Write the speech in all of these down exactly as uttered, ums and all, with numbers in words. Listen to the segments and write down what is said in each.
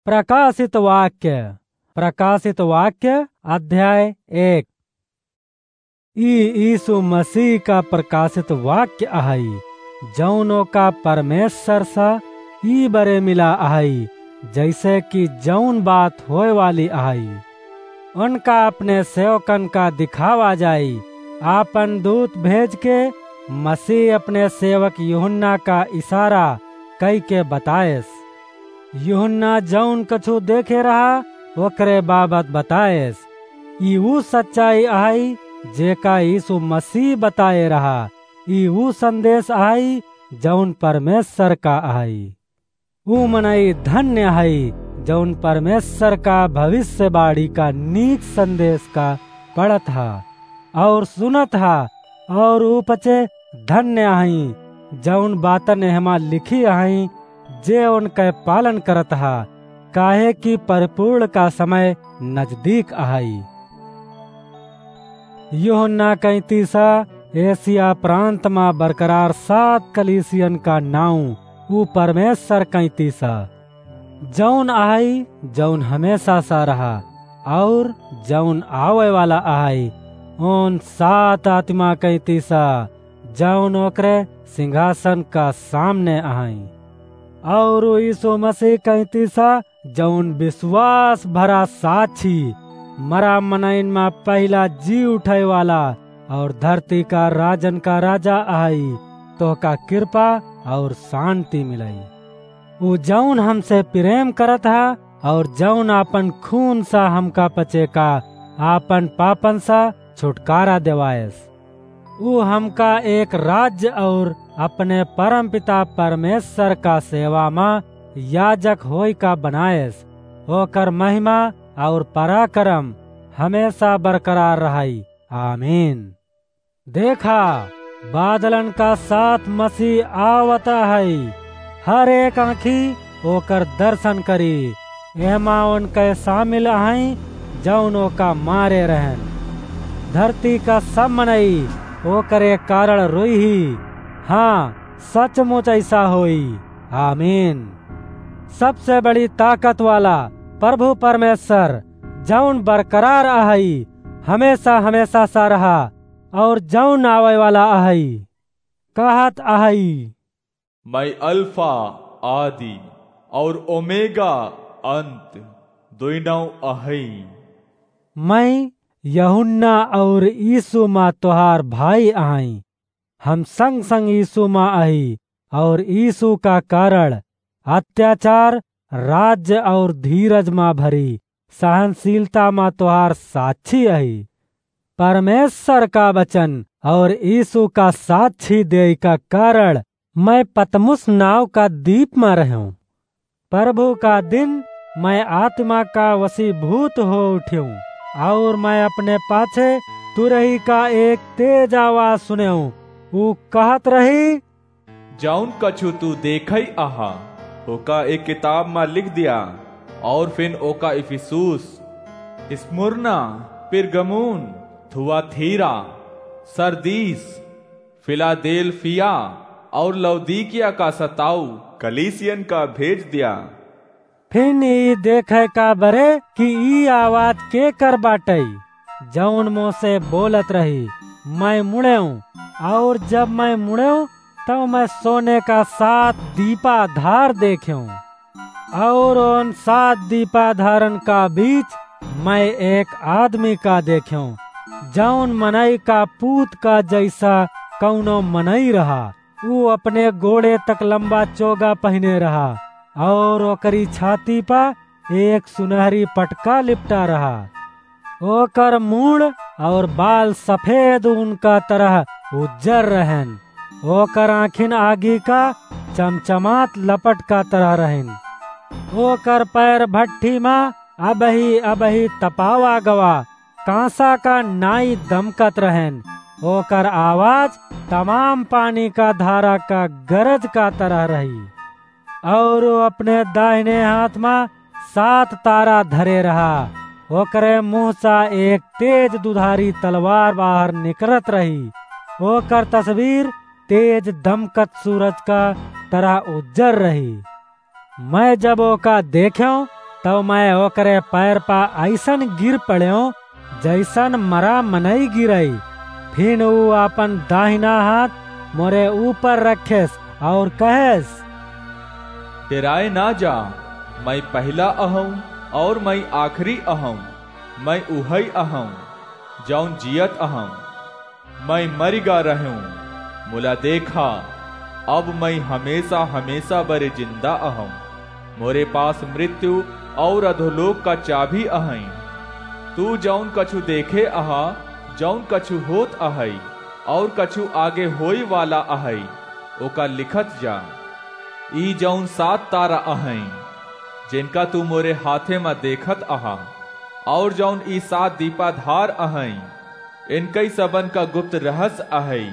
प्रकाशित वाक्य, प्रकाशित वाक्य अध्याय एक। ई यीशु मसीह का प्रकाशित वाक्य अहई, जौन ओका परमेश्वर सा ई बरे मिला अहई, जैसे कि जौन बात होए वाली अहई। उनका अपने सेवकन का दिखावा जाई, आपन दूत भेज के मसीह अपने सेवक यूहन्ना का इशारा कई के बताएस। यूहन्ना जौन कछु देखे रहा, ओकरे बाबत बताएस। ई ऊ सच्चाई अहई, जेका यीशु मसीह बताए रहा। ई ऊ संदेश अहई, जौन परमेश्वर का अहई। ऊ मनई धन्य अहई, जौन परमेश्वर का भविष्यवाणी का नीक संदेश का पढ़त हा और सुनत हा, और ऊ पचे धन्य अहई, जौन बातन एहमा लिखी अहई, जे उनके पालन करत हा, काहे कि परिपूर्ण का समय नजदीक अहई। यूहन्ना कइतीसा एशिया प्रांत मा बरकरार सात कलीसियन का नाउँ ऊ परमेश्वर कइतीसा, जौन अहई, जौन हमेशा सा रहा, और जौन आवे वाला अहई, उन सात आत्मा कइतीसा, जौन ओकरे सिंहासन का सामने अहई। और यीशु मसीह कइतीसा, जौन विश्वास भरा साक्षी, मरा मनइन मा पहिला जी उठे वाला, और धरती का राजन का राजा अहई, तोहका कृपा और शांति मिलई। ऊ जौन हमसे प्रेम करत हा, और जौन आपन खून सा हमका पचे का आपन पापन सा छुटकारा देवाएस। ऊ हमका एक राज्य और अपने परमपिता परमेश्वर का सेवा मा याजक होई का बनाएस। ओकर महिमा और पराक्रम हमेशा बरकरार रहई। आमीन। देखा, बादलन का साथ मसीह आवत अहई। हर एक आँखी ओकर दर्शन करी। एहमा उनके शामिल अहई, जौन ओका मारे रहन। धरती का सब मनई ओकरे कारण रोइही। हाँ, सचमुच ऐसा होई। आमीन। सबसे बड़ी ताकत वाला प्रभु परमेश्वर, जौन बरकरार अहई, हमेशा, हमेशा सा रहा, और जौन आवे वाला अहई, कहत अहई, "मैं अल्फा, आदि, और ओमेगा, अंत, दुइनौ अहई।" मैं यूहन्ना और यीशु मा तोहार भाई अहई। हम संग संग यीशु मा अही और यीशु का कारण अत्याचार, राज्य और धीरज मा भरी सहनशीलता मा तोहार साक्षी अही। परमेश्वर का वचन और यीशु का साक्षी देई का कारण मैं पतमुस नाव का दीप मा रहूं। प्रभु का दिन मैं आत्मा का वशीभूत हो उठ्यूं, और मैं अपने पाछे तुरही का एक तेज आवाज सुनेऊं। ऊ कहत रही, "जौन कछु तू देखई अहा, ओका एक किताब मा लिख दिया, और फिन ओका इफिसुस, स्मुरना, पिरगमुन, थुआथीरा, सरदीस, फिलादेल्फिया और लौदीकिया का सताऊ कलीसियन का भेज दिया।" फिन ई देखे का बरे कि ई आवाज केकर बाटई, जौन मोसे बोलत रही, मैं मुड़ेऊं, और जब मैं मुड़ेऊं, तब मैं सोने का सात दीपाधार देखेऊं। और उन सात दीपाधारन का बीच मैं एक आदमी का देखेऊं, जौन मनई का पूत का जैसा कौनो मनई रहा। ऊ अपने गोड़े तक लंबा चोगा पहिने रहा, और ओकरी छाती पा एक सुनहरी पटका लिपटा रहा। ओकर मूड़ और बाल सफेद ऊन का तरह उज्जर रहन। ओकर आँखिन आगी का चमचमात लपट का तरह रहन। ओकर पैर भट्ठी मा अबही अबही तपावा गवा कांसा का नाई दमकत रहन। ओकर आवाज तमाम पानी का धारा का गरज का तरह रही। और वो अपने दाहिने हाथ मा सात तारा धरे रहा। ओकरे मुंह सा एक तेज दुधारी तलवार बाहर निकरत रही। ओकर तस्वीर तेज दमकत सूरज का तरह उज्जर रही। मैं जब ओका देखेऊं, तब मैं ओकरे पैर पा अइसन गिर पड़ेंव, जइसन मरा मनई गिरई। फिन ऊ आपन दाहिना हाथ मोरे ऊपर रखेस और कहेस, "डेराए ना जा, मैं पहिला अहौं और मैं आखिरी अहौं, मैं उहई अहौं, जौन जियत अहौं। मैं मरि गा रहेंव, मुला देखा, अब मैं हमेसा हमेसा बरे जिंदा अहौं। मोरे पास मृत्यु और अधोलोक का चाभी अहई। तू जौन कछु देखे अहा, जौन कछु होत अहई, और कछु आगे होई वाला अहई, ओका लिखत जा। ई जौन सात तारा अहई, जिनका तू मोरे हाथे मा देखत अहा, और जौन ई सात दीपाधार अहई, इनकई सबन का गुप्त रहस्य अहई।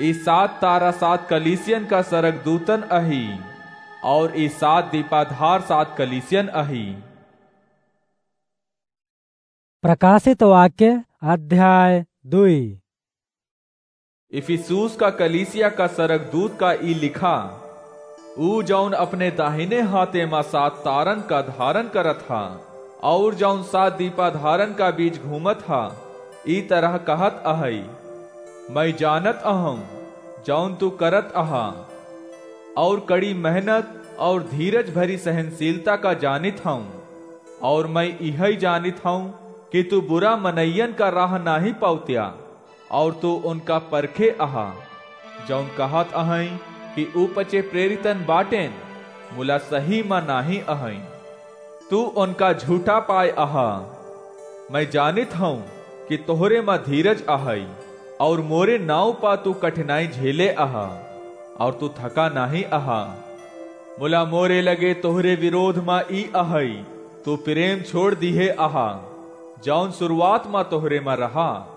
ई सात तारा सात कलीसियन का सरगदूतन अही, और ई सात दीपाधार सात कलीसियन अही।" प्रकाशित वाक्य अध्याय दुई। इफिसुस का कलीसिया का सरगदूत का ई लिखा, ऊ जौन अपने दाहिने हाथे मा सात तारन का धारन करत हा, और जौन सात दीपाधारन का बीच घूमत हा, ई तरह कहत अहई, "मैं जानत अहौं, जौन तू करत अहा, और कड़ी मेहनत और धीरज भरी सहनशीलता का जानित हौं, और मैं इहई जानित हौं कि तू बुरा मनइयन का राह नाहीं पौत्या, और तू उनका परखे अहा, जौन कहत अहई कि ऊ पचे प्रेरितन बाटेन, मुला सही मा नाहीं अहई। तू उनका झूठा पाए अहा। मैं जानित हौं कि तोहरे मा धीरज अहई, और मोरे नाव पा तू कठिनाई झेले अहा, और तू थका नाहीं अहा। मुला मोरे लगे तोहरे विरोध मा ई अहई, तू प्रेम छोड़ दिहे अहा, जौन शुरुआत मा तोहरे मा रहा।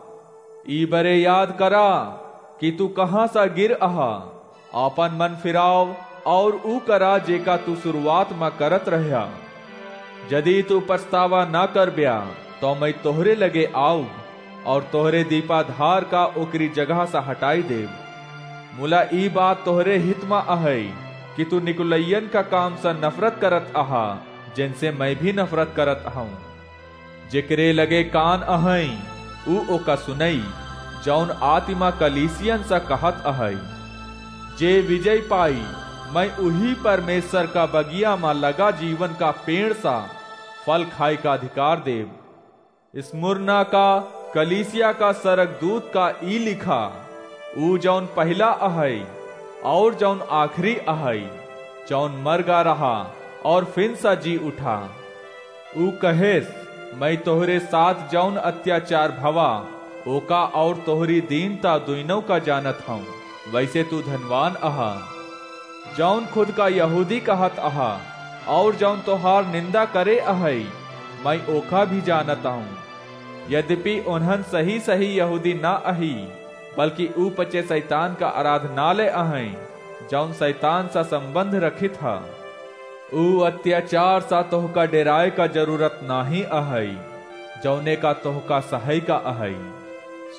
ई बरे याद करा कि तू कहाँ सा गिर अहा। आपन मन फिराव और ऊ करा जेका तू शुरुआत मा करत रह्या। जदि तू पछतावा ना करब्या, तो मैं तोहरे लगे आउब और तोहरे दीपाधार का ओकरी जगह सा हटाई देब। मुला ई बात तोहरे हित मा अहई कि तू निकुलइयन का काम सा नफरत करत अहा, जिनसे मैं भी नफरत करत हौं। जेकरे लगे कान अहई, ऊ ओका सुनई, जौन आतिमा कलीसियन सा कहत अहई। जे विजय पाई, मैं उही परमेश्वर का बगिया मा लगा जीवन का पेड़ सा फल खाए का अधिकार देब। स्मुरना का कलीसिया का सरगदूत का ई लिखा, ऊ जौन पहिला अहई और जौन आखिरी अहई, जौन मर गा रहा और फिन सा जी उठा। ऊ कहेस, "मैं तोहरे साथ जौन अत्याचार भवा, ओका और तोहरी दीनता दुइनों का जानत हौं। वैसे तू धनवान अहा, जौन खुद का यहूदी कहत अहा, और जौन तोहार निंदा करे अहई, मैं ओका भी जानत हौं। यद्यपि उन्हन सही सही यहूदी ना अही, बल्कि ऊ पचे शैतान का आराधनालय अहई, जौन शैतान सा संबंध रखित ह। ऊ अत्याचार सा तोहका डेराए का जरूरत नाहीं अहई, जौने का तोहका सहई का अहई।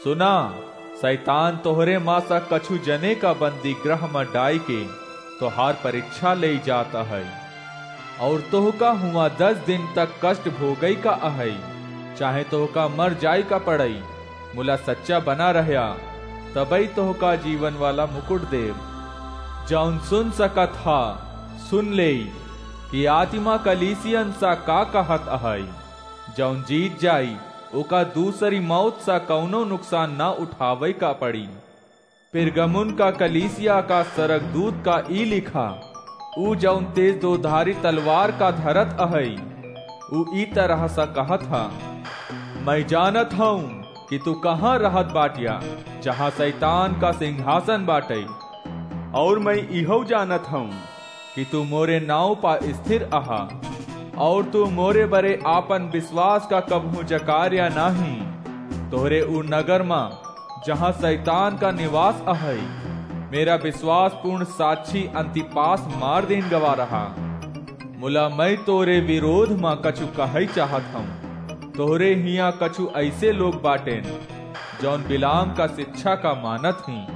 सुना, शैतान तोहरे मा सा कछु जने का बंदी गृह मा डाई के तोहार परीक्षा लेई जात अहई, और तोहका हुआं दस दिन तक कष्ट भोगई का अहई, चाहे तोहका मर जाई का पड़ई, मुला सच्चा बना रहया, तबई तोहका जीवन वाला मुकुट देब। जौन सुन सकत हा, सुन लेई कि आतिमा कलीसियन सा का कहत अहई। जौन जीत जाई, ओका दूसरी मौत सा कौनो नुकसान ना उठावई का पड़ी। पिरगमुन का कलीसिया का सरगदूत का ई लिखा, ऊ जौन तेज दोधारी तलवार का धरत अहई, ऊ ई तरह सा कहत ह, "मैं जानत हौं कि तू कहाँ रहत बाटिया, जहाँ शैतान का सिंहासन बाटई, और मैं इहौ जानत हौं कि तू मोरे नाव पा स्थिर अहा, और तू मोरे बरे आपन विश्वास का कबहूँ जकार्या नाहीं। तोहरे ऊ नगर मा, जहाँ शैतान का निवास अहई, मेरा विश्वासपूर्ण साक्षी अंतिपास मार दीन गवा रहा। मुला मैं तोरे विरोध मा कछु कहई चाहत हौं। तोहरे हियाँ कछु ऐसे लोग बाटेन, जौन बिलाम का शिक्षा का मानत हीं।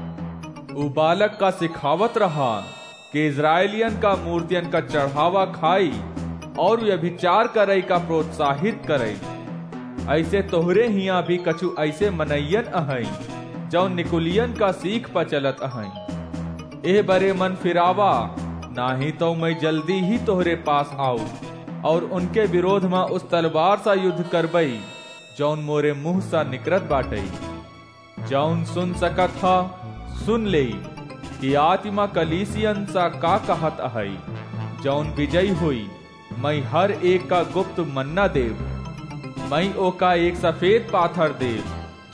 ऊ बालक का सिखावत रहा कि इस्राएलियन का मूर्तियन का चढ़ावा खाई और व्यभिचार करई का प्रोत्साहित करई। ऐसे तोहरे हियां भी कछु ऐसे मनइयन अहई, जौन निकुलियन का सीख पर चलत अहई। एह बरे मन फिरावा, नाही तो मैं जल्दी ही तोहरे पास आऊ और उनके विरोध में उस तलवार सा युद्ध करबई, जौन मोरे मुंह सा निकरत बाटई। जौन सुन सकत ह, सुन लेई कि आत्मा कलीसियन सा का कहत अहई। जौन विजयी होई, मैं हर एक का गुप्त मन्ना देब। मैं ओका एक सफेद पाथर देब,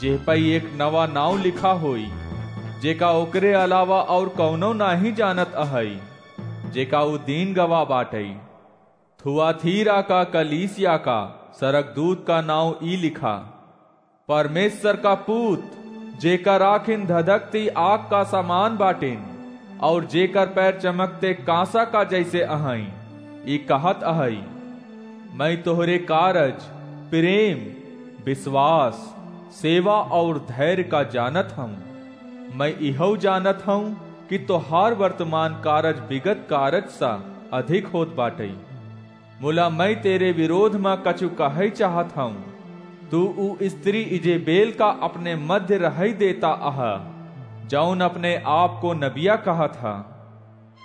जेह पई एक नवा नाव लिखा होई, जेका ओकरे अलावा और कौनो नाही जानत अहई, जेका ऊ दीन गवाह बाटई। थुआथीरा का कलीसिया का सरगदूत का नाव ई लिखा, परमेश्वर का पूत, जेकर आँखिन धधकती आग का समान बाटिन, और जेकर पैर चमकते कांसा का जैसे अहई, ई कहत अहई, मैं तोहरे कारज, प्रेम, विश्वास, सेवा और धैर्य का जानत हूँ। मैं इहौ जानत हूँ कि तोहार वर्तमान कारज विगत कारज सा अधिक होत बाटई। मुला मैं तेरे विरोध मा कछु कहै चाहत हूँ। तू ऊ स्त्री इजेबेल का अपने मध्य रहै देता अहा, जौन अपने आप को नबिया कहत हा।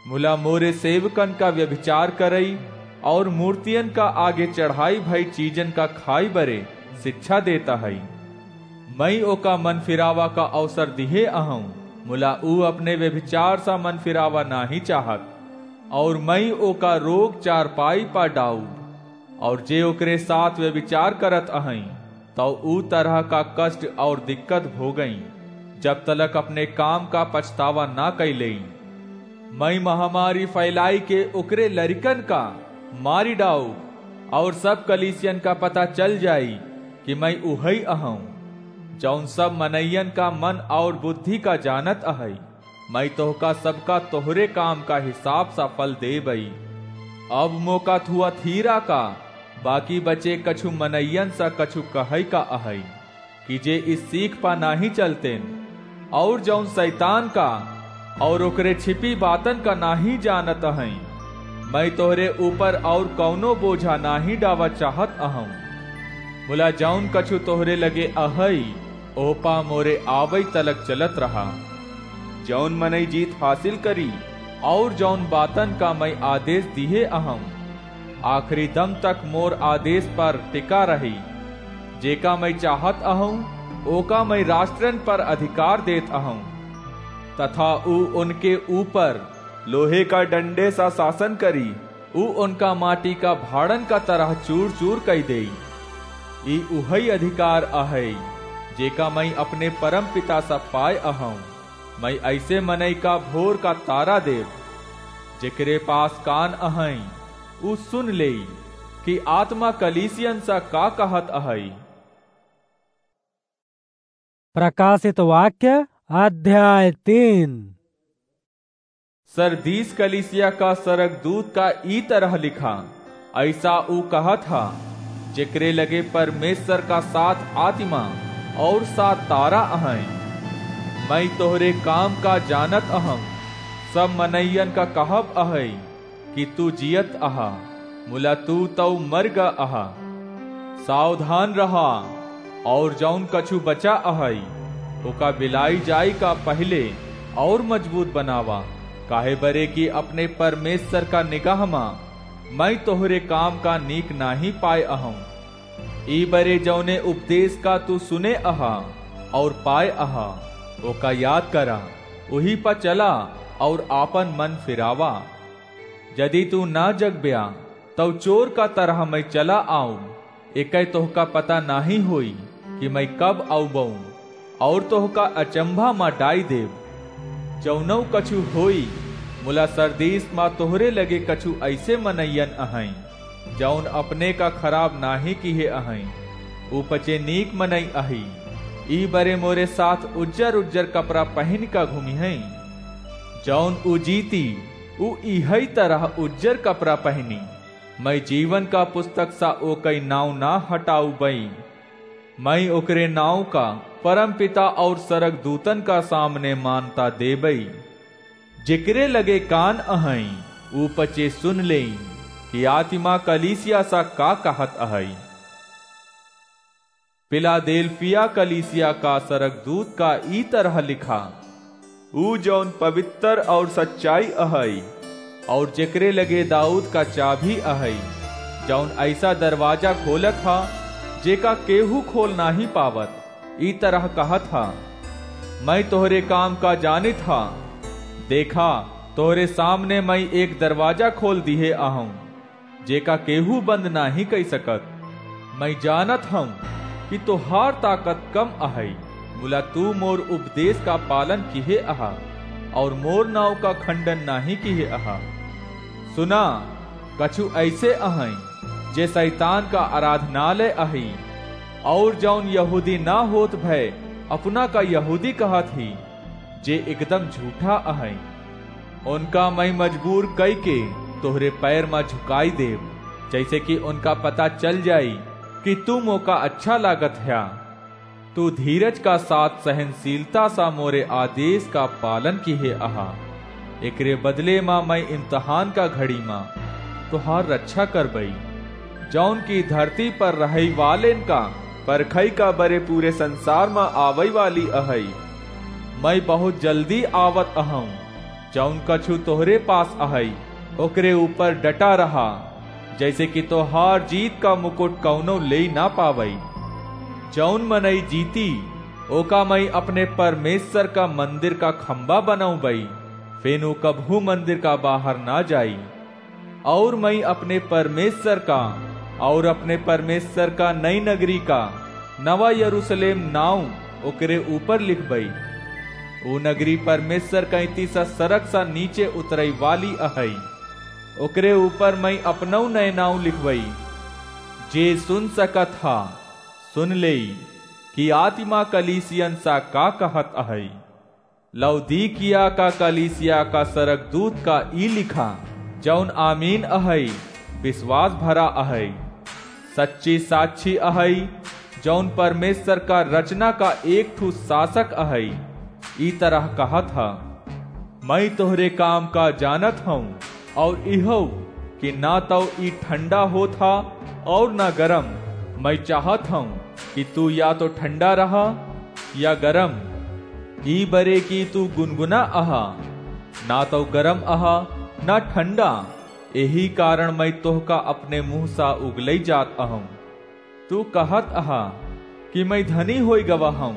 मुला मोरे सेवकन का व्यभिचार करई और मूर्तियन का आगे चढ़ाई भई चीजन का खाई बरे शिक्षा देता हई। मैं ओका मन फिरावा का अवसर दिहे अहूँ, मुला ऊ अपने व्यभिचार सा मन फिरावा नाही चाहत। और मैं ओका रोग चारपाई पा डाउब, और जे ओकरे साथ व्यभिचार करत अहई, तौ ऊ तरह का कष्ट और दिक्कत भोगई, जब तलक अपने काम का पछतावा ना कैलेई। मैं महामारी फैलाई के ओकरे लरिकन का मारी डाउब, और सब कलीसियन का पता चल जाई कि मैं उहई अहूँ, जौन सब मनइयन का मन और बुद्धि का जानत अहई। मैं तोहका सबका तोहरे काम का हिसाब सा फल देबई। अब मोका थुआथीरा का बाकी बचे कछु मनइयन सा कछु कहै का अहई, कि जे इस सीख पा नाही चलतेन, और जौन शैतान का और ओकरे छिपी बातन का नाही जानत अहई। मैं तोहरे ऊपर और कौनो बोझा नाही डावा चाहत अहूँ। मुला जौन कछु तोहरे लगे अहई, ओह पा मोरे आवई तलक चलत रहा। जौन मनई जीत हासिल करी, और जौन बातन का मैं आदेश दिहे अहूँ, आखिरी दम तक मोर आदेश पर टिका रही। जेका मैं चाहत अहूँ, ओका मैं राष्ट्रन पर अधिकार देत अहूँ, तथा ऊ उनके ऊपर लोहे का डंडे सा शासन करी। ऊ उनका माटी का भाड़न का तरह चूर-चूर कई देई। ई उहई अधिकार अहई, जेका मैं अपने परम पिता सा पाए अहूँ। मैं ऐसे मनई का भोर का तारा देब। जेकरे पास कान अहई, ऊ सुन लेई कि आत्मा कलीसियन सा का कहत अहई। प्रकाशित वाक्य अध्याय तीन। सरदीस कलीसिया का सरगदूत का ई तरह लिखा, ऐसा ऊ कहत हा, जेकरे लगे परमेश्वर का सात आत्मा और सात तारा अहई। मैं तोहरे काम का जानत अहूँ, सब मनइयन का कहब अहई कि तू जियत अहा, मुला तू तौ मर ग अहा। सावधान रहा, और जौन कछु बचा अहई, ओका बिलाई जाई का पहिले और मजबूत बनावा, काहे बरे कि अपने परमेश्वर का निगाह मा मैं तोहरे काम का नीक नाही पाए अहूँ। ई बरे जौने उपदेश का तू सुने अहा और पाए अहा, ओका याद करा, उही पा चला और आपन मन फिरावा। यदि तू ना जगब्या, तौ चोर का तरह मैं चला आऊँ। एकै तोहका पता नाही होई कि मैं कब आउबऊँ, और तोहका अचंभा मा डाई देब। जौनौ कछु होई, मुला सरदीस मा तोहरे लगे कछु ऐसे मनइयन अहई, जौन अपने का खराब नाही किहे अहई, ऊ पचे नीक मनई अही। ई बरे मोरे साथ उज्जर उज्जर कपड़ा पहिन का घूमिहई। जौन ऊ जीती, ऊ इहई तरह उज्जर कपड़ा पहिनी। मैं जीवन का पुस्तक सा ओकई नाव ना हटाउबई। मैं ओकरे नाव का परमपिता और सरगदूतन का सामने मानता देबई। जेकरे लगे कान अहई, ऊ पचे सुन लेई। कि आतिमा कलीसिया सा का कहत अहइ। फिलादेल्फिया कलीसिया का सरगदूत का ई तरह लिखा, ऊ जौन पवित्र और सच्चाई अहइ, और जेकरे लगे दाऊद का चाभी अहइ, जौन ऐसा दरवाजा खोलत हा, जेका केहू खोल नाहीं पावत, ई तरह कहत हा, मैं तोहरे काम का जानित हा। देखा, तोहरे सामने मैं एक दरवाजा खोल दिहे अहूँ, जेका केहू बंद नाहीं कइ सकत। मैं जानत हूँ कि तोहार ताकत कम अहइ, मुला तू मोर उपदेश का पालन किहे अहा, और मोर नाव का खंडन नाहीं किहे अहा। सुना, कछु ऐसे अहइ, जे शैतान का आराधनालय अहइ, और जौन यहूदी ना होत भय अपना का यहूदी कहत ही, जे एकदम झूठा अहइ। उनका मैं मजबूर कइके तोहरे पैर मा झुकाई देब, जैसे कि उनका पता चल जाई कि तू मोका अच्छा लागत ह्या। तू धीरज का साथ सहनशीलता सा मोरे आदेश का पालन किहे अहा। एकरे बदले मा मैं इम्तहान का घड़ी मा तोहार रक्षा करबई, जौन की धरती पर रहइ वालेन का परखई का बरे पूरे संसार मा आवइ वाली अहइ। मैं बहुत जल्दी आवत अहूँ। जौन कछु तोहरे पास अहइ, ओकरे ऊपर डटा रहा, जैसे कि तोहार जीत का मुकुट कौनो लेइ ना पावइ। जौन मनई जीती, ओका मैं अपने परमेश्वर का मंदिर का खंबा बनउबई, फेन ऊ कबहू मंदिर का बाहर ना जाई। और मैं अपने परमेश्वर का और अपने परमेश्वर का नई नगरी का नवा यरूशलेम नाव ओकरे ऊपर लिखबई। ऊ नगरी परमेश्वर कैंती सा सड़क सा नीचे उतरई वाली अहई। ओकरे ऊपर मैं अपनऊ नए नाव लिखबई। जे सुन सकत हा, सुन लेई कि आतिमा कलीसियन सा का कहत अहई। लौदीकिया का कलीसिया का सरगदूत का ई लिखा, जौन आमीन अहई, विश्वास भरा अहई, सच्ची साक्षी अहई, जौन परमेश्वर का रचना का एक ठू शासक अहई, ई तरह कहत ह, मैं तोहरे काम का जानत हूँ, और इहो कि ना तौ ई ठंडा होत हा और ना गरम। मैं चाहत हूँ कि तू या तो ठंडा रहा या गरम। ई बरे कि तू गुनगुना अहा, ना तौ गरम अहा, ना ठंडा। एही कारण मैं तोहका अपने मुँह सा उगलई जात अहूँ। तू कहत अहा कि मैं धनी होई गवा हूँ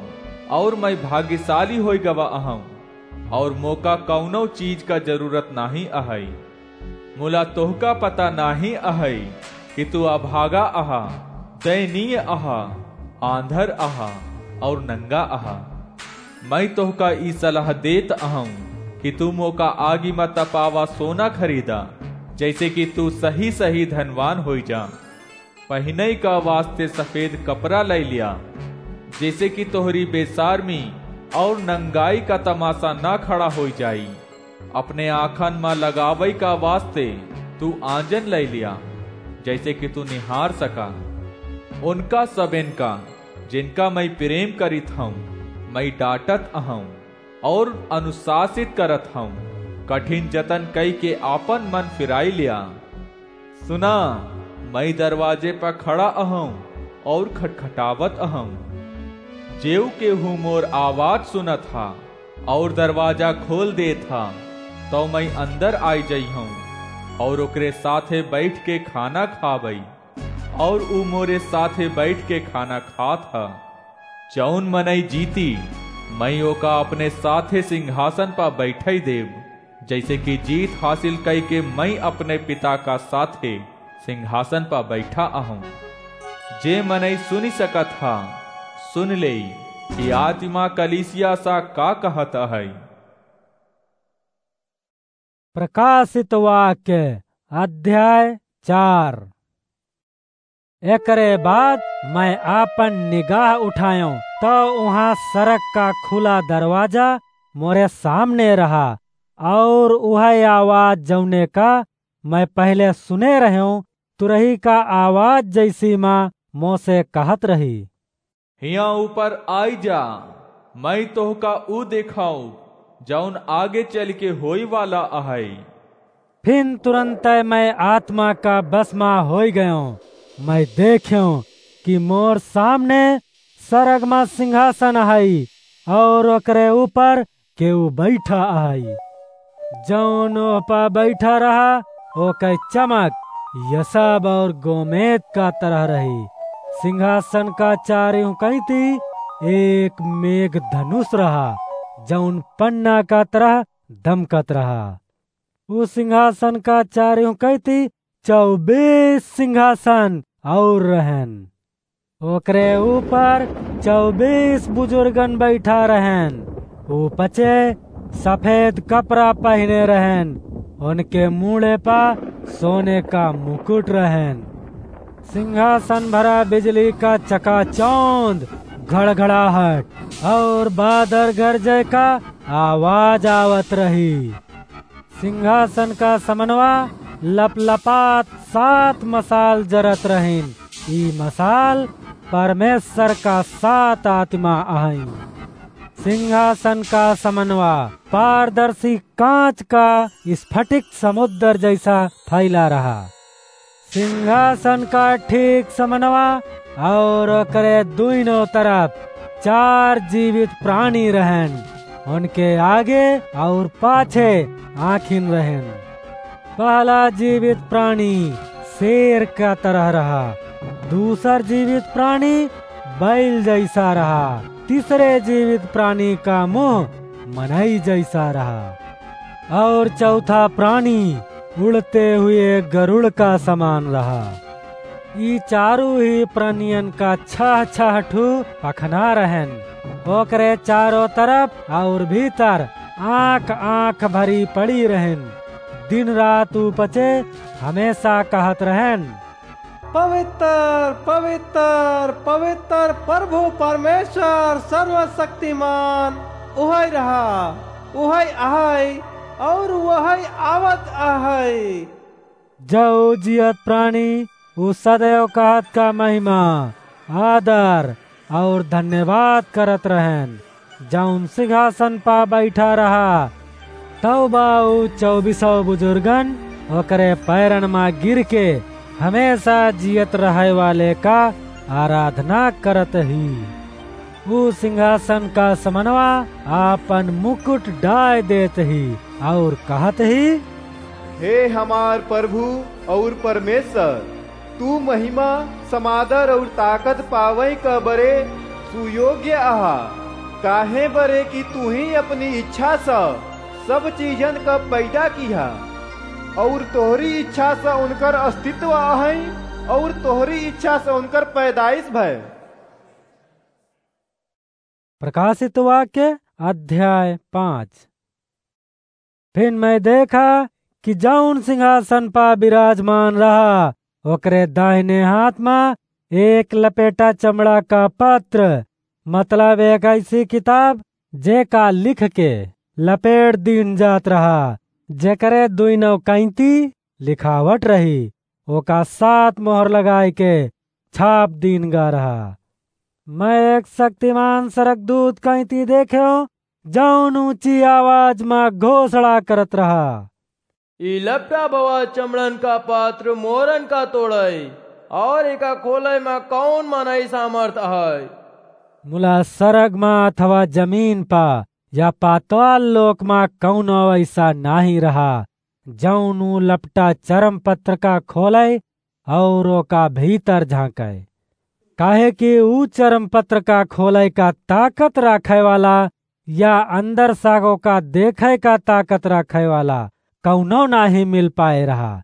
और मैं भाग्यशाली होई गवा अहूँ और मोका कौनो चीज का जरूरत नाहीं अहई। मुला तोहका पता नाहीं अहई कि तू अभागा अहा, दयनीय अहा, आंधर अहा और नंगा अहा। मैं तोहका ई सलाह देत अहूँ कि तू मोका आगी म तपावा सोना खरीदा, जैसे कि तू सही सही धनवान होई जा। पहिनई का वास्ते सफेद कपड़ा लई लिया, जैसे कि तोहरी बेसारमी और नंगाई का तमाशा ना खड़ा होई जाई। अपने आँखन म लगावई का वास्ते तू आंजन लई लिया, जैसे कि तू निहार सका। उनका सबेन का, जिनका मैं प्रेम करित हूँ, मैं डांटत अहूँ और अनुशासित करत हूँ। कठिन जतन कई के आपन मन फिराई लिया। सुना, मैं दरवाजे पर खड़ा अहूँ और खटखटावत अहूँ। जेऊ केहू मोर आवाज सुनत हा और दरवाजा खोल देत हा, तौ मैं अंदर आई जइहूँ और ओकरे साथे बैठ के खाना खाबई, और ऊ मोरे साथे बैठ के खाना खात हा। जौन मनई जीती, मैं ओका अपने साथे सिंहासन पर बैठई देब, जैसे कि जीत हासिल कई के मैं अपने पिता का साथे सिंहासन पर बैठा अहूँ। जे मनई सुनी सकत हा, सुन लेई कि आतिमा कलीसिया सा का कहत अहई। प्रकाशित वाक्य अध्याय चार। एकरे बाद मैं आपन निगाह उठायो, तो उहाँ सड़क का खुला दरवाजा मोरे सामने रहा, और उहै आवाज जौने का मैं पहले सुने रह्यो, तुरही का आवाज जैसी माँ मोसे कहत रही। हियाँ ऊपर आई जा, मैं तोहका ऊ देखाऊ, जौन आगे चल के होई वाला अहई। फिन तुरन्तै मैं आत्मा का बस मा होइ गयों। मैं देख्यों कि मोर सामने सरग मा सिंहासन अहइ, और ओकरे ऊपर केहू बैठा अहइ। जौन ओह पा बैठा रहा, ओकै चमक यसब और गोमेद का तरह रही। सिंहासन का चारिउ कैती एक मेघ धनुष रहा, जौन पन्ना का तरह दमकत रहा। उ सिंहासन का चारिउ कैती चउबीस सिंहासन और रहन। ओकरे ऊपर चउबीस बुजुर्गन बैठा रहन। उ पचे सफेद कपड़ा पहिने रहन। उनके मूड़े पा सोने का मुकुट रहन। सिंहासन भरा बिजली का चकाचौंध, घड़घड़ाहट और बादर गरजे का आवाज आवत रही। सिंहासन का समनवा लपलपात सात मसाल जरत रहिन। ई मसाल परमेश्वर का सात आत्मा अहइँ। सिंहासन का समनवा पारदर्शी काँच का स्फटिक समुद्र जैसा फैला रहा। सिंहासन का ठीक समनवा और ओकरे दुइनो तरफ चार जीवित प्राणी रहन। उनके आगे और पाछे आँखिन रहन। पहला जीवित प्राणी शेर का तरह रहा, दूसर जीवित प्राणी बैल जैसा रहा, तीसरे जीवित प्राणी का मुँह मनई जैसा रहा। और चौथा प्राणी उड़ते हुए गरुड़ का समान रहा। ई चारू ही प्राणियन का छह छह ठू पखना रहन। ओकरे चारो तरफ और भीतर आँख आँख भरी पड़ी रहन। दिन रात उ पचे हमेशा कहत रहन, "पवित्र, पवित्र, पवित्र प्रभु परमेश्वर सर्वशक्तिमान, उहइ रहा, उहइ अहइ और उहइ आवत अहइ।" जउ जियत प्राणी उ सदैव कहत का महिमा, आदर और धन्यवाद करत रहन, जउन सिंहासन पा बैठा रहा। तउ बा उ चउबीसौ बुजुर्गन ओकरे पैरन मा गिर के हमेशा जियत रहइ वाले का आराधना करत ही। उ सिंहासन का समनवा आपन मुकुट डाय देत ही और कहत ही, "हे हमार प्रभु और परमेश्वर, तू महिमा, समादर और ताकत पावइ क बरे सुयोग्य अहा, काहे बरे कि तूही अपनी इच्छा स सब चीजन क पैदा किहा, और तोहरी इच्छा स उनकर अस्तित्व अहइ, और तोहरी इच्छा स उनकर पैदाइश भय।" प्रकाशित वाक्य अध्याय पाँच। फिन मैं देखा कि जउन सिंहासन पा विराजमान रहा, ओकरे दाहिने हाथ मा एक लपेटा चमड़ा का पत्र, मतलब एक ऐसी किताब, जेका लिख के लपेट दीन जात रहा, जेकरे दुइनो कैंती लिखावट रही, ओका सात मोहर लगाए के छाप दीन गा रहा। मैं एक शक्तिमान सरगदूत कैंती देख्यो, जउन ऊँची आवाज मा घोषणा करत रहा, "ई लपटा भवा चमड़न का पात्र मोहरन का तोड़इ, और एका खोलइ मा कउन मनई सामर्थ अहइ?" मुला सरग मा अथवा जमीन पा या पाताल लोक मा कउनो ऐसा नाहीं रहा, जउन उ लपटा चरम पत्र का खोलइ और ओका भीतर झाँकइ। काहे कि उ चरम पत्र का खोलइ का ताकत राखइ वाला या अंदर सागो का देखइ का ताकत राखइ वाला कउनो नाहीं मिल पाए रहा।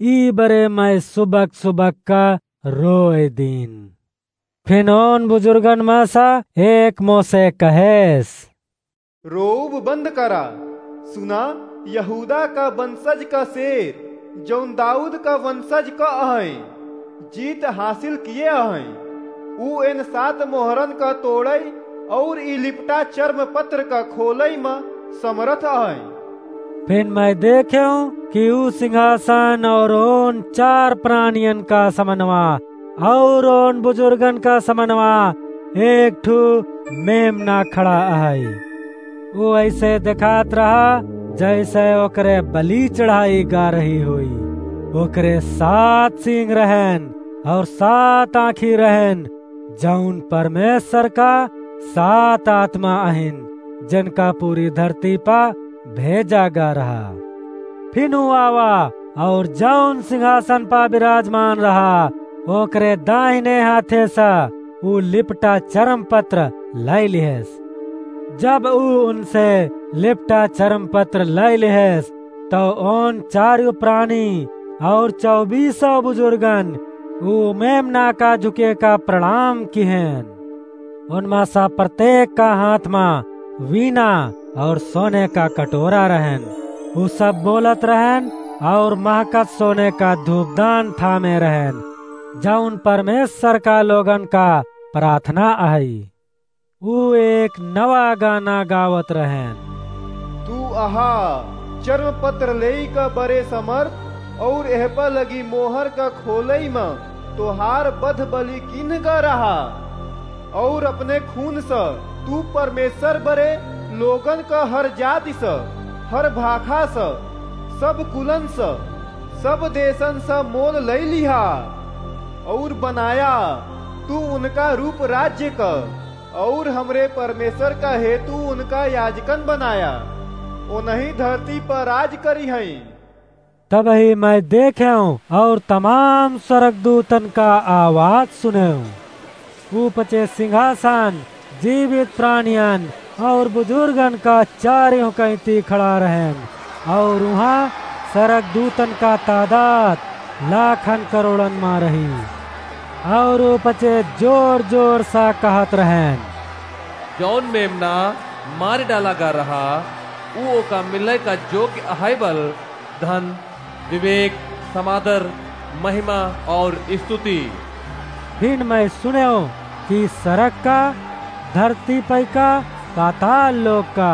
ई बरे मैं सुबक सुबक का रोए दीन। फिन ओन बुजुर्गन मा सा एक मोसे कहेस, "रोउब बंद करा। सुना, यहूदा का वंशज का शेर, जउन दाऊद का वंशज का अहइ, जीत हासिल किए अहइ। उ एन सात मोहरन का तोड़इ और ई लिपटा चर्म पत्र का खोलइ मा समरथ अहइ।" फिन मैं देख्यों कि उ सिंहासन और ओन चार प्राणियन का समनवा और ओन बुजुर्गन का समनवा एक ठू मेमना खड़ा अहइ। उ ऐसे देखात रहा जैसे ओकरे बलि चढ़ाई गा रही होई। ओकरे सात सींग रहन और सात आँखी रहन, जौन परमेश्वर का सात आत्मा अहिन, जिनका पूरी धरती पा भेजा गा रहा। फिनु आवा और जौन सिंहासन पा विराजमान रहा, ओकरे दाहिने हाथे सा ऊ लिपटा चरम पत्र लै लिहेस। जब ऊ उनसे लिपटा चरम पत्र लै लिहेस, तो ओन चारियो प्राणी और चौबीसों बुजुर्गन ऊ मेमना का झुके का प्रणाम किहेन। उनमा सा प्रत्येक का हाथ मा वीणा और सोने का कटोरा रहन। ऊ सब बोलत रहन और महकत सोने का धूपदान थामे रहन, जौन परमेश्वर का लोगन का प्रार्थना अहई। ऊ एक नवा गाना गावत रहन। तू अहा चर्म पत्र लेई का बरे समर्थ और एह पर लगी मोहर का खोलई मा तोहार बध बलि किन्ह का रहा। और अपने खून स तू परमेश्वर बरे लोगन का हर जाति स, हर भाखा स, सब कुलन स, सब देशन स मोल लई लिहा। और बनाया तू उनका रूप राज्य क, और हमरे परमेश्वर का हेतु उनका याजकन बनाया। ओनही धरती पर राज करिहैं। तबही मैं देखेंव और तमाम स्वर्गदूतन का आवाज सुनेंव। ऊपचे सिंहासन, जीवित प्राणियन और बुजुर्गन का चारियों कैती खड़ा रहन, और उहाँ स्वर्गदूतन का तादाद लाखन करोड़न मा रही। और ऊपचे जोर जोर सा कहत रहन, जौन मेमना मार डाला गा रहा, ऊ ओका मिले का जोग्य अहै बल, धन, विवेक, समादर, महिमा और स्तुति। फिर मैं सुनेंव कि सरग का, धरती पै का, पाताल लोक का,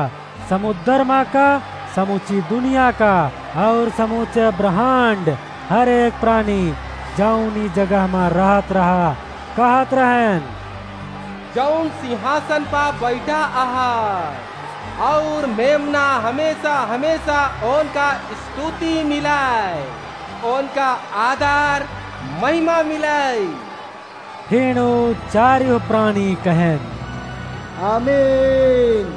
समुद्र मा का, समूची दुनिया का और समूचे ब्रह्मांड, हर एक प्राणी जौन ई जगह मा रहत रहा, कहत रहन, जौन सिंहासन पा बैठा अहा और मेमना हमेशा हमेशा ओनका स्तुति मिलै, ओनका आदर महिमा मिलै। फिर ऊ चारियो प्राणी कहेन, आमीन।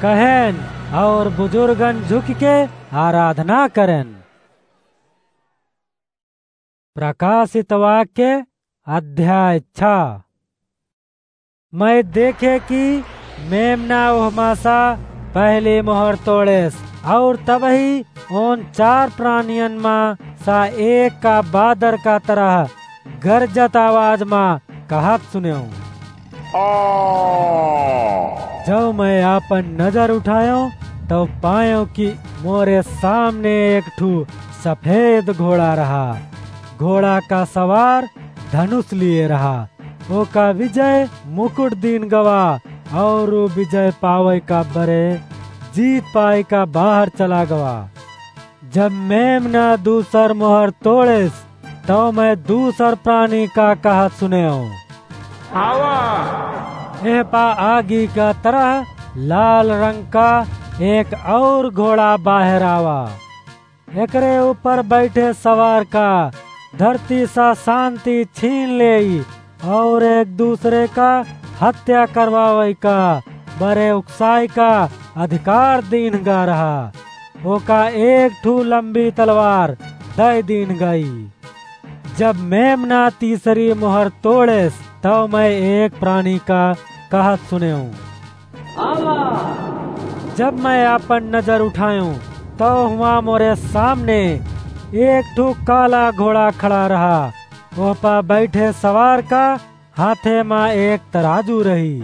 कहेन और बुजुर्गन झुक के आराधना करेन। प्रकाशित वाक्य अध्याय छह। मैं देखे कि मेमना ओहमा सा पहली मोहर तोड़ेस, और तबही ओन चार प्राणियन मा सा एक का बादर का तरह गरजत आवाज मा कहत सुनेंव, आ। जब मैं आपन नजर उठाएंव, तब पाएंव कि मोरे सामने एक ठू सफेद घोड़ा रहा। घोड़ा का सवार धनुष लिए रहा। ओका विजय मुकुट दीन गवा, और ऊ विजय पावै का बरे जीत पाई का बाहर चला गवा। जब मेमना दूसर मोहर तोड़ेस, तब मैं दूसर प्राणी का कहत सुनेंव, आवा। एह पा आगी का तरह लाल रंग का एक और घोड़ा बाहर आवा। एकरे ऊपर बैठे सवार का धरती सा शांति छीन लेई और एक दूसरे का हत्या करवावै का बरे उकसाई का अधिकार दीन गा रहा। ओका एक ठू लंबी तलवार दै दीन गई। जब मेमना तीसरी मोहर तोड़ेस, तब मैं एक प्राणी का कहत सुनेंव, आवा। जब मैं आपन नजर उठाएंव, तब हुआं मोरे सामने एक ठू काला घोड़ा खड़ा रहा। ओह पा बैठे सवार का हाथे मा एक तराजू रही।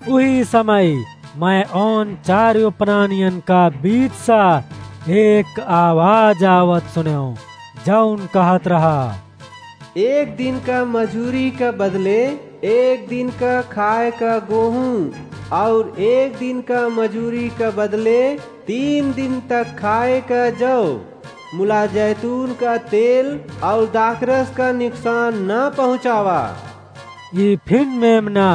उही समय मैं ओन चारियो प्राणियन का बीच सा एक आवाज आवत सुनेंव, जौन कहत रहा, एक दिन का मजूरी का बदले एक दिन का खाए का गोहूँ, और एक दिन का मजूरी का बदले तीन दिन तक खाए का जौ, मुला जैतून का तेल और दाखरस का नुकसान न पहुँचावा। ई फिन मेमना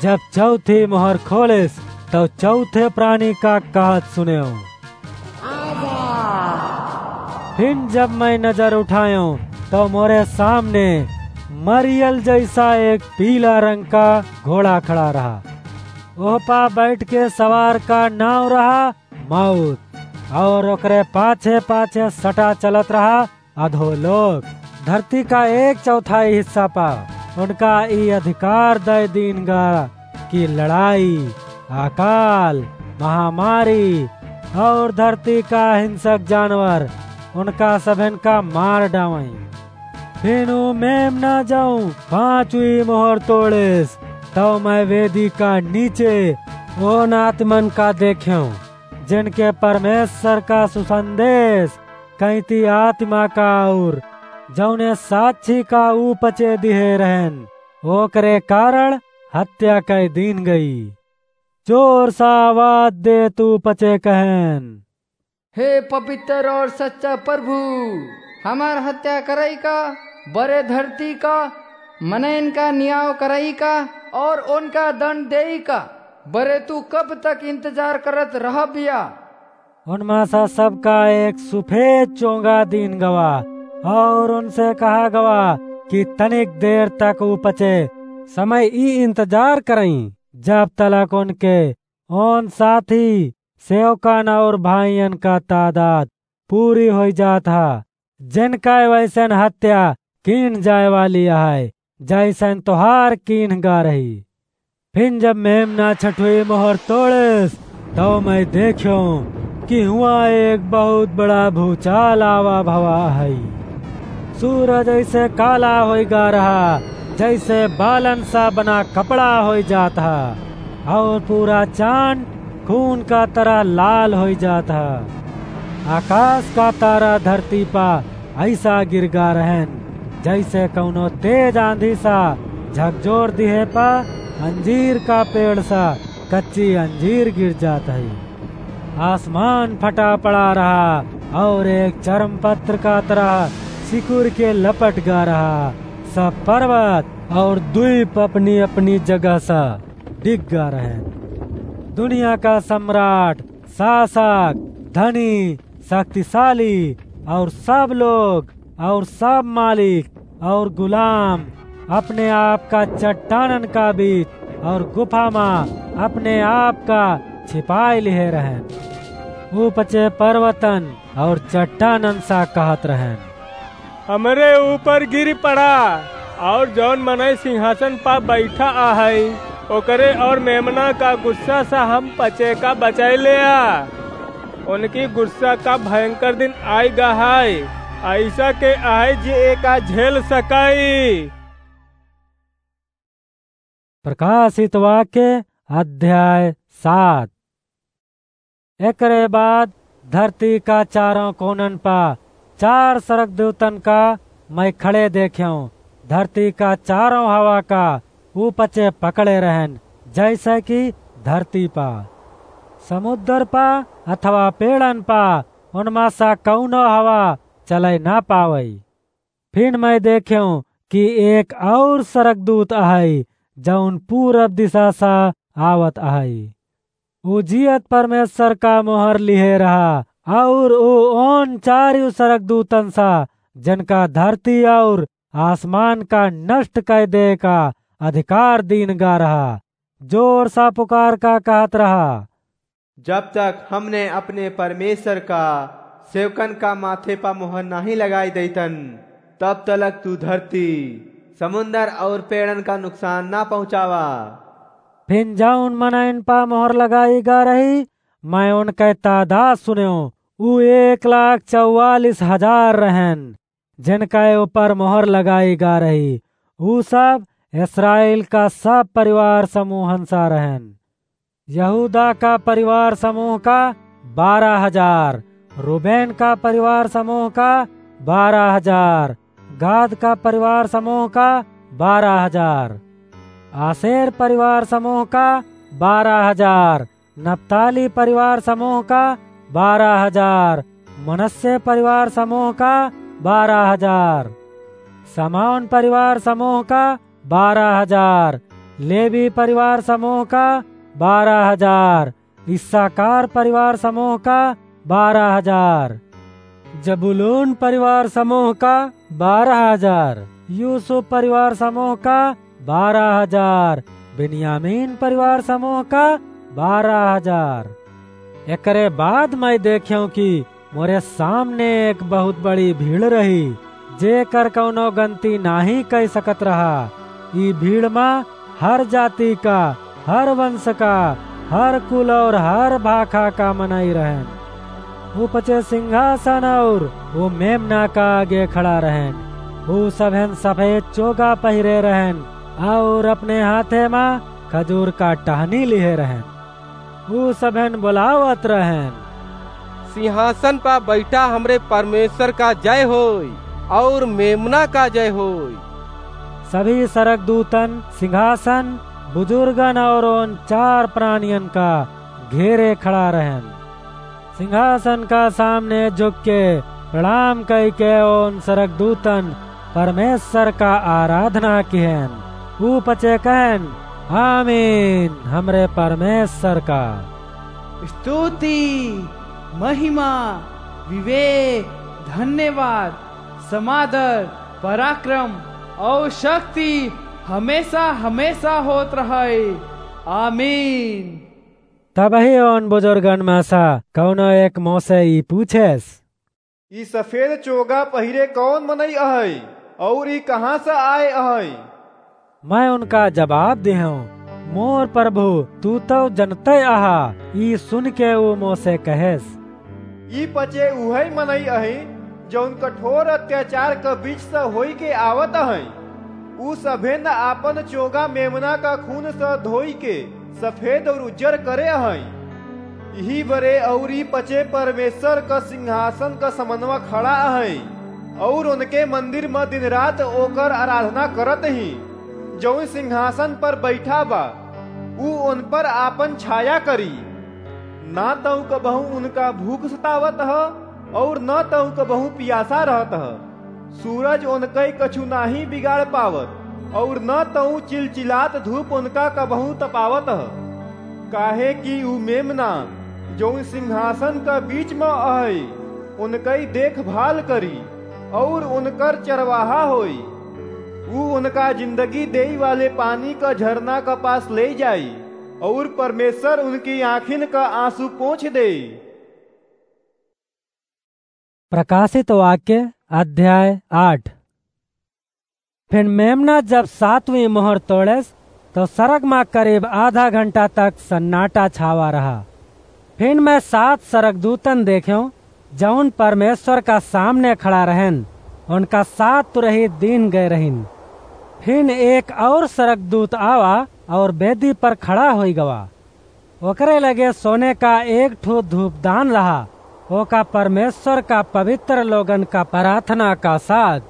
जब चौथी मोहर खोलेस, तब चौथे प्राणी का कहत सुनेंव, फिर जब मैं नजर उठायों, तो मोरे सामने मरियल जैसा एक पीला रंग का घोड़ा खड़ा रहा। ओह पा बैठ के सवार का नाव रहा मौत, और ओकरे पाछे पाछे सटा चलत रहा अधोलोक। धरती का एक चौथाई हिस्सा पा उनका ई अधिकार दे दीन गा कि लड़ाई, अकाल, महामारी और धरती का हिंसक जानवर उनका सभन का मार डावई। फिर ऊ मेमना जाऊं पांचवी मोहर तोड़ेस, तब मैं वेदी का नीचे उन आत्मन का देख्यों, जिनके परमेश्वर का सुसंदेश कैंती आत्मा का और जौने साक्षी का ऊ पचे दिहे रहन, ओकरे कारण हत्या कै दीन गई। जोर सा आवाज दे तू पचे कहन। हे पवित्र और सच्चा प्रभु, हमार हत्या करई का, बरे धरती का, मनइन का नियाव करई का और उनका दंड देई का, बरे तू कब तक इंतजार करत रहबिया? उनमा सा सबका एक सुफेद चोंगा दीन गवा और उनसे कहा गवा कि तनिक देर तक ऊ पचे समय ई इंतजार करई, जब तलक उनके उन साथी सेवकन और भाइयन का तादाद पूरी होई जात हा, जिनका वैसन हत्या कीन जाए वाली है, जैसन तोहार कीन गा रही। फिर जब मेमना छठवी मोहर तोड़ेस, तो मैं देख्यों कि हुआ एक बहुत बड़ा भूचाल आवा भवा है। सूरज ऐसे काला होई गा रहा, जैसे बालन सा बना कपड़ा होई जात हा, और पूरा चांद खून का तरह लाल होई जात हा। आकाश का तारा धरती पा ऐसा गिर गा रहन, जैसे कौनो तेज आंधी सा झकझोर दिहे पा अंजीर का पेड़ सा कच्ची अंजीर गिर जात है। आसमान फटा पड़ा रहा और एक चर्म पत्र का तरह सिकुड़ के लपट गा रहा। सब पर्वत और द्वीप अपनी अपनी जगह सा डिग गा रहे। दुनिया का सम्राट, शासक, धनी, शक्तिशाली और सब लोग और सब मालिक और गुलाम अपने आप का चट्टानन का बीच और गुफा मा अपने आप का छिपाई लिहे रहन। ऊ पचे पर्वतन और चट्टानन सा कहत रहन, "हमरे ऊपर गिर पड़ा, और जौन मनई सिंहासन पा बैठा आहै, ओकरे और मेमना का गुस्सा सा हम पचे का बचाई लेआ। उनकी गुस्सा का भयंकर दिन आइ गा है, ऐसा के आहै जे एका झेल सकाई।" प्रकाशित वाक्य अध्याय सात। एकरे बाद धरती का चारों कोनन पा चार स्वर्गदूतन का मैं खड़े देख्यों। धरती का चारों हवा का ऊ पचे पकड़े रहन, जैसे कि धरती पा, समुद्र पा अथवा पेड़न पा, उनमा सा कौनो हवा चले ना पावई। फिर मैं देख्यों कि एक और स्वर्गदूत अहई, जौन पूरब दिशा सा आवत अहई। ऊ जियत परमेश्वर का मोहर लिहे रहा, और ऊ ओन चारियों स्वर्गदूतन सा, जिनका धरती और आसमान का नष्ट कै दे का अधिकार दीन गा रहा, जोर सा पुकार का कहत रहा, "जब तक हमने अपने परमेश्वर का सेवकन का माथे पा मोहर नाहीं लगाई देतन, तब तलक तू धरती, समुंदर और पेड़न का नुकसान ना पहुँचावा।" फिन जौन मनइन पा मोहर लगाई गा रही, मैं उनके तादाद सुन्यो, ऊ एक लाख चौवालीस हजार रहन, जिनके ऊपर मोहर लगाई गा रही। ऊ सब इस्राएल का सब परिवार समूहन सा रहन। यहूदा का परिवार समूह का बारह हजार, रूबेन का परिवार समूह का बारह हजार, गाद का परिवार समूह का बारह हजार, आसेर परिवार समूह का बारह हजार, नप्ताली परिवार समूह का बारह हजार, मनस्से परिवार समूह का बारह हजार, समौन परिवार समूह का बारह हजार, लेवी परिवार समूह का बारह हजार, इस्साकार परिवार समूह का बारह हजार। जबूलून परिवार समूह का बारह हजार, यूसुफ परिवार समूह का बारह हजार, बिन्यामीन परिवार समूह का बारह हजार। एकरे बाद मैं देख्यों कि मोरे सामने एक बहुत बड़ी भीड़ रही, जेकर कउनो गनती नाहीं कइ सकत रहा। ई भीड़ मा हर जाति का, हर वंश का, हर कुल और हर भाखा का मनई रहन। ऊ पचे सिंहासन और ऊ मेमना का आगे खड़ा रहन। ऊ सभेन सफेद चोगा पहिरे रहन और अपने हाथे मा खजूर का टहनी लिहे रहन। ऊ सभेन बोलावत रहन, "सिंहासन पा बैठा हमरे परमेश्वर का जय होई और मेमना का जय होई।" सभी सरगदूतन सिंहासन, बुजुर्गन और उन चार प्राणियन का घेरे खड़ा रहन। सिंहासन का सामने झुक के प्रणाम कई के उन सरगदूतन परमेश्वर का आराधना किहन। ऊ पचे कहन, "आमीन, हमरे परमेश्वर का स्तुति, महिमा, विवेक, धन्यवाद, समादर, पराक्रम और शक्ति हमेशा, हमेशा होत रहे। आमीन।" तबही उन बुजुर्गन मा सा कउनो एक मोसे ई पूछेस, "ई सफेद चोगा पहिरे कउन मनई अहइ, और ई कहाँ से आए अहइ?" मैं उनका जवाब देहूँ, "मोर प्रभु, तू तउ जनते अहा।" ई सुन के ऊ मोसे कहेस, "ई पचे उहइ मनई अहइ, जउन कठोर अत्याचार क बीच से होई के आवत अहइ। ऊ सभेन आपन चोगा मेमना का खून से धोई के सफेद और उज्जर करे अहइ। इही बरे और ई पचे परमेश्वर क सिंहासन क समनवा खड़ा अहइ, और उनके मंदिर म दिन रात ओकर आराधना करत ही, जउन सिंहासन पर बैठा बा। ऊ उन पर आपन छाया करी। ना तउ कबहूँ उनका भूख सतावत ह, और ना तउ कबहूँ पियासा रहत ह। सूरज उनकइ कछु नाहीं बिगाड़ पावत, और न तउ चिलचिलात धूप उनका कबहूँ तपावत ह। काहे कि ऊ मेमना, जउन सिंहासन क बीच म अहइ, उनकइ देखभाल करी, और उनकर चरवाहा होई। ऊ उनका जिंदगी देई वाले पानी क झरना क पास लेइ जाई, और परमेश्वर उनकी आँखिन क आँसू पोंछ देई।" प्रकाशित वाक्य, अध्याय आठ। फिर मेमना जब सातवीं मोहर तोड़ेस, तो सरग मा करीब आधा घंटा तक सन्नाटा छावा रहा। फिर मैं सात सरगदूतन देख्यों, जउन परमेश्वर का सामने खड़ा रहन, उनका सात तुरही दीन गए रहिन। फिर एक और सरगदूत आवा और बेदी पर खड़ा होई गवा। ओकरे लगे सोने का एक ठो धूपदान रहा, ओका परमेश्वर का पवित्र लोगन का प्रार्थना का साथ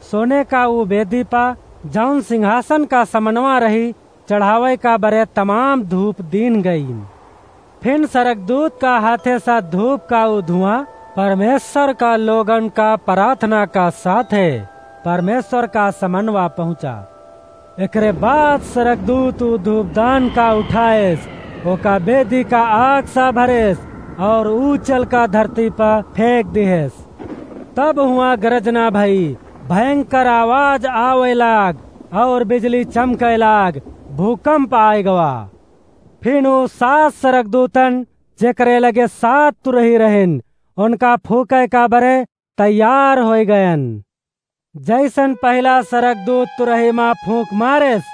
सोने का ऊ बेदी पा, जउन सिंहासन का समनवा रही, चढ़ावे का बरे तमाम धूप दीन गई। फिर सरगदूत का हाथे से धूप का ऊ धुआं परमेश्वर का लोगन का प्रार्थना का साथे परमेश्वर का समनवा पहुँचा। एकरे बाद सरगदूत ऊ धूपदान का उठाएस, ओका बेदी का आग सा भरेस और ऊ चल का धरती पर फेंक दिहेस। तब हुआ गरजना भई, भयंकर आवाज आवे लाग और बिजली चमके लाग, भूकंप आए गवा। फिर ऊ सात सरगदूतन, जेकरे लगे सात तुरही रहन, उनका फूके का बरे तैयार होई गयन। जैसन पहिला सरगदूत तुरही मा फूंक मारेस,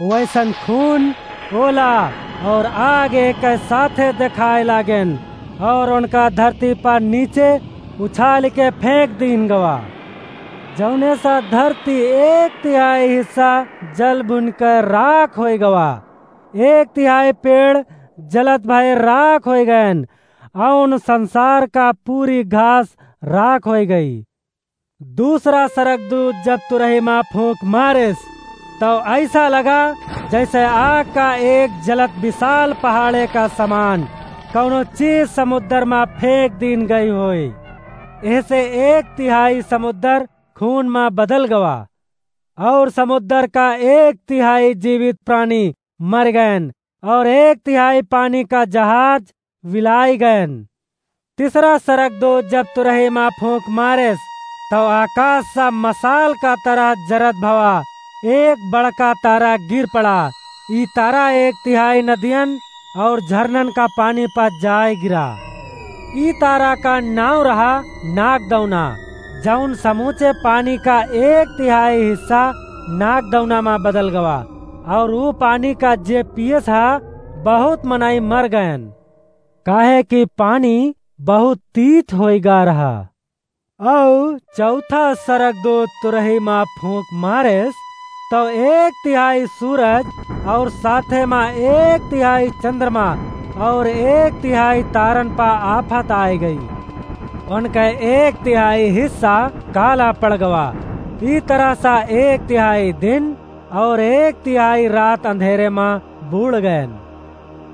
वैसन खून, ओला और आग एक साथे देखाए लागेन और उनका धरती पर नीचे उछाल के फेंक दीन गवा। जौने सा धरती एक तिहाई हिस्सा जल भुन के राख होई गवा, एक तिहाई पेड़ जलत भय राख होई गयन, अउन संसार का पूरी घास राख होई गई। दूसरा सरगदूत जब तुरही मा फूंक मारिस, तौ ऐसा लगा जैसे आग का एक जलत विशाल पहाड़े का समान कौनो चीज समुद्र मा फेंक दीन गई होई। एहसे एक तिहाई समुद्र खून मा बदल गवा, और समुद्र का एक तिहाई जीवित प्राणी मर गयन, और एक तिहाई पानी का जहाज विलाई गयन। तीसरा सरगदूत जब तुरही मा फूंक मारेस, तौ आकास सा मसाल का तरह जरत भवा एक बड़का तारा गिर पड़ा। ई तारा एक तिहाई नदियन और झरनन का पानी पर जाए गिरा। ई तारा का नाव रहा नागदौना, जौन समूचे पानी का एक तिहाई हिस्सा नागदौना मा बदल गवा। और ऊ पानी का जे पियस हा, बहुत मनई मर गयन, काहे कि पानी बहुत तीत होई गा रहा। और चौथा सरगदूत तुरही मा फूंक मारेस, तौ एक तिहाई सूरज और साथे मा एक तिहाई चंद्रमा और एक तिहाई तारन पा आफत आए गई। उनके एक तिहाई हिस्सा काला पड़ गवा। ई तरह सा एक तिहाई दिन और एक तिहाई रात अंधेरे मा बूड़ गयन।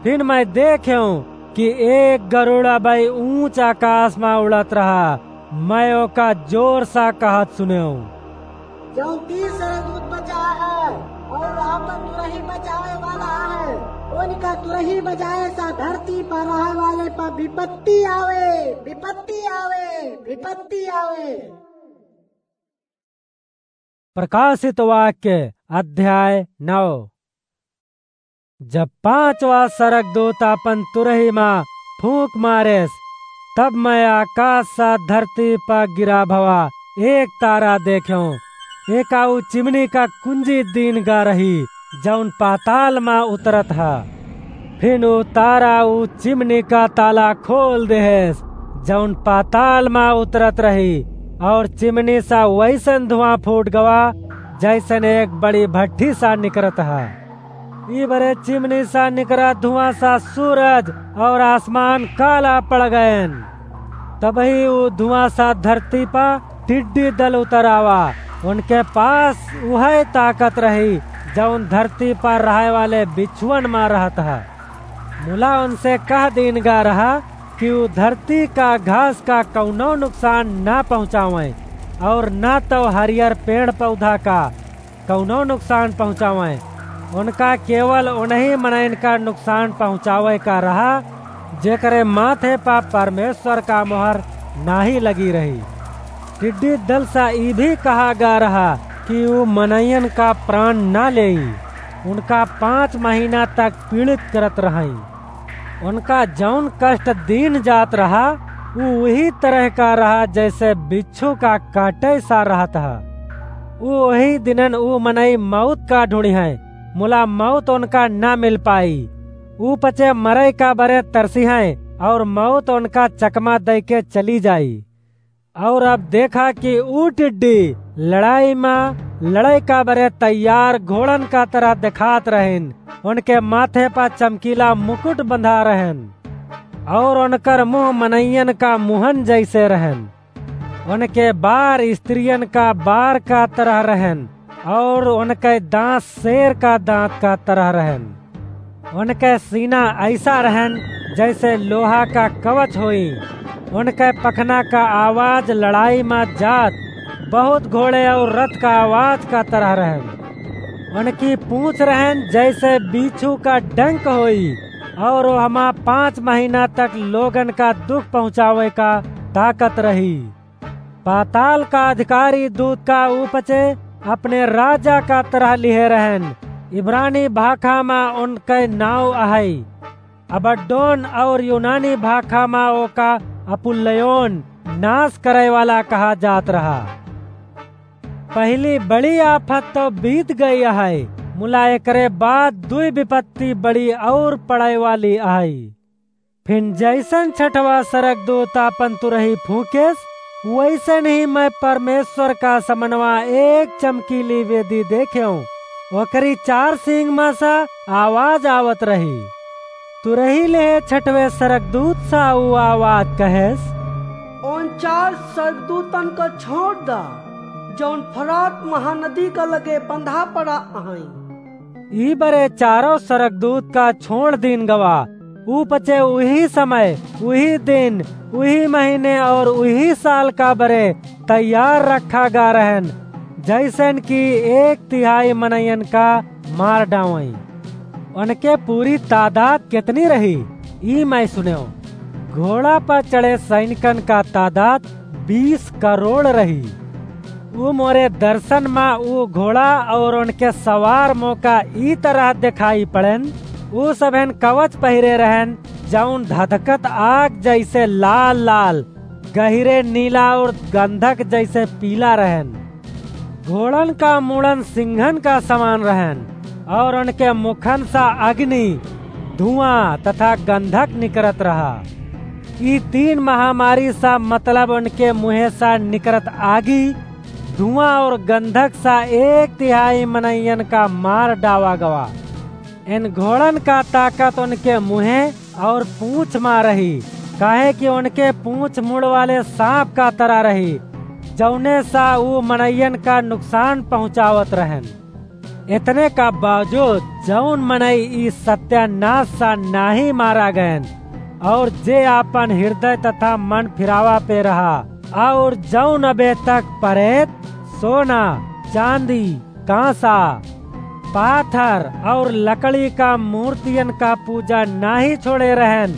फिर मैं देखेऊं कि एक गरुड़ अबई ऊंच आकाश मा उड़त रहा। मैं ओका जोर सा कहत सुनेऊं। जौन तीन सरगदूत बचा है और आपन तुरही बचावे वाला है, उनका तुरही बजाए सा धरती पर रहे वाले पर विपत्ति आवे, विपत्ति आवे, विपत्ति आवे। प्रकाशित वाक्य अध्याय नौ। जब पांचवा सरगदूत आपन तुरही मा फूंक मारेस, तब मैं आकास सा धरती पा गिरा भवा एक तारा देखेऊं। एका ऊ चिमनी का कुंजी दीन गा रही, जौन पाताल मा उतरत हा। फिन ऊ तारा ऊ चिमनी का ताला खोल देहेस, जौन पाताल मा उतरत रही, और चिमनी सा वैसन धुआं फूट गवा, जैसन एक बड़ी भट्ठी सा निकरत हा। ई बरे चिमनी सा निकरा धुआं सा सूरज और आसमान काला पड़ गयन। तबही ऊ धुआं सा धरती पा टिड्डी दल उतर आवा। उनके पास उहै ताकत रही, जौन धरती पर रहे वाले बिच्छुअन मा रहत हा। मुला उनसे कह दीन गा रहा कि ऊ धरती का घास का कौनो नुकसान ना पहुँचावें और ना तौ हरियर पेड़ पौधा का कौनो नुकसान पहुँचावें। उनका केवल उन्हीं मनइन का नुकसान पहुँचावे का रहा, जेकरे माथे पा परमेश्वर का मोहर नाहीं लगी रही। टिड्डी दल सा ई भी कहा गा रहा कि ऊ मनइयन का प्राण ना लेई, उनका पाँच महीना तक पीड़ित करत रहई। उनका जौन कष्ट दीन जात रहा, ऊ उही तरह का रहा, जैसे बिच्छू का काटे सा रहत हा। ऊ उही दिनन ऊ मनई मौत का ढूँढ़िहैं, मुला मौत उनका ना मिल पाई। ऊ पचे मरई का बरे तरसिहैं, और मौत उनका चकमा दइके चली जाई। और अब देखा कि ऊ टिड्डी लड़ाई मा लड़ाई का बरे तैयार घोड़न का तरह देखात रहिन। उनके माथे पा चमकीला मुकुट बंधा रहन, और उनकर मुँह मनइयन का मुँहन जैसे रहन। उनके बार स्त्रियन का बार का तरह रहन, और उनके दाँत शेर का दाँत का तरह रहन। उनके सीना ऐसा रहन, जैसे लोहा का कवच होई। उनके पखना का आवाज लड़ाई मा जात बहुत घोड़े और रथ का आवाज का तरह रहन। उनकी पूँछ रहन, जैसे बीछू का डंक होई, और वो हमा पाँच महीना तक लोगन का दुख पहुँचावे का ताकत रही। पाताल का अधिकारी दूत का ऊपचे अपने राजा का तरह लिहे रहन। इब्रानी भाखा मा उनके नाव अहई। अबड्डोन और यूनानी भाखा मा ओका अपुल्लयोन, नाश करे वाला कहा जात रहा। पहली बड़ी आफत तो बीत गई अहई, मुला एकरे बाद दुई विपत्ति बड़ी और पड़े वाली अहई। फिन जैसन छठवा सरगदूत आपन तुरही फूँकेस, वैसन ही मैं परमेश्वर का समनवा एक चमकीली वेदी देखेऊँ। ओकरी चार सींग मा सा आवाज आवत रही। तुरही ले छठवे सरगदूत सा ऊ आवाज कहेस, उन चार सरगदूतन का छोड़ दा, जौन फरात महानदी का लगे बंधा पड़ा अहई। ई बरे चारों सरगदूत का छोड़ दीन गवा। ऊ पचे उही समय, उही दिन, उही महीने और उही साल का बरे तैयार रखा गा रहन, जैसन कि एक तिहाई मनइयन का मार डावई। उनके पूरी तादाद कितनी रही, ई मैं सुनेओ। घोड़ा पर चढ़े सैनिकन का तादाद बीस करोड़ रही। ऊ मोरे दर्शन मा ऊ घोड़ा और उनके सवार मोका ई तरह देखाई पड़ेन। ऊ सभेन कवच पहिरे रहेन, जौन धधकत आग जैसे लाल लाल, गहिरे नीला और गंधक जैसे पीला रहेन। घोड़न का मुड़न सिंहन का समान रहेन, और उनके मुखन सा अग्नि, धुआं तथा गंधक निकरत रहा। ई तीन महामारी सा, मतलब उनके मुँहे सा निकरत आगी, धुआं और गंधक सा एक तिहाई मनइयन का मार डावा गवा। इन घोड़न का ताकत उनके मुँहे और पूँछ मा रही, काहे कि उनके पूँछ मुड़ वाले साँप का तरह रही, जौने सा ऊ मनइयन का नुकसान पहुँचावत रहेन। इतने का बावजूद जौन मनई ई सत्यानाश सा नाहीं मारा गएन, और जे आपन हृदय तथा मन फिरावा पे रहा, और जौन अबे तक परेत, सोना, चांदी, कांसा, पाथर और लकड़ी का मूर्तियन का पूजा नाहीं छोड़े रहेन,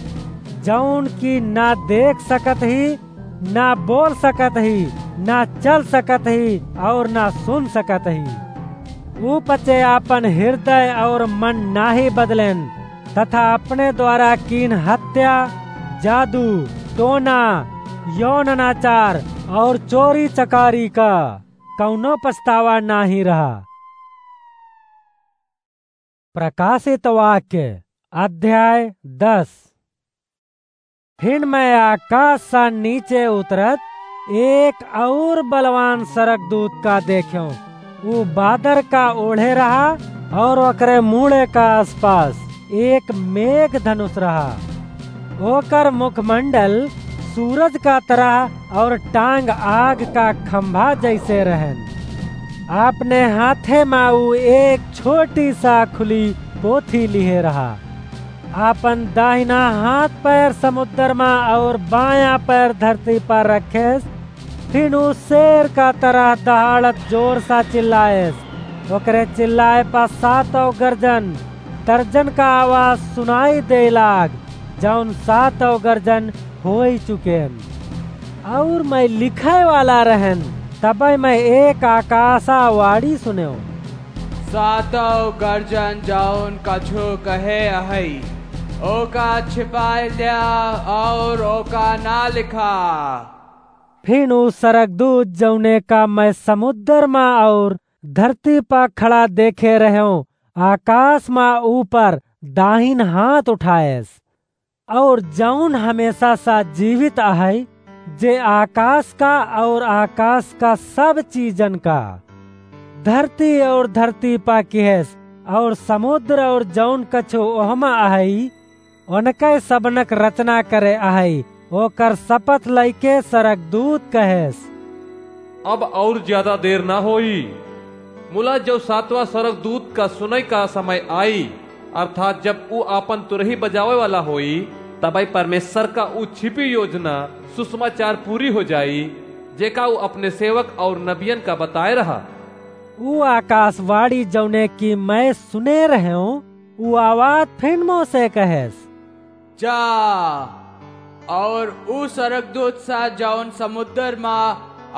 जौन की ना देख सकत ही, ना बोल सकत ही, ना चल सकत ही और ना सुन सकत ही। ऊ पचे आपन हृदय और मन नाहीं बदलेन, तथा अपने द्वारा कीन हत्या, जादू, टोना, यौन अनाचार और चोरी चकारी का कौनो पछतावा नाहीं रहा। प्रकाशित वाक्य, अध्याय दस। फिर मैं आकाश सा नीचे उतरत एक और बलवान सरगदूत का देख्यों। ऊ बादर का ओढ़े रहा और ओकरे मूड़े का आसपास एक मेघ धनुष रहा। ओकर मुखमंडल सूरज का तरह और टांग आग का खंभा जैसे रहन। आपने हाथे मा ऊ एक छोटी सा खुली पोथी लिहे रहा। आपन दाहिना हाथ पैर समुद्र मा और बायां पैर धरती पर रखेस। फिर ऊ शेर का तरह दहाड़त जोर सा चिल्लाएस। ओकरे चिल्लाए पा सातों गर्जन, तर्जन का आवाज सुनाई दे लाग, जौन सातों गर्जन होई चुकेन। और मैं लिखे वाला रहन, तबे मैं एक आकाशवाणी सुनेव। सातों गर्जन जौन कछु कहे अहई, ओका छिपाए ल्या और ओका ना लिखा। फिर ऊ सरगदूत जौने का मैं समुद्र मा और धरती पा खड़ा देखे रहेव, आकाश मा ऊपर दाहिन हाथ उठाएस। और जौन हमेशा सा जीवित अहई, जे आकाश का और आकाश का सब चीजन का, धरती और धरती पा किहेस, और समुद्र और जौन कछु ओहमा अहई, उनके सबनक रचना करे अहई, ओकर शपथ लइके सरगदूत कहेस। अब और ज्यादा देर ना होई, मुला जब सातवां सरगदूत का सुनई का समय आई, अर्थात जब ऊ आपन तुरही बजावे वाला होई, तबई परमेश्वर का ऊ छिपी योजना सुसमाचार पूरी हो जाई, जेका ऊ अपने सेवक और नबियन का बताए रहा। ऊ आकाशवाणी जौने की मैं सुने रहेव, ऊ आवाज फिन मोसे कहेस, जा, और ऊ सरगदूत सा जौन समुद्र मा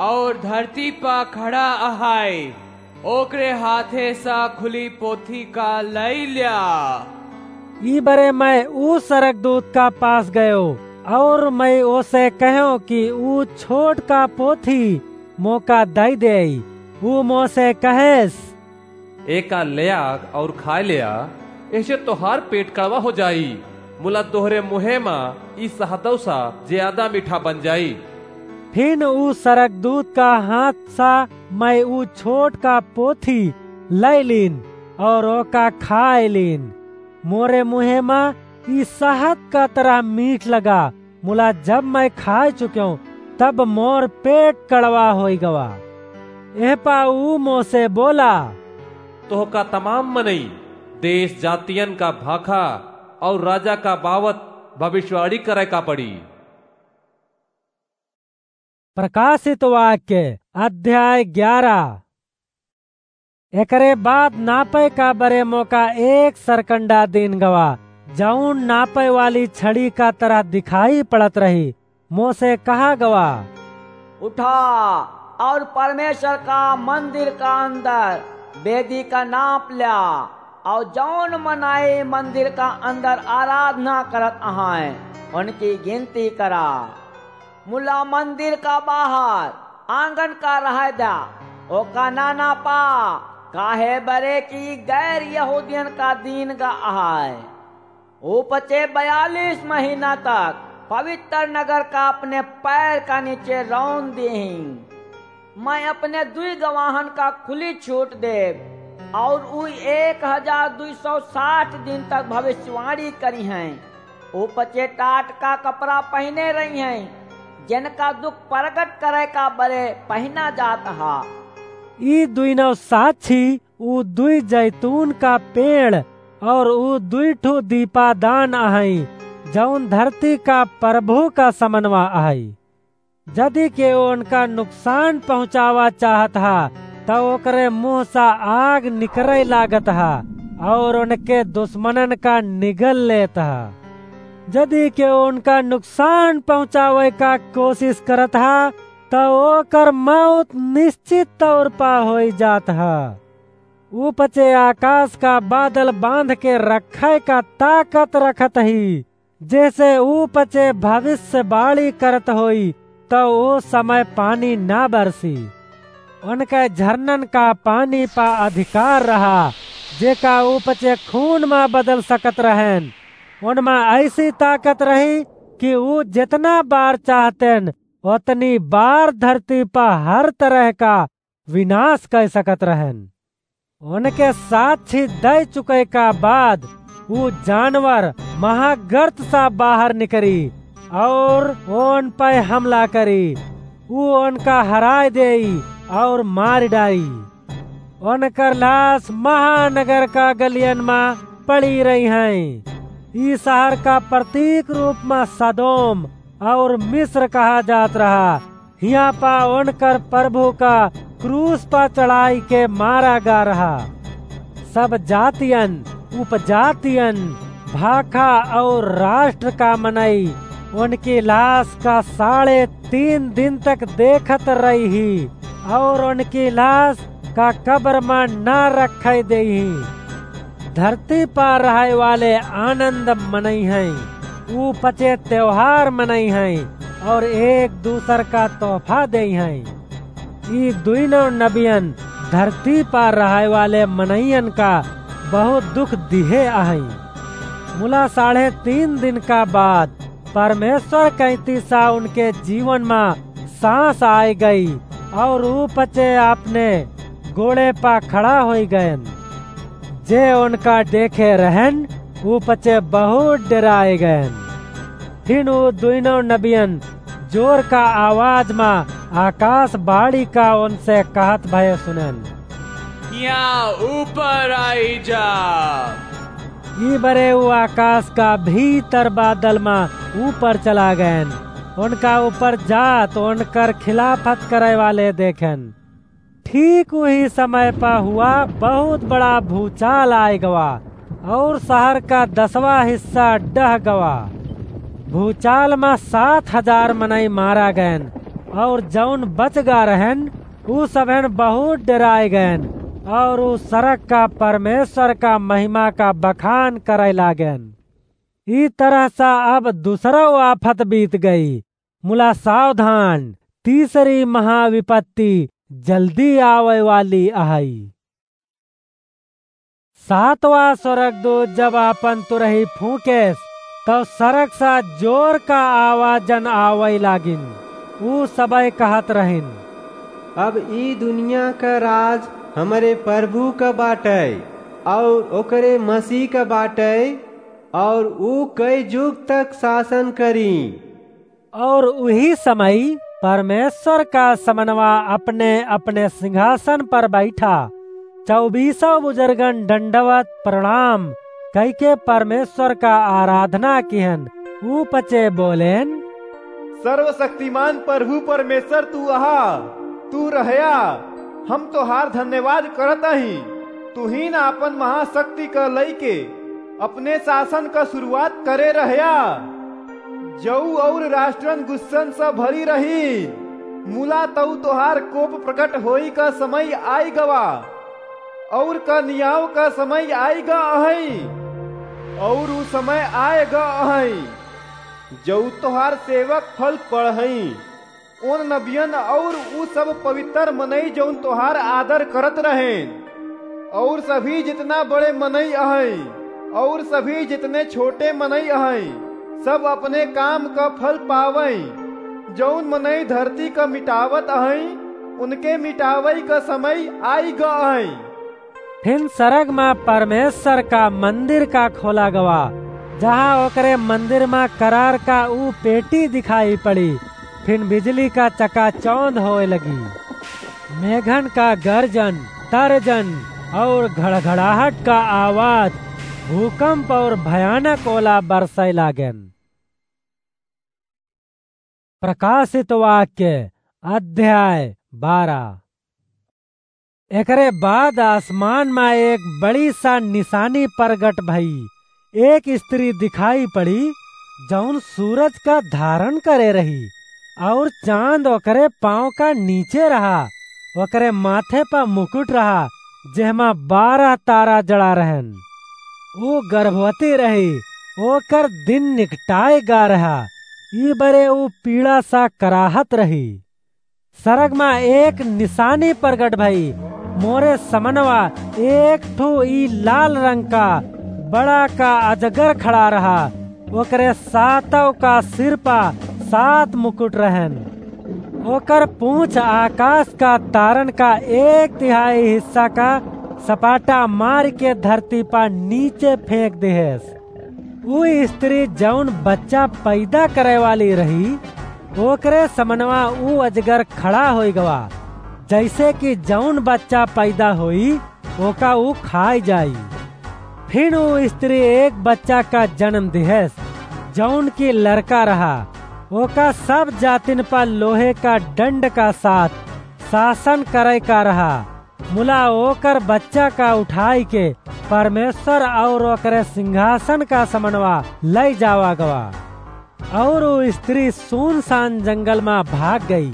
और धरती पा खड़ा अहाय, ओकरे हाथे सा खुली पोथी का लई ल्या। ई बरे मैं ऊ सरगदूत का पास गयो, और मैं ओसे कहो कि ऊ छोट का पोथी मोका दई देई। ऊ मोसे कहेस, एका ल्याग और खाए ल्या, एहसे तोहार पेट कड़वा हो जाई, मुला तोहरे मुँहे मा ई सहदव सा ज्यादा मीठा बन जाई। फिन ऊ सरगदूत का हाथ सा मैं ऊ छोट का पोथी लई लीन और ओका खाए लीन। मोरे मुँहे मा ई सहद का तरह मीठ लगा, मुला जब मैं खाए चुक्यों, तब मोर पेट कड़वा होई गवा। एह पा ऊ मोसे बोला, तोहका तमाम मनई, देश जातियन का भाखा और राजा का बावत भविष्यवाणी करे का पड़ी। प्रकाशित वाक्य, अध्याय ग्यारह। एकरे बाद नापे का बरे मोका एक सरकंडा दीन गवा, जौन नापे वाली छड़ी का तरह दिखाई पड़त रही, मोसे कहा गवा, "उठा और परमेश्वर का मंदिर का अंदर वेदी का नाप ल्या, और जौन मनाई मंदिर का अंदर आराधना करत अहाय, उनकी गिनती करा। मुला मंदिर का बाहर आंगन का रह द्या, ओका ना नापा, काहे बरे कि गैर यहूदियन का दीन गा अहाय।" ऊ पचे बयालीस महीना तक पवित्र नगर का अपने पैर का नीचे रौन दीहीं। मैं अपने दुई गवाहन का खुली छूट देब, और ऊ एक हजार दुई सौ साठ दिन तक भविष्यवाणी करिहैं। ऊ पचे टाट का कपड़ा पहिने रहिहैं, जिनका दुख प्रगट करे का बरे पहिना जात हा। ई दुइनौ साक्षी ऊ दुई जैतून का पेड़ और ऊ दुई ठो दीपादान अहई, जौन धरती का प्रभु का समनवा अहई। जदि केहू उनका नुकसान पहुँचावा चाहत हा, त ओकरे मुँह से आग निकरे लागत हा और उनके दुश्मनन का निगल लेत हा। जदि केहू उनका नुकसान पहुँचावे का कोशिश करत हा, त ओकर मौत निश्चित तौर पा होई जात हा। ऊ पचे आकाश का बादल बांध के रखे का ताकत रखत ही, जैसे ऊ पचे भविष्यवाणी करत होई, त ओ समय पानी ना बरसी। उनके झरनन का पानी पा अधिकार रहा, जेका ऊ पचे खून मा बदल सकत रहन। उनमा ऐसी ताकत रही कि ऊ जितना बार चाहतेन, उतनी बार धरती पा हर तरह का विनाश कर सकत रहन। उनके साक्षी दे चुके का बाद ऊ जानवर महागर्त सा बाहर निकरी और उन पे हमला करी। ऊ उनका हराय देई और मार डाई। उनकर लाश महानगर का गलियन मा पड़ी रही हैं। ई शहर का प्रतीक रूप मा सदोम और मिस्र कहा जात रहा। हियाँ पा उनकर प्रभु का क्रूस पा चढ़ाई के मारा गा रहा। सब जातियन, उपजातियन, भाखा और राष्ट्र का मनई उनकी लाश का साढ़े तीन दिन तक देखत रही ही और उनकी लाश का कब्र मा ना रखे देई ही। धरती पा रहे वाले आनंद मनई हैं, ऊ पचे त्योहार मनई हैं और एक दूसर का तोहफा देई हैं। ई दुइनों नबियन धरती पा रहे वाले मनइयन का बहुत दुख दिहे अहई। मुला साढ़े तीन दिन का बाद परमेश्वर कैंती सा उनके जीवन मा सांस आए गई और ऊ पचे अपने गोड़े पा खड़ा होई गयन। जे उनका देखे रहन, ऊ पचे बहुत डराए गयन। फिर ऊ दुइनों नबियन जोर का आवाज मा आकाशवाणी का उनसे कहत भये सुनन, "हियाँ ऊपर आई जा।" ई बरे ऊ आकाश का भीतर बादल मा ऊपर चला गयन। उनका ऊपर जात उनकर खिलाफत करे वाले देखन। ठीक उही समय पा हुआ बहुत बड़ा भूचाल आए गवा और शहर का दसवाँ हिस्सा डह गवा। भूचाल मा सात हजार मनई मारा गयन और जौन बच गा रहन, ऊ सबहन बहुत डराए गयन और ऊ सड़क का परमेश्वर का महिमा का बखान करे लागन। ई तरह सा अब दूसरा आफत बीत गई। मुला सावधान, तीसरी महाविपत्ति जल्दी आवे वाली अहई। सातवाँ स्वर्गदूत जब आपन तुरही फूंकेस, तब सड़क सा जोर का आवाजन आवै लागिन। ऊ सबै कहत रहिन, "अब ई दुनिया का राज हमरे प्रभु का बाटै, और ओकरे मसीह का बाटै, और ऊ कई जुग तक शासन करी।" और उही समय परमेश्वर का समनवा अपने-अपने सिंहासन पर बैठा। चौबीसों बुजुर्गन दंडवत प्रणाम कइके परमेश्वर का आराधना किहन। ऊ पचे बोलेन, "सर्वशक्तिमान प्रभु परमेश्वर तू अहा, तू रहया, हम तोहार धन्यवाद करत अही। तू ही ना अपन महाशक्ति का लइके अपने शासन क शुरुआत करे रहया, जऊ अउर राष्ट्रन गुस्सन स भरी रही। मुला तऊ तोहार कोप प्रकट होई क समय आइ गवा, अउर क नियाव क समय आइ ग अहई, अउर उ समय आइ ग अहई, जऊ तोहार सेवक फल पड़हई। उन नबियन अउर उ सब पवित्र मनई जउन तोहार आदर करत रहें, अउर सभी जितना बड़े मनई अहई, अउर सभी जितने छोटे मनई अहई, सब अपने काम क फल पावई। जउन मनई धरती क मिटावत अहई, उनके मिटावई क समय आइ ग अहई। फिन सरग मा परमेश्वर का मंदिर का खोला गवा, जहाँ ओकरे मंदिर मा करार का ऊ पेटी दिखाई पड़ी। फिन बिजली का चकाचौंध होए लगी। मेघन का गर्जन, तर्जन अउर घड़घड़ाहट का आवाज, भूकंप अउर भयानक ओला बरसै लागेन। प्रकाशित वाक्य, अध्याय बारह। एकरे बाद आसमान मा एक बड़ी सा निसानी परगट भई। एक स्त्री दिखाई पड़ी, जउन सूरज का धारन करे रही, अउर चाँद ओकरे पाँव का नीचे रहा। ओकरे माथे प मुकुट रहा, जेहमा बारह तारा जड़ा रहन। ऊ गर्भवती रही, ओकर दिन निकटाए गा रहा, ई बरे ऊ पीड़ा सा कराहत रही। सरग मा एक निसानी परगट भई। मोरे समनवा एक ठो ई लाल रंग का बड़ा का अजगर खड़ा रहा। ओकरे सातव का सिर पा सात मुकुट रहन। ओकर पूँछ आकाश का तारन का एक तिहाई हिस्सा का सपाटा मार के धरती पा नीचे फेंक दिहेस। ऊ स्त्री जउन बच्चा पैदा करे वाली रही, ओकरे समनवा ऊ अजगर खड़ा होइ गवा, जइसे कि जउन बच्चा पैदा होई, ओका ऊ खाइ जाई। फिन ऊ स्त्री एक बच्चा का जन्म दिहेस, जउन की लड़का रहा। ओका सब जातिन पर लोहे का दंड का साथ शासन करे का रहा। मुला ओकर बच्चा का उठाई के परमेश्वर अउर ओकरे सिंहासन का समनवा लइ जावा गवा। अउर ऊ स्त्री सुनसान जंगल मा भाग गई।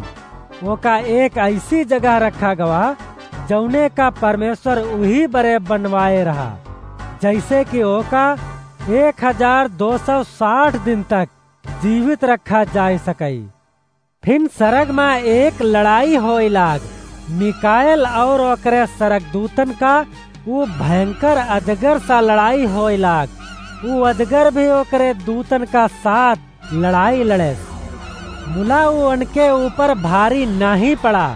ओका एक अइसी जगह रखा गवा, जउने का परमेश्वर उही बरे बनवाए रहा, जइसे कि ओका एक हजार दो सौ साठ दिन तक जीवित रखा जाए सकई। फिन सरग मा एक लड़ाई होए लाग, मिकाएल अउर ओकरे सरगदूतन का ऊ भयंकर अजगर सा लड़ाई होए लाग। ऊ अजगर भी ओकरे दूतन का साथ लड़ाई लड़ेस। मुला ऊ उनके ऊपर भारी नाहीं पड़ा,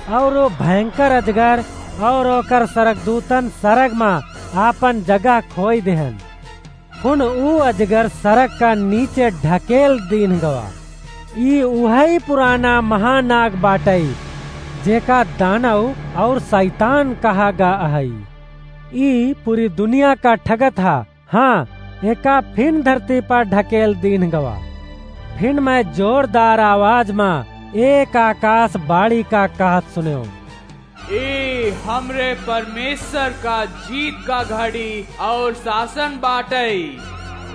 अउर ऊ भयंकर अजगर अउर ओकर सरगदूतन सरग मा आपन जगह खोई देहन। हुन ऊ अजगर सरग का नीचे ढकेल दीन गवा। ई उहई पुराना महानाग बाटई, जेका दानव अउर सैतान कहा गा अहई। ई पूरी दुनिया का ठगत हा, हाँ, एका फिन धरती पर ढकेल दीन गवा। फिन मैं जोरदार आवाज मा एक आकाश बाड़ी का कहत सुनेव। ई हमरे परमेश्वर का जीत का घड़ी अउर शासन बाटई।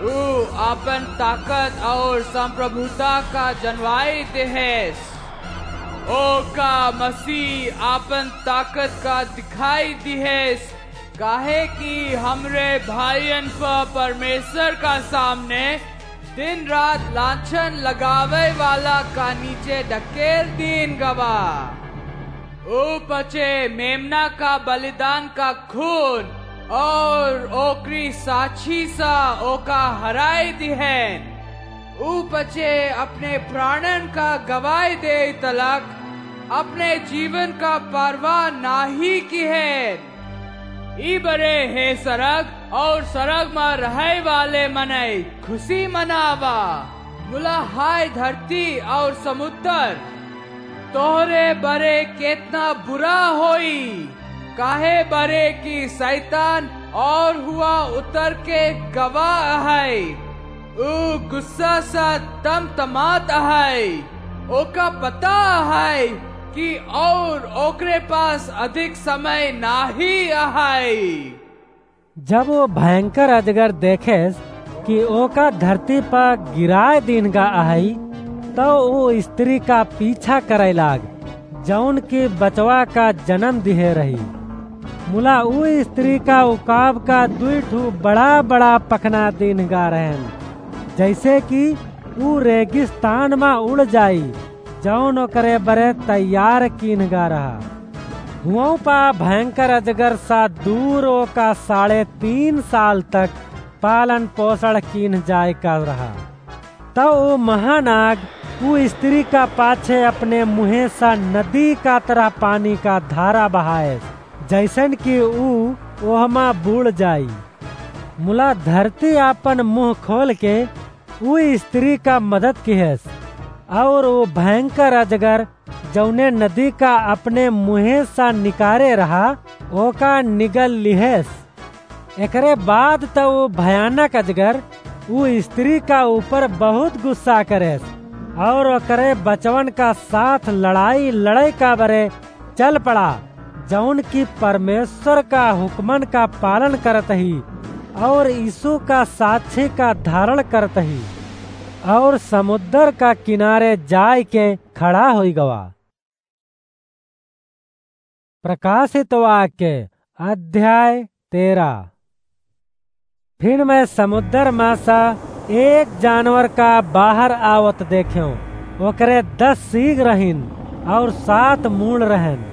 ऊ आपन ताकत अउर संप्रभुता का जनवाई देहेस। ओका मसीह आपन ताकत का दिखाई दिहेस, काहे कि हमरे भाइयन प परमेश्वर का सामने दिन रात लांछन लगावे वाला का नीचे ढकेल दीन गवा। ऊ पचे मेमना का बलिदान का खून अउर ओकरी साक्षी सा ओका हराई दिहेन। ऊ पचे अपने प्राणन का गवाई दे तलक अपने जीवन का परवाह नाहीं किहेन। ई बरे हे सरग अउर सरग मा रहै वाले मनई, खुशी मनावा। मुला हाय धरती अउर समुद्र, तोहरे बरे केतना बुरा होई, काहे बरे कि सैतान अउर हुआ उतर के गवा अहै। ऊ गुस्सा सा तमतमात अहै। ओका पता अहै कि अउर ओकरे पास अधिक समय नाहीं अहै। जब वो भयंकर अजगर देखेस कि ओका धरती पर गिराए दीन्ह गा अहइ, तउ ऊ स्त्री का पीछा करइ लाग, जउन कि बचवा का जनम दिहे रही। मुला ऊ स्त्री का उकाब का दुइ ठू बड़ा-बड़ा पखना दीन्ह गा रहेन, जइसे कि ऊ रेगिस्तान मा उड़ जाई, जउन ओकरे बरे तैयार कीन्ह गा रहा। हुवँउ पा भयंकर अजगर सा दूर ओका साढ़े तीन साल तक पालन पोषण कीन्ह जाए का रहा। तउ ऊ महानाग ऊ स्त्री का पाछे अपने मुँहे सा नदी का तरह पानी का धारा बहाएस, जइसन कि ऊ ओहमा बूड़ जाई। मुला धरती आपन मुँह खोल के ऊ स्त्री का मदद किहेस, अउर ऊ भयंकर अजगर, जउने नदी का अपने मुँहे सा निकारे रहा, ओका निगल लिहेस। एकरे बाद त ऊ भयानक अजगर ऊ स्त्री का ऊपर बहुत गुस्सा करेस, अउर ओकरे बचवन का साथ लड़ाई लड़े का बरे चल पड़ा, जउन कि परमेश्वर का हुक्मन का पालन करत ही, अउर यीशु का साक्षी का धारण करत ही, अउर समुद्र का किनारे जाए के खड़ा होइ गवा। प्रकाशित वाक्य, अध्याय तेरह। फिर मैं समुद्र मा सा एक जानवर का बाहर आवत देखेंव। ओकरे दस सींग रहिन अउर सात मूड़ रहेन।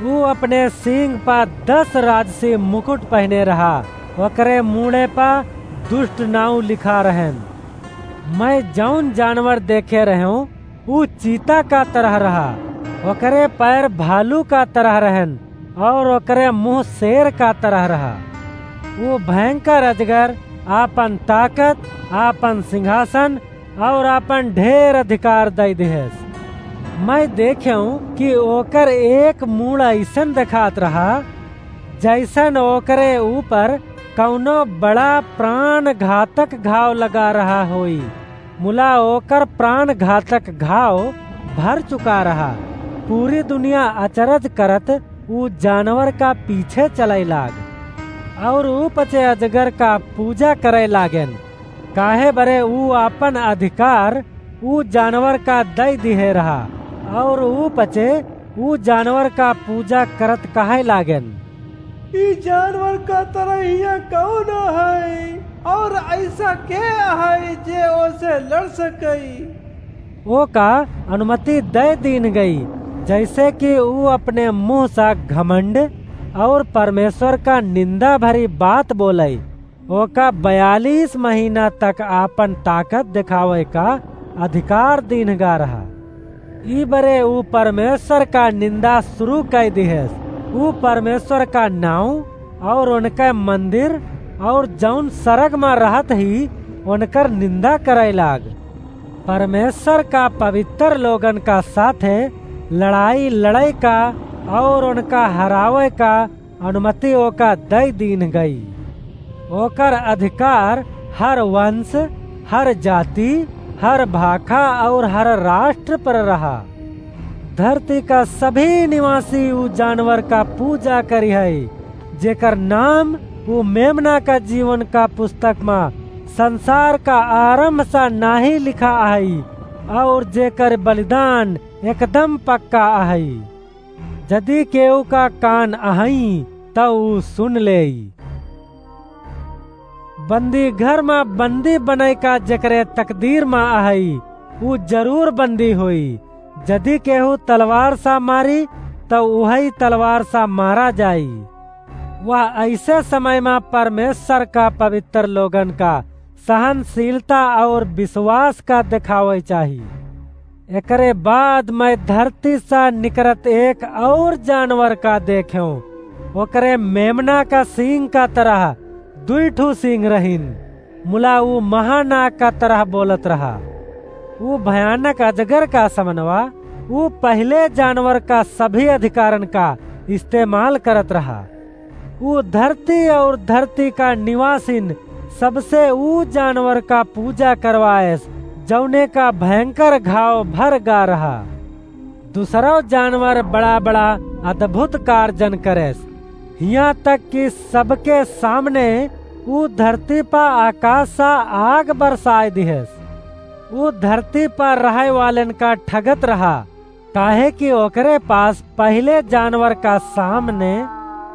ऊ अपने सींग पा दस राजसी मुकुट पहिने रहा। ओकरे मूड़े पा दुष्ट नाउँ लिखा रहेन। मैं जउन जानवर देखे रहेंव, ऊ चीता का तरह रहा, ओकरे पैर भालू का तरह रहेन, अउर ओकरे मुँह शेर का तरह रहा। ऊ भयंकर अजगर आपन ताकत, आपन सिंहासन अउर आपन ढेर अधिकार दइ दिहेस। मैं देखेंव कि ओकर एक मूड़ अइसन देखात रहा, जइसन ओकरे ऊपर कउनो बड़ा प्राण घातक घाव लगा रहा होई। मुला ओकर प्राण घातक घाव भर चुका रहा। पूरी दुनिया अचरज करत ऊ जानवर का पीछे चलइ लाग, अउर ऊ पचे अजगर का पूजा करइ लागेन, काहे बरे ऊ आपन अधिकार ऊ जानवर का दइ दिहे रहा, अउर ऊ पचे ऊ जानवर का पूजा करत कहइ लागेन, "ई जानवर का तरह हियाँ कउन अहइ, अउर अइसा के अहइ जे ओसे लड़ सकइ?" ओका अनुमति दइ दीन्ह गई, जइसे कि ऊ अपने मुँह सा घमंड अउर परमेश्वर का निंदा भरी बात बोलइ। ओका बयालीस महीना तक आपन ताकत देखावइ का अधिकार दीन्ह गा रहा। ई बरे ऊ परमेश्वर का निंदा सुरू कइ दिहेस। ऊ परमेश्वर का नाउँ अउर ओनके मंदिर अउर जउन सरग मा रहत ही, ओनकर निंदा करइ लाग। परमेश्वर का पवित्र लोगन का साथे लड़ाई लड़इ का अउर ओनका हरावइ का अनुमति ओका दइ दीन्ह गई। ओकर अधिकार हर वंश, हर जाति, हर भाखा अउर हर राष्ट्र पर रहा। धरती का सभी निवासी ऊ जानवर का पूजा करिहइ, जेकर नाम ऊ मेमना का जीवन का पुस्तक मा संसार का आरंभ सा नाहीं लिखा अहइ, अउर जेकर बलिदान एकदम पक्का अहइ। जदि केहू का कान अहइँ, त ऊ सुन लेई। बंदी घर मा बंदी बनइ का जेकरे तकदीर मा अहइ, ऊ जरूर बंदी होई। जदि केहू तलवार सा मारी, त उहइ तलवार सा मारा जाई। वह अइसे समय मा परमेश्वर का पवित्र लोगन का सहनशीलता अउर विश्वास का देखावइ चाही। एकरे बाद मैं धरती सा निकरत एक अउर जानवर का देखेंव। ओकरे मेमना का सींग का तरह दुइ ठू सींग रहिन। मुला ऊ महानाग का तरह बोलत रहा। ऊ भयानक अजगर का समनवा, ऊ पहिले जानवर का सभी अधिकारन का इस्तेमाल करत रहा। ऊ धरती अउर धरती का निवासिन सबसे ऊ जानवर का पूजा करवाएस, जउने का भयंकर घाव भर गा रहा। दुसरउ जानवर बड़ा-बड़ा अद्भुत कारजन करेस। हियाँ तक कि सबके सामने ऊ धरती पा आकाश सा आग बरसाय दिहेस। ऊ धरती पा रहै वालेन का ठगत रहा, काहे कि ओकरे पास पहिले जानवर का सामने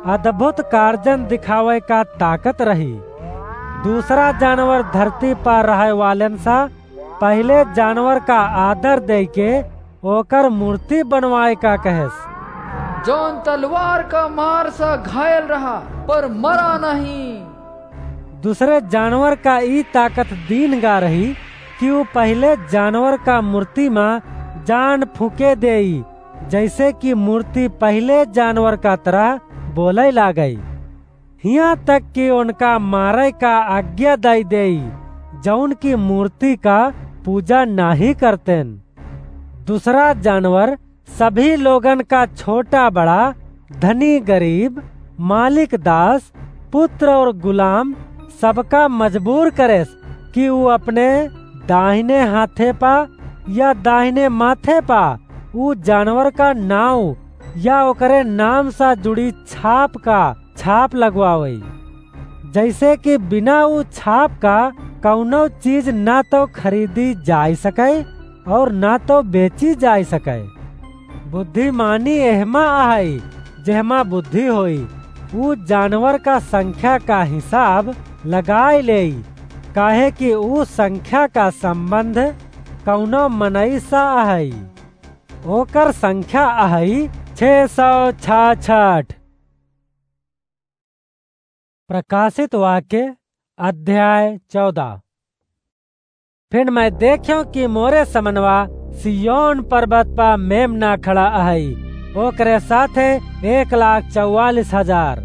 अद्भुत कारजन दिखावै का ताकत रही। दूसरा जानवर धरती पा रहै वालेन सा पहिले जानवर का आदर देइके ओकर मूर्ति बनवाय का कहेस। जौन तलवार का मार सा घायल रहा, पर मरा नहीं। दूसरे जानवर का ई ताकत दीन्ह गा रही कि ऊ पहिले जानवर का मूर्ति मा जान फूँके देई, जैसे कि मूर्ति पहिले जानवर का तरह बोलै लागै। हियाँ तक कि ओनका मारै का आज्ञा दै देई, जौन की मूर्ति का पूजा नाहीं करतेन। दूसरा जानवर सभी लोगन का छोटा बड़ा, धनी गरीब, मालिक दास, पुत्र और गुलाम सबका मजबूर करेस कि ऊ अपने दाहिने हाथे पा या दाहिने माथे पा ऊ जानवर का नाव या ओकरे नाम सा जुड़ी छाप का छाप लगवावै, जैसे कि बिना ऊ छाप का कौनो चीज ना तो खरीदी जाय सकै और ना तो बेची जाय सकै। बुद्धिमानी एहमा अहै, जेहमा बुद्धि होई, ऊ जानवर का संख्या का हिसाब लगाय लेई, काहे कि ऊ संख्या का संबंध कौनो मनई सा अहै। ओकर संख्या अहै छह सौ छाछठ। प्रकाशित वाक्य अध्याय चौदह। फिर मैं देख्यों कि मोरे समनवा सिय्योन पर्वत पा मेमना खड़ा अहै, ओकरे साथे एक लाख चौवालीस हजार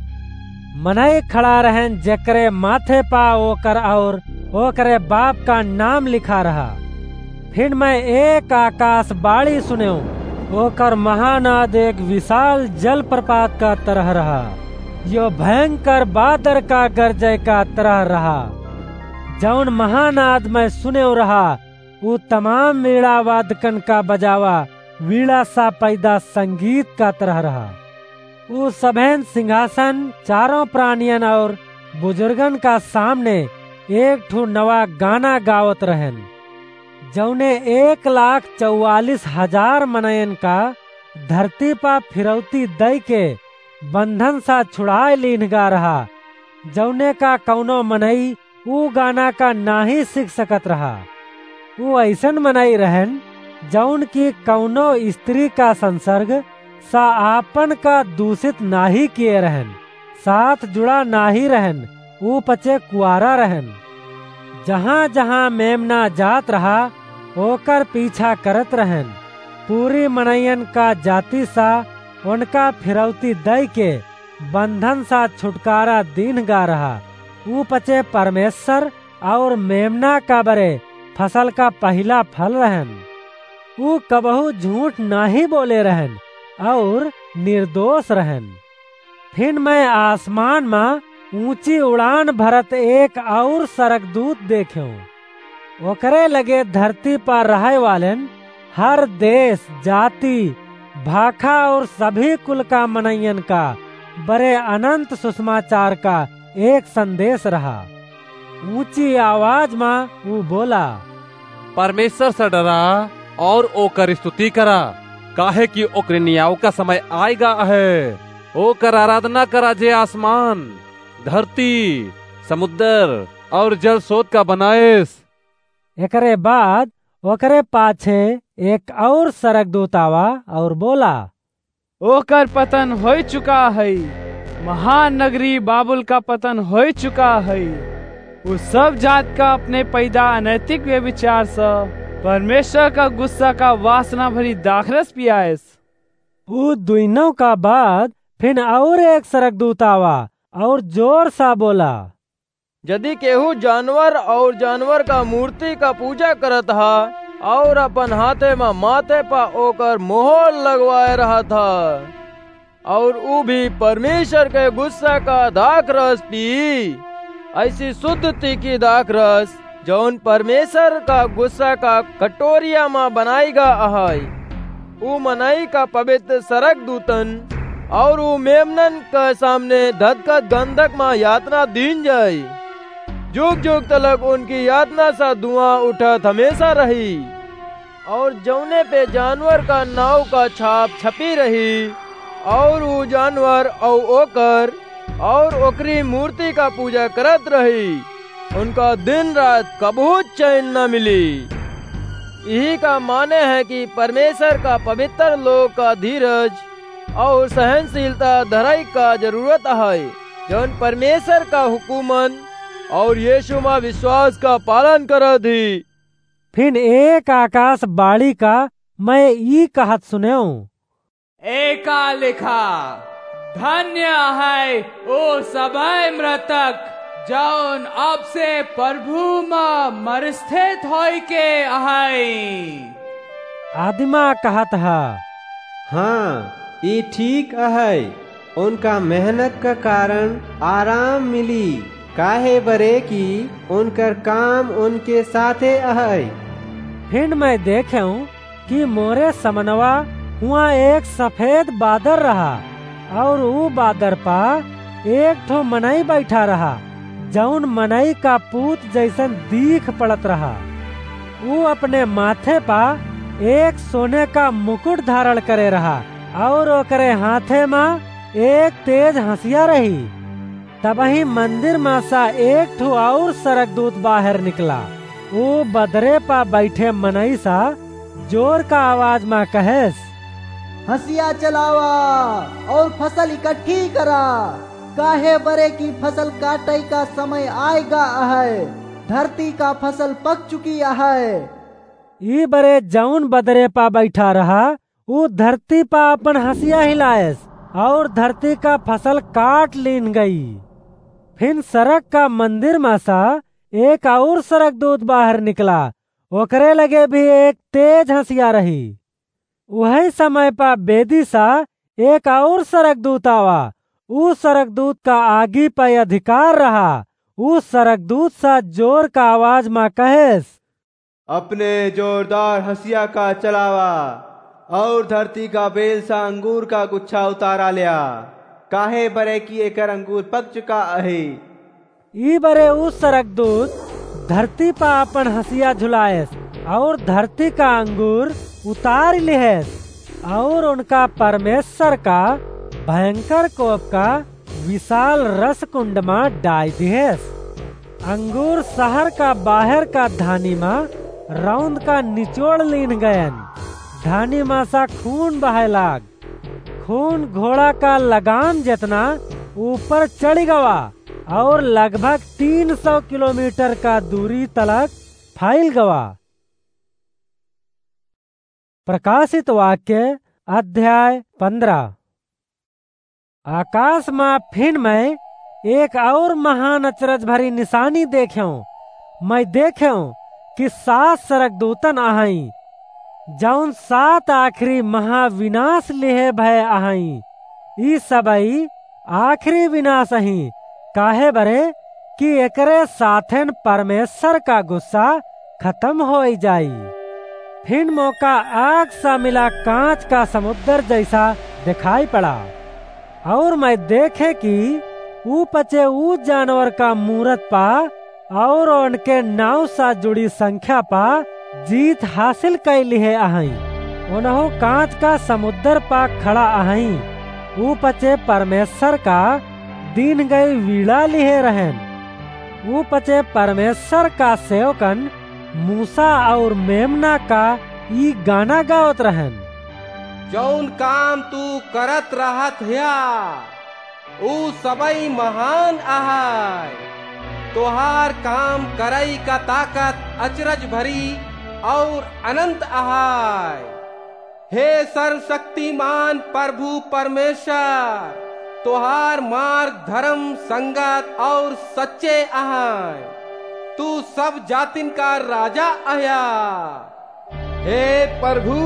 मनई खड़ा रहन, जेकरे माथे पा ओकर और ओकरे बाप का नाम लिखा रहा। फिर मैं एक आकाशवाणी सुन्यो, ओकर महानाद एक विशाल जलप्रपात का तरह रहा, यो भयंकर बादर का गरजै का तरह रहा। जौन महानाद मैं सुन्यो रहा, ऊ तमाम वीणा वादकन का बजावा वीणा सा पैदा संगीत का तरह रहा। ऊ सभेन सिंहासन, चारों प्राणियन और बुजुर्गन का सामने एक ठो नवा गाना गावत रहन, जौने एक लाख चौवालीस हजार मनयन का धरती पा फिरौती दई के बंधन सा छुड़ाय लीन्ह गा रहा, जौने का कौनो मनई ऊ गाना का नाहीं सीख सकत रहा। ऊ अइसन मनई रहन, जौन की कौनो स्त्री का संसर्ग सा आपन का दूषित नाहीं किए रहन, साथ जुड़ा नाहीं रहन, ऊ पचे कुआरा रहन। जहाँ-जहाँ मेमना जात रहा, ओकर पीछा करत रहन। पूरी मनइयन का जाति सा ओनका फिरौती दई के बंधन सा छुटकारा दीन्ह गा रहा। ऊ पचे परमेश्वर और मेमना का बरे फसल का पहिला फल रहन। ऊ कबहू झूठ नाहीं बोले रहन और निर्दोष रहन। फिर मैं आसमान मा ऊँची उड़ान भरत एक और सरगदूत देख्यों। ओकरे लगे धरती पर रहै वालेन हर देश, जाति, भाखा और सभी कुल का मनइयन का बरे अनंत सुसमाचार का एक संदेश रहा। ऊँची आवाज मा ऊ बोला, परमेश्वर से डरा और ओकर स्तुति करा, काहे कि ओकरे नियाव का समय आय गा है। ओकर आराधना करा जे आसमान, धरती, समुद्र और जल स्रोत का बनाएस। एकरे बाद ओकरे पाछे एक और सरगदूत आवा और बोला, ओकर पतन होइ चुका है, महान नगरी बाबुल का पतन होइ चुका है। उ सब जात का अपने पैदा अनैतिक व्यभिचार से परमेश्वर का गुस्सा का वासना भरी दाखरस पियाएस। उ दुइनों का बाद फिन और एक सरगदूत आवा और जोर सा बोला, यदि केहू जानवर और जानवर का मूर्ति का पूजा करत हा और अपन हाथे मा माथे पा ओकर मोहर लगवाए रहत हा और उ भी परमेश्वर के गुस्सा का दाखरस पी, ऐसी शुद्ध तीखी दाखरस जौन परमेश्वर का गुस्सा का कटोरिया मा बनाई गा अहाई, उ मनई का पवित्र सरगदूतन और उ मेमनन के सामने धधकत गंधक मा यातना दीन जाई। जुग जुग तलक उनकी यातना सा धुआं उठत हमेसा रही। और जौने पे जानवर का नाव का छाप छपी रही, और उ जानवर और ओकर और ओकरी मूर्ति का पूजा करत रही, उनका दिन रात कबहू चैन न मिली। यही का माने है कि परमेश्वर का पवित्र लोग का धीरज और सहनशीलता धराई का जरूरत है, जौन परमेश्वर का हुकुमन और यीशु मा विश्वास का पालन करत ही। फिन एक आकाशवाणी का मैं ई कहत सुनेऊं, एका लिखा, धन्य है ओ सबै मृतक, जौन अब से प्रभु मा मरस्थित होइके अहै। आदिमा कहत ह, हाँ, ई ठीक अहै, उनका मेहनत का कारण आराम मिली, काहे बरे कि उनकर काम उनके साथे अहै। फिन मैं देखेऊं कि मोरे समनवा हुआं एक सफेद बादर रहा, और ऊ बादर पा एक ठो मनई बैठा रहा, जौन मनई का पूत जैसन दीख पड़त रहा। ऊ अपने माथे पा एक सोने का मुकुट धारण करे रहा, और ओकरे हाथे मा एक तेज हंसिया रही। तबही मंदिर मा सा एक ठो और सरगदूत बाहर निकला। ऊ बदरे पा बैठे मनई सा जोर का आवाज मा कहेस, हंसिया चलावा और फसल इकट्ठी करा, काहे बरे कि फसल काटै का समय आएगा अहै, धरती का फसल पक चुकी अहै। ई बरे जौन बदरे पा बैठा रहा, ऊ धरती पा अपन हंसिया हिलायस, और धरती का फसल काट लीन गई। फिन सरग का मंदिर मा सा एक और सरगदूत बाहर निकला, ओकरे लगे भी एक तेज हंसिया रही। उहै समय पा बेदी सा एक और सरगदूत आवा। ऊ सरगदूत का आगी पै अधिकार रहा। ऊ सरगदूत सा जोर का आवाज मा कहेस, अपने जोरदार हंसिया का चलावा और धरती का बेल सा अंगूर का गुच्छा उतारा ल्या, काहे बरे कि एकर अंगूर पक चुका अहै। ई बरे ऊ सरगदूत धरती पा अपन हंसिया झुलायस और धरती का अंगूर उतार लिहेस और उनका परमेश्वर का भयंकर कोप का विशाल रसकुंड मा डाइ दिहेस। अंगूर शहर का बाहर का धानी मा रौंद का निचोड़ लीन गयन। धानी मा सा खून बहै लाग। खून घोड़ा का लगाम जेतना ऊपर चढ़ि गवा और लगभग तीन सौ किलोमीटर का दूरी तलक फैल गवा। प्रकाशित वाक्य अध्याय पन्द्रह। आकाश मा फिन मैं एक और महान अचरज भरी निशानी देखेऊं। मैं देखेऊं कि सात सरगदूतन अहईं, जौन सात आखिरी महाविनाश लिहे भए अहईं। ई सबई आखिरी विनाश अहीं, काहे बरे कि एकरे साथेन परमेश्वर का गुस्सा खतम होइ जाई। फिन मोका आग सा मिला कांच का समुद्र जैसा देखाई पड़ा। और मैं देखे कि ऊ पचे ऊ जानवर का मूरत पा और उनके नाव सा जुड़ी संख्या पा जीत हासिल कइ लिहे अहईं। उनहू कांच का समुद्र पा खड़ा अहईं। ऊ पचे परमेश्वर का दीन गई वीणा लिहे रहेन। ऊ पचे परमेश्वर का सेवकन मूसा और मेमना का ई गाना गावत रहेन। जौन काम तू करत रहत ह्या, ऊ सबई महान अहै। तोहार काम करई का ताकत अचरज भरी और अनंत अहै। हे सर्वशक्तिमान प्रभु परमेश्वर, तोहार मार्ग धर्म संगत और सच्चे अहै। तू सब जातिन का राजा अह्या। हे प्रभु,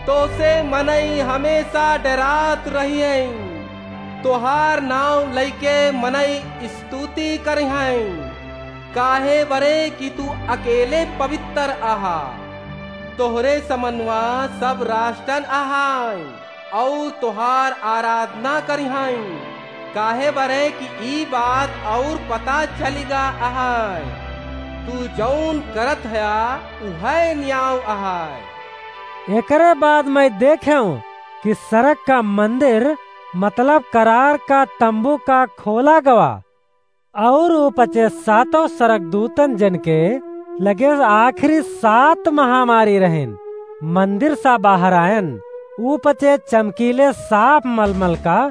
तोसे मनई हमेशा डेरात रहियैं। तोहार नाव लइके मनई स्तुति करिहैं, काहे बरे कि तू अकेले पवित्र अहा। तोहरे समनवा सब राष्ट्रन अहाईं। अउर तोहार आराधना करिहैं, काहे बरे कि ई बात अउर पता चलिगा अहै। तू जउन करत हया, उहै न्याव अहै। एकरे बाद मैं देखेंव कि सरग का मंदिर, मतलब करार का तम्बू का खोला गवा। अउर ऊ पचे सातों सरगदूतन जन के लगे आखिरी सात महामारी रहेन, मंदिर सा बाहर आयन। ऊ पचे चमकीले साफ मलमल का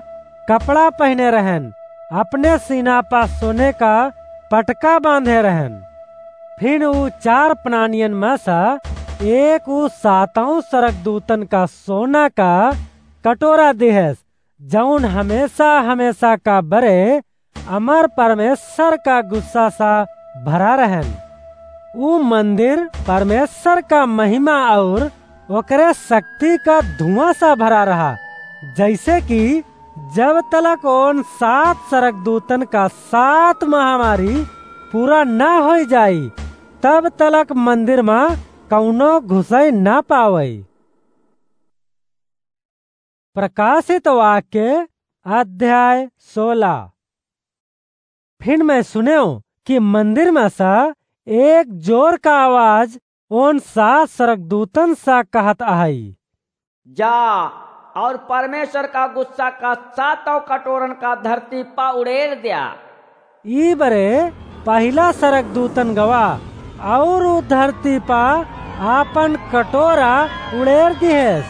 कपड़ा पहिने रहेन, अपने सीना पा सोने का पटका बांधे रहेन। फिन ऊ चार प्राणियन में सा एक ऊ सातों सरगदूतन का सोना का कटोरा दिहेस, जउन हमेसा हमेसा का बरे अमर परमेसर का गुस्सा सा भरा रहेन। ऊ मंदिर परमेसर का महिमा अउर ओकरे सक्ति का धुआँ सा भरा रहा, जइसे कि जब तलक ओन सात सरगदूतन का सात महामारी पूरा न होइ जाई, तब तलक मंदिर मा कउनो घुसइ न पावइ। प्रकाशित वाक्य अध्याय सोलह। फिन मैं सुनेव कि मंदिर में सा एक जोर का आवाज ओन सात सरगदूतन सा कहत अहइ, "जा अउर परमेसर का गुस्सा का सातों कटोरन का धरती पा उड़ेर द्या।" ई बरे पहिला सरगदूतन गवा अउर ऊ धरती पा आपन कटोरा उड़ेर दिहेस।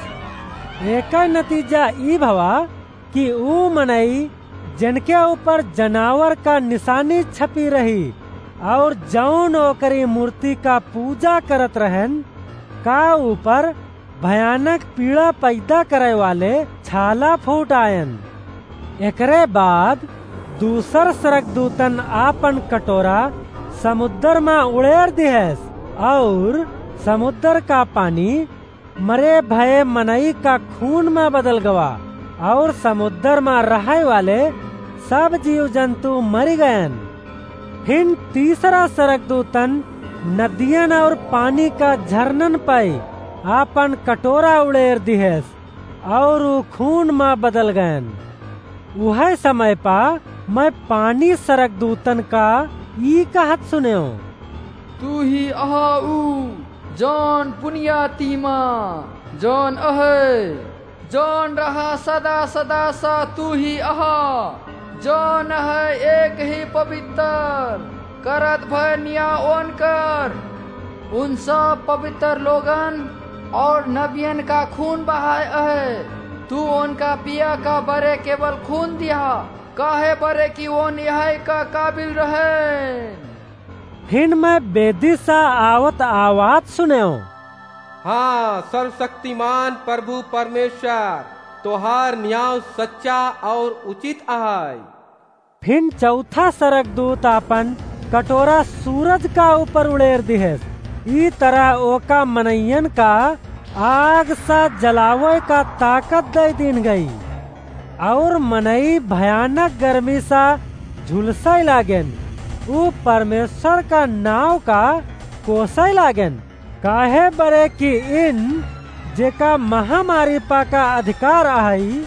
एकर नतीजा ई भवा कि ऊ मनई जेनके ऊपर जनावर का निसानी छपी रही अउर जउन ओकरी मूर्ति का पूजा करत रहेन, का ऊपर भयानक पीड़ा पैदा करइ वाले छाला फूट आयन। एकरे बाद दूसर सरगदूतन आपन कटोरा समुद्र मा उड़ेर दिहेस अउर समुद्र का पानी मरे भये मनई का खून मा बदल गवा अउर समुद्र मा रहइ वाले सब जीव जंतु मरि गयन। फिन तीसरा सरगदूतन नदियन अउर पानी का झरनन पइ आपन कटोरा उड़ेर दिहेस अउर ऊ खून मा बदल गयन। उहइ समय पा मैं पानी सरगदूतन का ई कहत सुनेव, "तू ही अहा ऊ जउन पुनियाती मा जउन अहइ, जउन रहा सदा सदा सा तू ही अहा, जउन अहइ एक ही पबितर, करत भय निया ओनकर। उन सब पबितर लोगन अउर नबियन का खून बहाय अहइ। तू ओनका पिया का बरे केवल खून दिहा, काहे बरे कि ओन यहइ का काबिल रहेन।" फिन मैं बेदी सा आवत आवाज सुनेव, "हाँ, सर्वसक्तिमान परभु परमेसर, तोहार नियाव सच्चा अउर उचित अहइ।" फिन चउथा सरगदूत आपन कटोरा सूरज का ऊपर उड़ेर दिहेस। ई तरह ओका मनइयन का आग सा जलावइ का ताकत दइ दीन गई। अउर मनई भयानक गर्मी सा झुलसइ लागेन। ऊ परमेसर का नाव का कोसइ लागेन, काहे बरे कि इन जेका महामारी पा का अधिकार अहइ,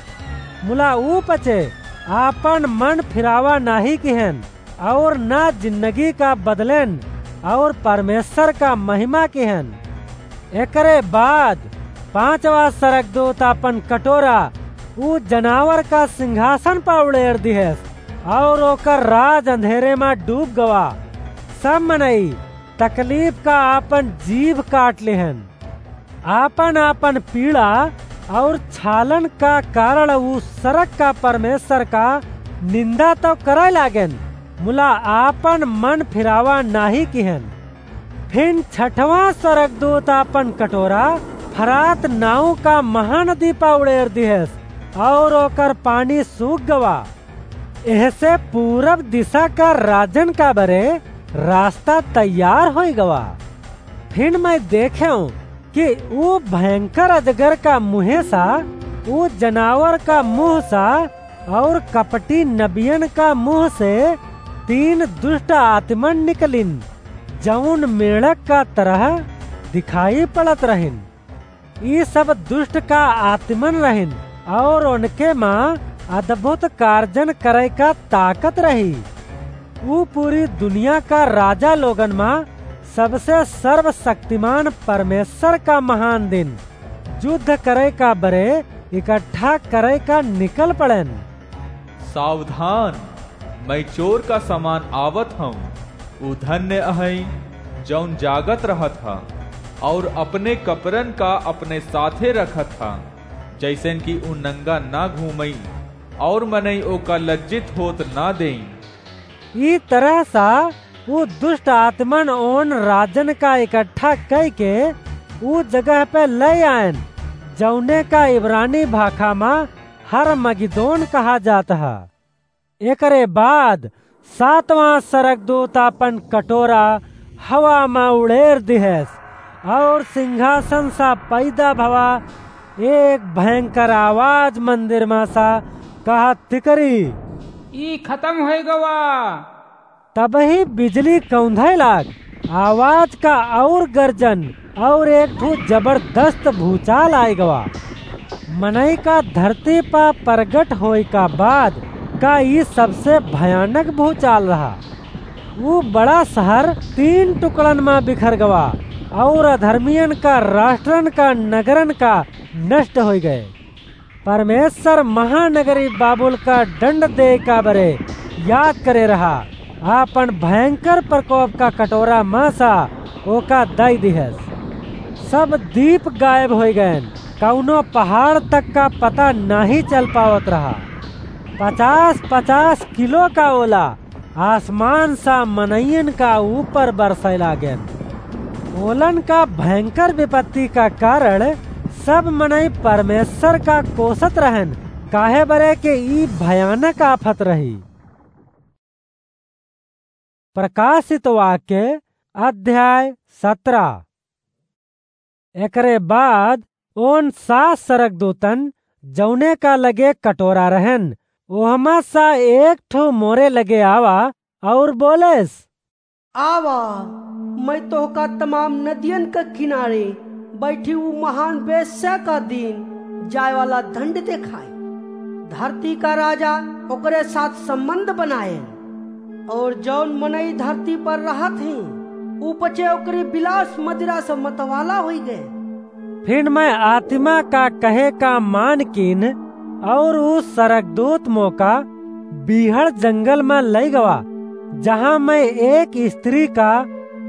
मुला ऊ पचे आपन मन फिरावा नाहीं किहेन अउर न जिन्दगी का बदलेन अउर परमेसर का महिमा किहेन। एकरे बाद पाँचवा सरगदूत आपन कटोरा ऊ जनावर का सिंघासन पा उड़ेर दिहेस अउर ओकर राज अंधेरे मा डूब गवा। सब मनई तकलीफ का आपन जीभ काट लिहेन। आपन आपन पीड़ा अउर छालन का कारण ऊ सरग का परमेसर का निन्दा तउ करइ लागेन, मुला आपन मन फिरावा नाहीं किहेन। फिन छठवाँ सरगदूत आपन कटोरा फरात नाउँ का महानदी पा उड़ेर दिहेस अउर ओकर पानी सूख गवा। एहसे पूरब दिसा का राजन का बरे रास्ता तैयार होइ गवा। फिन मैं देखेंव कि ऊ भयंकर अजगर का मुँहे सा, ऊ जनावर का मुँह सा अउर कपटी नबियन का मुँह से तीन दुष्ट आत्मन निकलिन, जउन मेढ़क का तरह दिखाई पड़त रहिन। ई सब दुष्ट का आत्मन रहिन, और उनके मा अद्भुत कार्जन करे का ताकत रही। ऊ पूरी दुनिया का राजा लोगन मा सबसे सर्वशक्तिमान परमेश्वर का महान दिन युद्ध करे का बरे इकट्ठा करे का निकल पड़ेन। सावधान, मैं चोर का समान आवत हूँ। ऊ धन्य अहई, जौन जागत रहत ह और अपने कपरन का अपने साथे रखत ह, जैसन कि ऊ नंगा ना घूमई और मनई ओका लज्जित होत ना देई। ई तरह सा ऊ दुष्ट आत्मन ओन राजन का इकट्ठा कई के ऊ जगह पे ले आयन, जौने का इब्रानी भाखा मा हरमगिदोन कहा जात ह। एकरे बाद सातवां सरगदूत आपन कटोरा हवा मा उड़ेर दिहेस और सिंहासन सा पैदा भवा एक भयंकर आवाज मंदिर मा सा कहत तिकरी, "ई खत्म होय गवा।" तबही बिजली कौंधे लाग, आवाज का और गर्जन और एक ठो जबरदस्त भूचाल आए गवा। मनई का धरती पा प्रगट होए का बाद का ई सबसे भयानक भूचाल रहा। ऊ बड़ा शहर तीन टुकड़न मा बिखर गवा और अधर्मियन का राष्ट्रन का नगरन का नष्ट होई गए। परमेश्वर महानगरी बाबुल का दंड दे का बरे याद करे रहा, आपन भयंकर प्रकोप का कटोरा मा सा ओका दई दिहस। सब दीप गायब होई गयन, कौनो पहाड़ तक का पता नाही चल पावत रहा। पचास पचास किलो का ओला आसमान सा मनइयन का ऊपर बरसै लागेन। ओलन का भयंकर विपत्ति का कारण सब मनई परमेश्वर का कोसत रहन, काहे बरे के ई भयानक आफत रही। प्रकाशित वाक्य अध्याय सत्रह। एकरे बाद ओन सात सरगदूतन जौने का लगे कटोरा रहन, ओहमा सा एक ठो मोरे लगे आवा और बोलेस, "आवा, मैं तोहका तमाम नदियन के किनारे बैठी ऊ महान वेश्या का दिन जाए वाला दंड देखाई। धरती का राजा ओकरे साथ संबंध बनाए, और जौन मनई धरती पर रहत ही, ऊ पचे ओकरी विलास मदिरा से मतवाला होई गए।" फिर मैं आत्मा का कहे का मान कीन, और ऊ सरगदूत मोका बीहड़ जंगल मा लई गवा, जहाँ मैं एक स्त्री का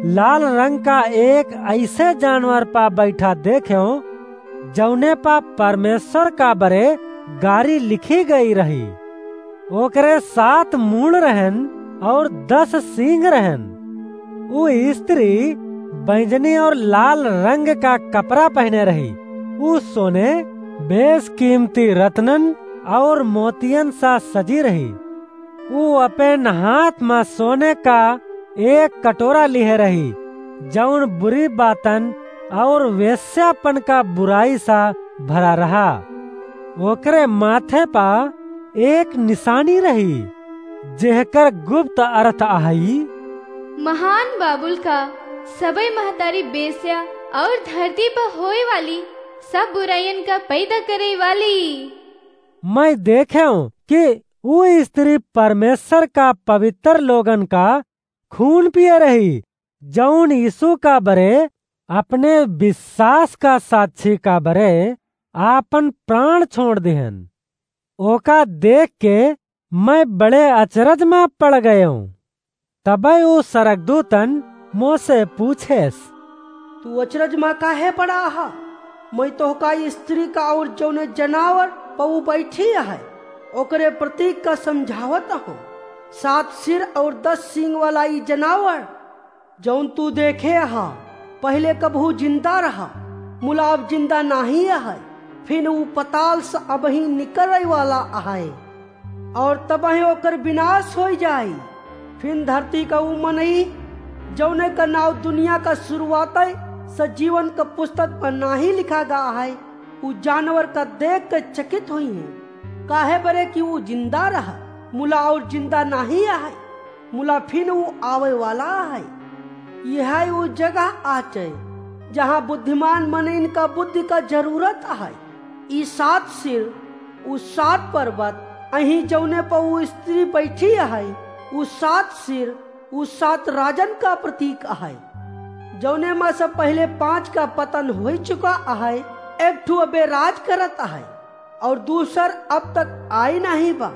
लाल रंग का एक ऐसे जानवर पा बैठा देखें, जौने पा परमेश्वर का बरे गारी लिखी गई रही। ओकरे सात मूड़ रहन और दस सींग रहन। ऊ स्त्री बैंजनी और लाल रंग का कपड़ा पहने रही। ऊ सोने, बेशकीमती रत्नन और मोतियन सा सजी रही। ऊ अपन हाथ मा सोने का एक कटोरा लिहे रही, जौन बुरी बातन और वेश्यापन का बुराई सा भरा रहा। ओकरे माथे पा एक निशानी रही, जेहकर गुप्त अर्थ अहई, महान बाबुल का सबई महतारी बेस्या और धरती पर होए वाली सब बुराइयन का पैदा करे वाली। मैं देखें कि ऊ स्त्री परमेश्वर का पवित्र लोगन का खून पिए रही, जौन यीशु का बरे अपने विश्वास का साक्षी का बरे आपन प्राण छोड़ दिहन। ओका देख के मैं बड़े अचरज मा पड़ गयें। तबै ऊ सरगदूतन मोसे पूछेस, "तू अचरज मा काहे पड़ा हा? मैं तोहका ई स्त्री का और जौने जनावर पऊ बैठी है, ओकरे प्रतीक का समझावत हूँ। सात सिर और दस सींग वाला ई जनावर, जौन तू देखे हा, पहले कबहू जिंदा रहा, मुला अब जिंदा नाही है, फिर ऊ पताल से अबही निकले वाला है।" और तबही ओकर विनाश होई जाई। फिन धरती का ऊ मनई, जौने का नाव दुनिया का शुरुआत से जीवन का पुस्तक पर नाही लिखा गा है, ऊ जानवर का देख के चकित होई है, काहे बरे कि ऊ जिंदा रहा, मुला और जिंदा नाही है, मुला फिन ऊ आवे वाला है। यह ऊ जगह आचे, जहाँ बुद्धिमान मनइन का बुद्धि का जरूरत है। ई सात सिर उ सात पर्वत, अहीं जौने पर उ स्त्री बैठी अहइ, उ सात सिर, उ सात राजन का प्रतीक अहइ। जौने मा से पहिले पाँच का पतन होइ चुका अहइ, एक ठु अबे राज करत अहइ, और दूसर अब तक आई नाहीं बा।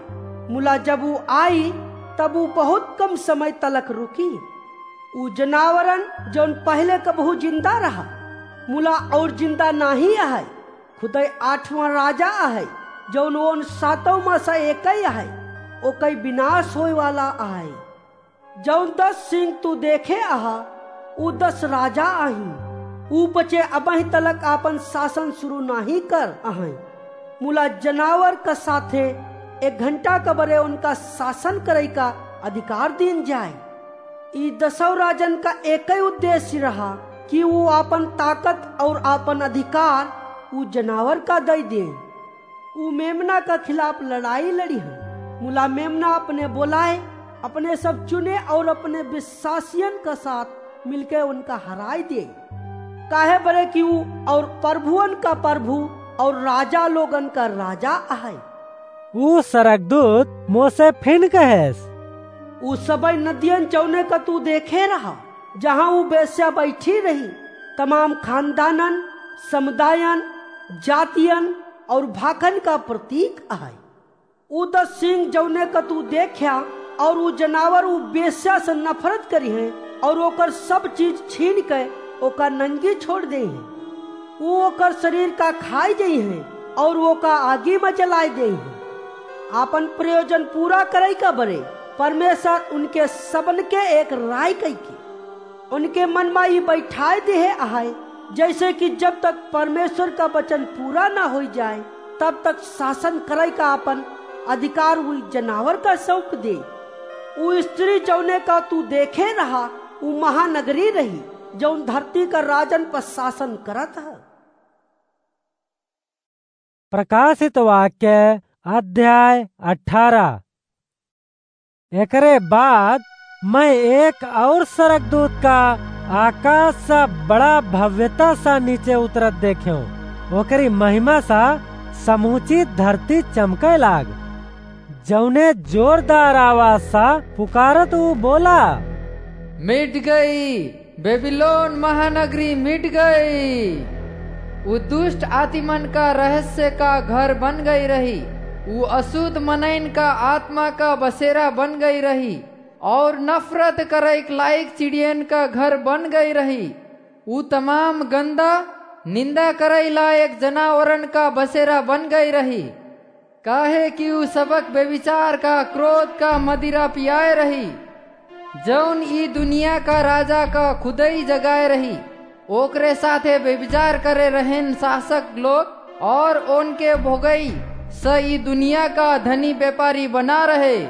मुला जब उ आई, तब उ बहुत कम समय तलक रुकी। उ जनावरन, जौन पहिले कबहू जिंदा रहा, मुला और जिंदा नाहीं अहइ, खुदइ आठवाँ राजा अहइ, जौन ओन सातों मा से एकइ अहइ, ओकइ विनाश होए वाला अहइ। जौन दस सिंग तू देखे अहा, उ दस राजा अहीं। उ बचे अबहीं तलक आपन शासन शुरू नाहीं कर अहइँ। मुला जनावर का साथे एक घंटा का बरे उनका शासन करइ का अधिकार दीन जाए। ई दसौ राजन का एकइ उद्देश्य रहा कि उ आपन ताकत और आपन अधिकार उ जनावर का दइ दें। उ मेमना का खिलाफ लड़ाई लड़िहैं। मुला मेमना अपने बोलाए, अपने सब चुने और अपने विश्वासियन का साथ मिलके उनका हराई दे। काहे बरे कि उ और प्रभुअन का प्रभु और राजा लोगन का राजा अहइ। उ सरगदूत मोसे फिन कहेस, उ सबइ नदियन जौने का तू देखे रहा, जहाँ उ बेस्या बैठी रही, तमाम खानदानन, समुदायन, जातियन और भाखन का प्रतीक अहइ। उ दस सिंग जौने का तू देख्या, और उ जनावर उ बेस्या से नफरत करिहैं, और ओकर सब चीज छीन के ओका नंगी छोड़ देइहैं। उ ओकर शरीर का खाइ जइहैं, और ओका आगी मा जलाइ देइहैं। आपन प्रयोजन पूरा करइ का बरे परमेश्वर उनके सबन के एक राय कइके उनके मन मा ई बैठाए देहे अहइ, जइसे कि जब तक परमेश्वर का वचन पूरा ना होइ जाए, तब तक शासन करइ का आपन अधिकार उ जनावर का सौंप दे। उ स्त्री जौने का तू देखे रहा, उ महानगरी रही, जौन धरती का राजन पर शासन करत ह। प्रकाशित वाक्य अध्याय अठारह। एकरे बाद मैं एक और सरगदूत का आकाश सा बड़ा भव्यता सा नीचे उतरत देखेउ। ओकरी महिमा सा समूची धरती चमके लाग। जौने जोरदार आवाज सा पुकारत उ बोला, "मिट गई, बेबीलोन महानगरी मिट गई। उ दुष्ट आतिमन का रहस्य का घर बन गई रही, उ अशुद्ध मनइन का आत्मा का बसेरा बन गई रही, और नफरत करइक लायक चिड़ियन का घर बन गई रही। उ तमाम गंदा, निंदा करइ लायक जनावरन का बसेरा बन गई रही।" काहे कि उ सबक व्यभिचार का, क्रोध का मदिरा पियाए रही, जौन ई दुनिया का राजा का खुदई जगाए रही। ओकरे साथे व्यभिचार करे रहेन शासक लोग, और ओनके भोगई स ई दुनिया का धनी व्यापारी बना रहे।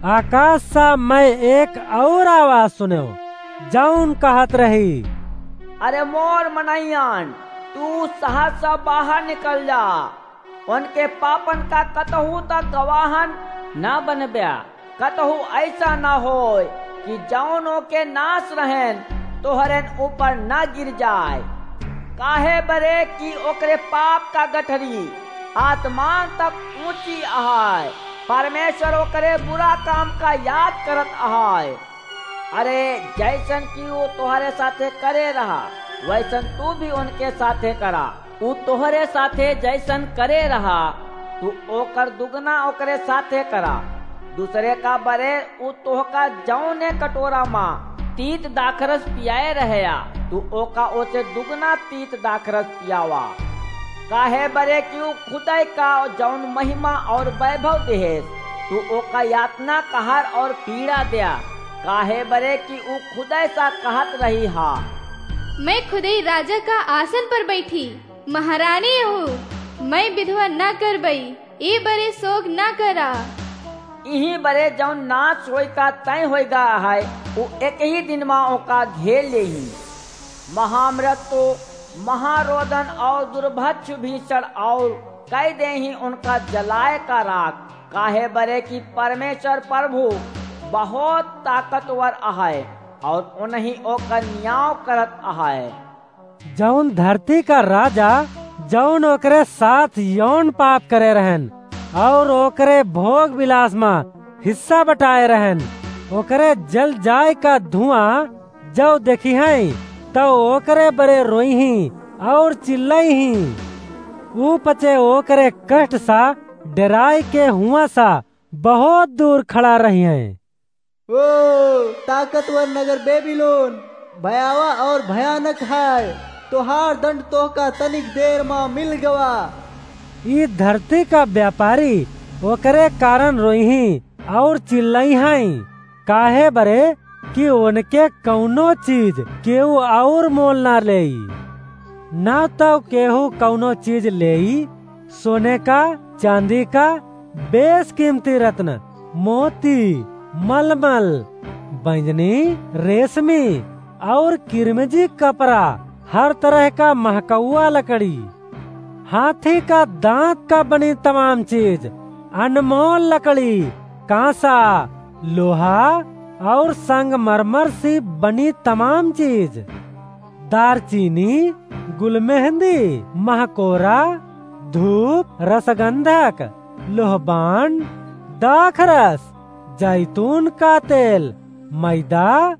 आकाश सा मैं एक और आवाज सुनेउ, जौन कहत रही, "अरे मोर मनइयन, तू शहर से बाहर निकल जा।" उनके पापन का कतहू तक गवाहन न बनब्या, कतहू ऐसा न होय कि जौन ओके नाश रहेन तोहरेन ऊपर न गिर जाए। काहे बरे कि ओकरे पाप का गठरी आसमान तक ऊंची अहाय, परमेश्वर ओकरे बुरा काम का याद करत अहाय। अरे, जैसन कि उ तोहरे साथे करे रहा, वैसन तू भी उनके साथे करा। उ तोहरे साथे जैसन करे रहा, तू ओकर दुगना ओकरे साथे करा। दूसरे का बरे उ तोहका जौने कटोरा मा तीत दाखरस पियाए रहया, तू ओका ओसे दुगना तीत दाखरस पियावा। काहे बरे कि उ खुदई का जौन महिमा और वैभव देहेस, तू ओका यातना कहार और पीड़ा द्या। काहे बरे कि उ खुदई सा कहत रही हा, "मैं खुदई राजा का आसन पर बैठी, महारानी हूँ, मैं विधवा न करबई, ए बरे सोग न करा।" इही बरे जौन नाश होई का तय होई गा है, उ एक ही दिन मा ओका घेर लेही। महामृत्यु, महारोदन और दुर्भिक्ष भीषण और कई देही उनका जलाए का राख। काहे बरे कि परमेश्वर प्रभु बहुत ताकतवर अहय और उनही ओकर न्याव करत अहय। जौन धरती का राजा जौन ओकरे साथ यौन पाप करे रहन और ओकरे भोग विलास मा हिस्सा बटाए रहन, ओकरे जल जाए का धुआं जौ देखिहैं, तौ ओकरे बरे रोइहीं और चिल्लइहीं। ऊ पचे ओकरे कष्ट सा डेराए के हुआँ सा बहुत दूर खड़ा रहिहैं। ओ ताकतवर नगर बेबीलोन, भयावह और भयानक है, तोहार दंड तोहका तनिक देर मा मिल गवा। ई धरती का व्यापारी ओकरे कारण रोइहीं और चिल्लइहैं, काहे बरे कि ओनके कउनो चीज केहू और मोल ना लेई। ना तौ केहू कउनो चीज लेई, सोने का, चाँदी का, बेसकीमती रत्न, मोती, मलमल, बैंजनी, रेशमी और किरमिजी कपड़ा, हर तरह का महकउआ लकड़ी, हाथी का दाँत का बनी तमाम चीज, अनमोल लकड़ी, काँसा, लोहा और संगमरमर सी बनी तमाम चीज, दारचीनी, गुलमेहंदी, महकोरा, धूप, रसगंधक, लोहबान, दाखरस, जैतून का तेल, मैदा,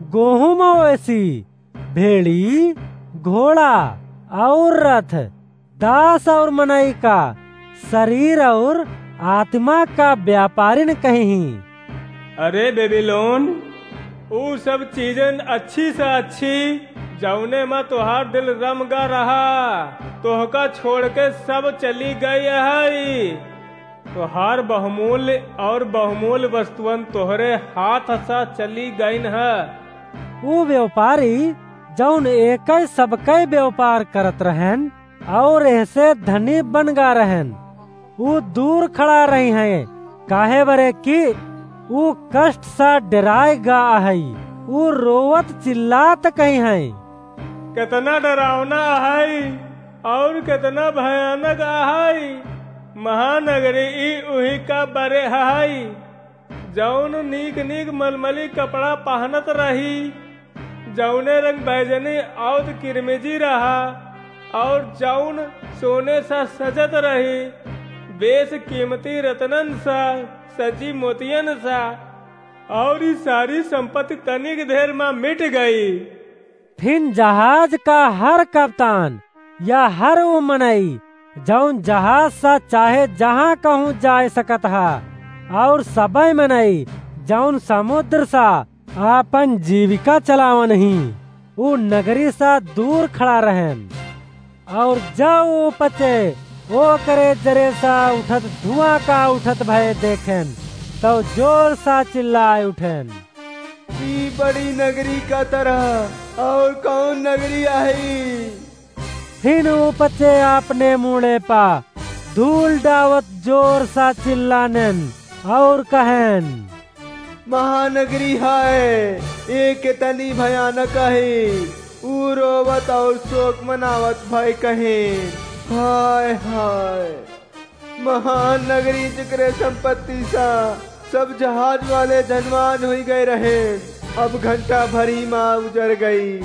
गोहूँ मवेशी, भेड़ी, घोड़ा और रथ, दास और मनई का, शरीर और आत्मा का व्यापारिन कहिहीं। अरे बेबीलोन, ऊ सब चीजन अच्छी से अच्छी, जौने मा तोहार दिल रम गा रहा, तोहका छोड़ के सब चली गई है। तोहार बहुमूल्य और बहुमूल्य वस्तुअन तोहरे हाथ सा चली गइन ह। ऊ व्यापारी, जौन एकइ सबकइ व्यापार करत रहन और एहसे धनी बन गा रहन, ऊ दूर खड़ा रहिहैं, काहे बरे कि ऊ कष्ट सा डेराए गा अहइ, ऊ रोवत चिल्लात कहिहैं। केतना डरावना अहइ और केतना भयानक अहइ महानगरी, ई उही का बरे अहइ, जौन नीक नीक मलमली कपड़ा पहनत रही, जौने रंग बैजनी और किरमिजी रहा, और जौन सोने सा सजत रही, बेस कीमती रतनन सा, सजी मोतियन सा, और ई सारी संपत्ति तनिक देर मा मिट गई। फिन जहाज का हर कप्तान या हर ऊ मनई, जौन जहाज सा चाहे जहाँ कहूँ जाए सकत हा, और सबइ मनई, जौन समुद्र सा आपन जीविका चलावन ही, ऊ नगरी सा दूर खड़ा रहन। और जब ऊ पचे ओकरे जरे सा उठत धुआं का उठत भय देखेन, तब जोर सा चिल्लाए उठेन, "ई बड़ी नगरी का तरह और कौन नगरी आही?" फिन ऊ पचे आपने मूड़े पा धूल डावत जोर सा चिल्लानेन और कहेन, "महानगरी हाय, ए केतनी भयानक आहे।" ऊ रोवत और शोक मनावत भय कहेन, "हाय, हाय।" महान नगरी, जेकरे संपत्ति सा सब जहाज वाले धनवान हुई गए रहे, अब घंटा भर ही मा उजर गई।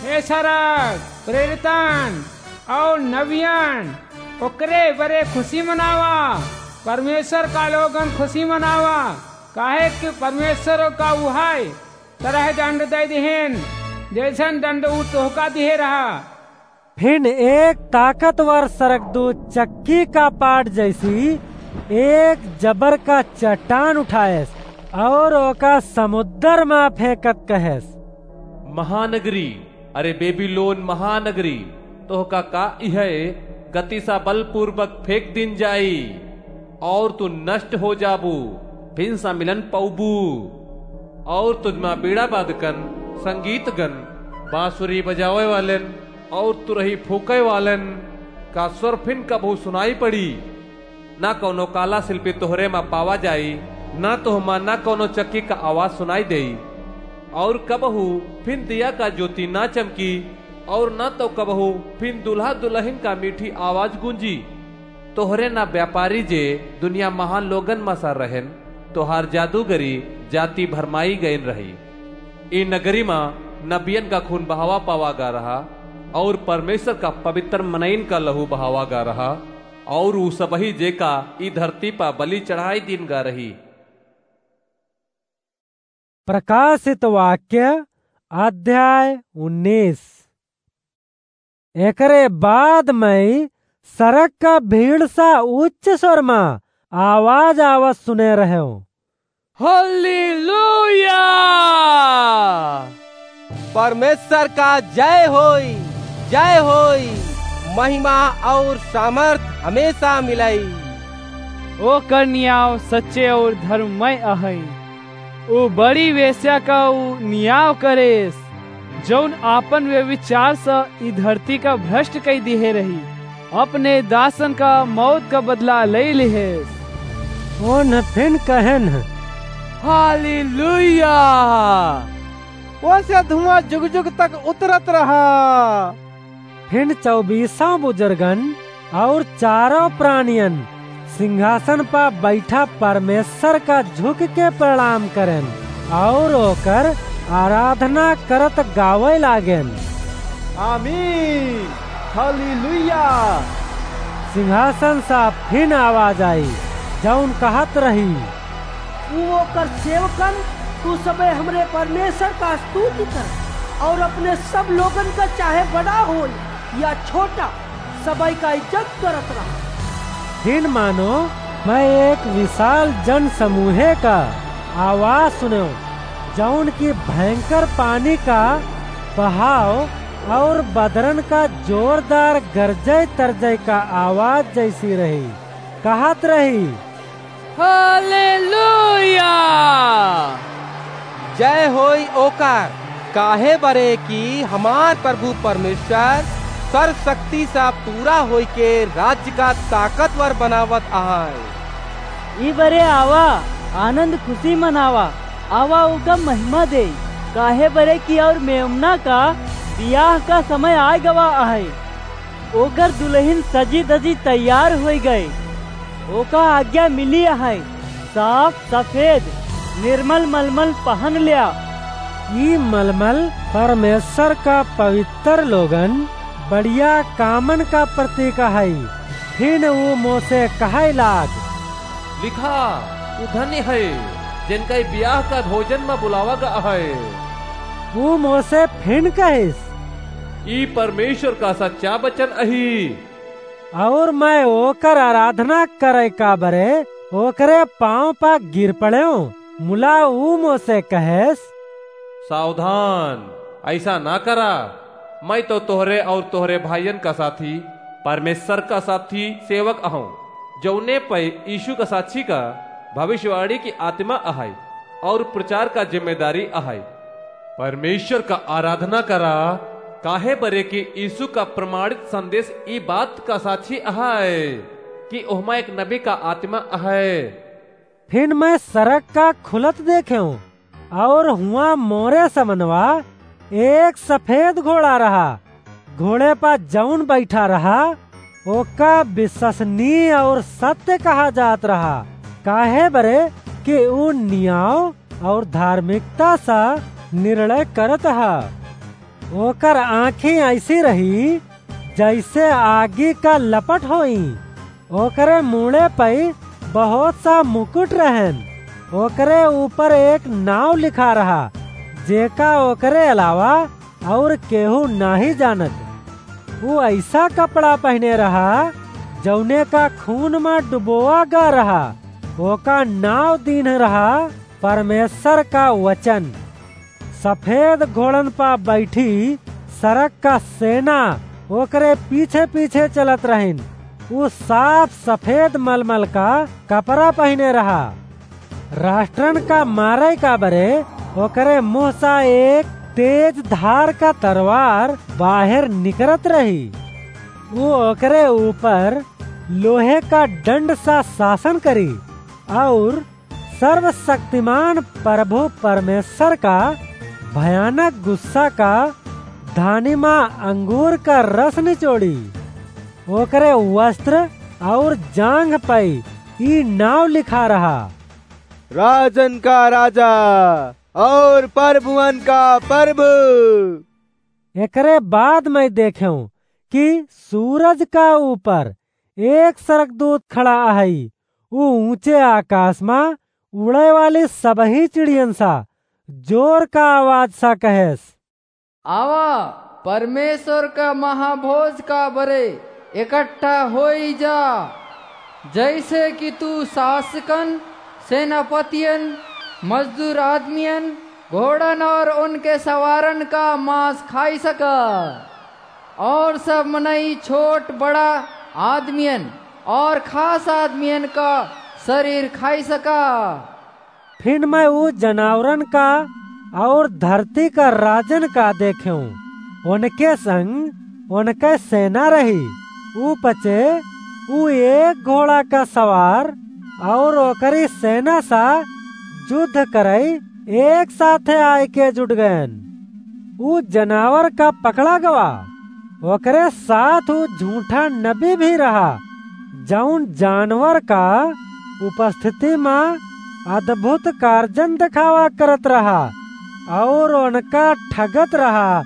हे सरग, प्रेरितन और नबियन, ओकरे बरे खुशी मनावा, परमेश्वर का लोगन खुशी मनावा, काहे कि परमेश्वर का उहाय तरह दंड दे दिहेन, जैसन दंड ऊ तोहका दिहे रहा। फिन एक ताकतवर सरगदूत चक्की का पाट जैसी एक जबर का चट्टान उठाएस और ओका समुद्र मा फेंकत कहेस, महानगरी, अरे बेबीलोन महानगरी, तोहका का इहै गति सा बलपूर्वक फेंक दिन जाई, और तू नष्ट हो जाबू, फिन सा मिलन पउबू। और तुझमा बीड़ा बादकन, संगीतगन, बांसुरी बजावे वालेन और तुरही फूंके वालेन का स्वर फिन कबहू सुनाई पड़ी। ना कौनो काला शिल्पी तोहरे मा पावा जाई, ना तोहमा ना कौनो चक्की का आवाज सुनाई देई। और कबहू फिन दिया का ज्योति ना चमकी, और ना तो कबहू फिन दुल्हा दुलहिन का मीठी आवाज गूंजी। तोहरे ना व्यापारी जे दुनिया महान लोगन मा सा रहेन, तोहार जादूगरी जाति भरमाई गइन रही। ई नगरी मा नबियन का खून बहावा पावा गा रहा, और परमेश्वर का पवित्र मनइन का लहू बहावा गा रहा, और ऊ सबही जेका ई धरती पा बलि चढ़ाई दीन गा रही। प्रकाशित वाक्य, अध्याय उन्नीस। एकरे बाद मैं सड़क का भीड़ सा उच्च स्वर मा आवाज आवत सुने रह्यो, हालेलुया! परमेश्वर का जय होई, जय होई, महिमा और सामर्थ हमेशा मिलई। ओकर नियाव सच्चे और धर्ममय अहई। ऊ बड़ी वेश्या का ऊ नियाव करेस, जौन आपन व्यभिचार स ई धरती का भ्रष्ट कई दिहे रही, अपने दासन का मौत का बदला लई लिहेस। ओन फिन कहेन, हालेलुया! ओसे धुआं जुग जुग तक उतरत रहा। फिन चौबीसों बुजुर्गन और चारों प्राणियन सिंहासन पा बैठा परमेश्वर का झुक के प्रणाम करेन और ओकर आराधना करत गावे लागेन, आमीन, हालेलुया। सिंहासन सा फिन आवाज आई, जौन कहत रही, तू ओकर सेवकन, तू सबे हमरे परमेश्वर का स्तुति कर, और अपने सब लोगन का, चाहे बड़ा होय या छोटा, सबई का इज्जत करत रहा। फिन मानो मैं एक विशाल जन समूहे का आवाज सुनेव, जौन की भयंकर पानी का बहाव और बदरन का जोरदार गरजय तरजय का आवाज जैसी रही। कहत रही, हालेलुया! जय होई ओकर, काहे बरे कि हमार प्रभु परमेश्वर सर्वशक्ति सा पूरा होई के राज्य का ताकतवर बनावत आए। ई बरे आवा, आनंद खुशी मनावा, आवा ओका महिमा दे, काहे बरे कि और मेमना का बियाह का समय आय गवा आहे। ओकर दुलहिन सजी धजी तैयार होई गए। ओका आज्ञा मिली है, साफ सफेद निर्मल मलमल पहन ल्या। ई मलमल परमेश्वर का पवित्र लोगन बढ़िया कामन का प्रतीक है। फिन ऊ मोसे कहे लाग, लिखा, ऊ धन्य है, जिनका ई बियाह का भोजन में बुलावा गा है। ऊ मोसे फिन कहिस, ई परमेश्वर का सच्चा वचन अही। और मैं ओकर आराधना करे का बरे ओकरे पाँव पा गिर पड़ेव। मुला ऊ मोसे कहेस, सावधान, ऐसा ना करा। मैं तो तोहरे और तोहरे भाइयन का साथी, परमेश्वर का साथी सेवक अहूँ, जौने पे यीशु का साक्षी का भविष्यवाणी की आत्मा अहै और प्रचार का जिम्मेदारी अहै। परमेश्वर का आराधना करा, काहे बरे कि यीशु का प्रमाणित संदेश ई बात का साक्षी अहै कि ओहमा एक नबी का आत्मा अहै। फिन मैं सरग का खुलत देखेव, और हुआँ मोरे समनवा एक सफेद घोड़ा रहा। घोड़े पा जौन बैठा रहा, ओका विश्वसनीय और सत्य कहा जात रहा, काहे बरे कि ऊ नियाव और धार्मिकता सा निर्णय करत हा। ओकर आँखी ऐसी रही, जैसे आगी का लपट होई। ओकरे मूड़े पई बहुत सा मुकुट रहन। ओकरे ऊपर एक नाव लिखा रहा, जेका ओकरे अलावा और केहू नाही जानत। ऊ ऐसा कपड़ा पहने रहा, जौने का खून मा डुबोआ गा रहा। ओका नाव दीन्ह रहा परमेश्वर का वचन। सफेद घोड़न पा बैठी सरग का सेना ओकरे पीछे पीछे चलत रहिन। ऊ साफ सफेद मलमल का कपड़ा पहिने रहा। राष्ट्रन का मारे का बरे ओकरे मुँह सा एक तेज धार का तरवार बाहर निकरत रही। ऊ ओकरे ऊपर लोहे का दंड सा शासन करी और सर्वशक्तिमान प्रभु परमेश्वर का भयानक गुस्सा का धानी मा अंगूर का रस निचोड़ी। ओकरे वस्त्र और जांघ पई ई नाव लिखा रहा, राजन का राजा और प्रभुअन का प्रभु। एकरे बाद मैं देखेंव कि सूरज का ऊपर एक सरगदूत खड़ा अहइ। ऊ ऊँचे आकास मा उड़े वाली सबही चिड़ियन सा जोर का आवाज सा कहेस, आवा, परमेश्वर का महाभोज का बरे इकट्ठा होई जा, जैसे कि तू शासकन, सेनापतियन, मजदूर आदमियन, घोड़न और उनके सवारन का मांस खाई सका, और सब मनई, छोट बड़ा आदमियन और खास आदमियन का शरीर खाई सका। फिर मैं ऊ जनावरन का और धरती का राजन का देखेंव, उनके संग उनके सेना रही। ऊ पचे ऊ एक घोड़ा का सवार और ओकरी सेना सा युद्ध करई एक साथे आइके जुट गयन। ऊ जनावर का पकड़ा गवा, ओकरे साथ ऊ झूठा नबी भी रहा, जौन जानवर का उपस्थिति मा अद्भुत कार्जन देखावा करत रहा और उनका ठगत रहा,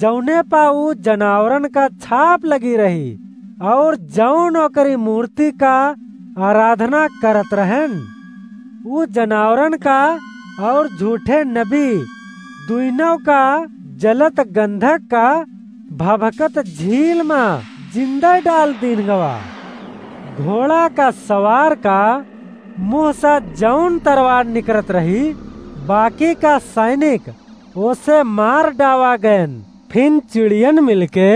जौने पा ऊ जनावरन का छाप लगी रही और जौन ओकरी मूर्ति का आराधना करत रहन। ऊ जनावरन का और झूठे नबी दुइनों का जलत गंधक का भभकत झील मा जिंदा डाल दीन गवा। घोड़ा का सवार का मुंह सा जौन तरवार निकरत रही, बाकी का सैनिक ओसे मार डावा गयन। फिन चिड़ियन मिलके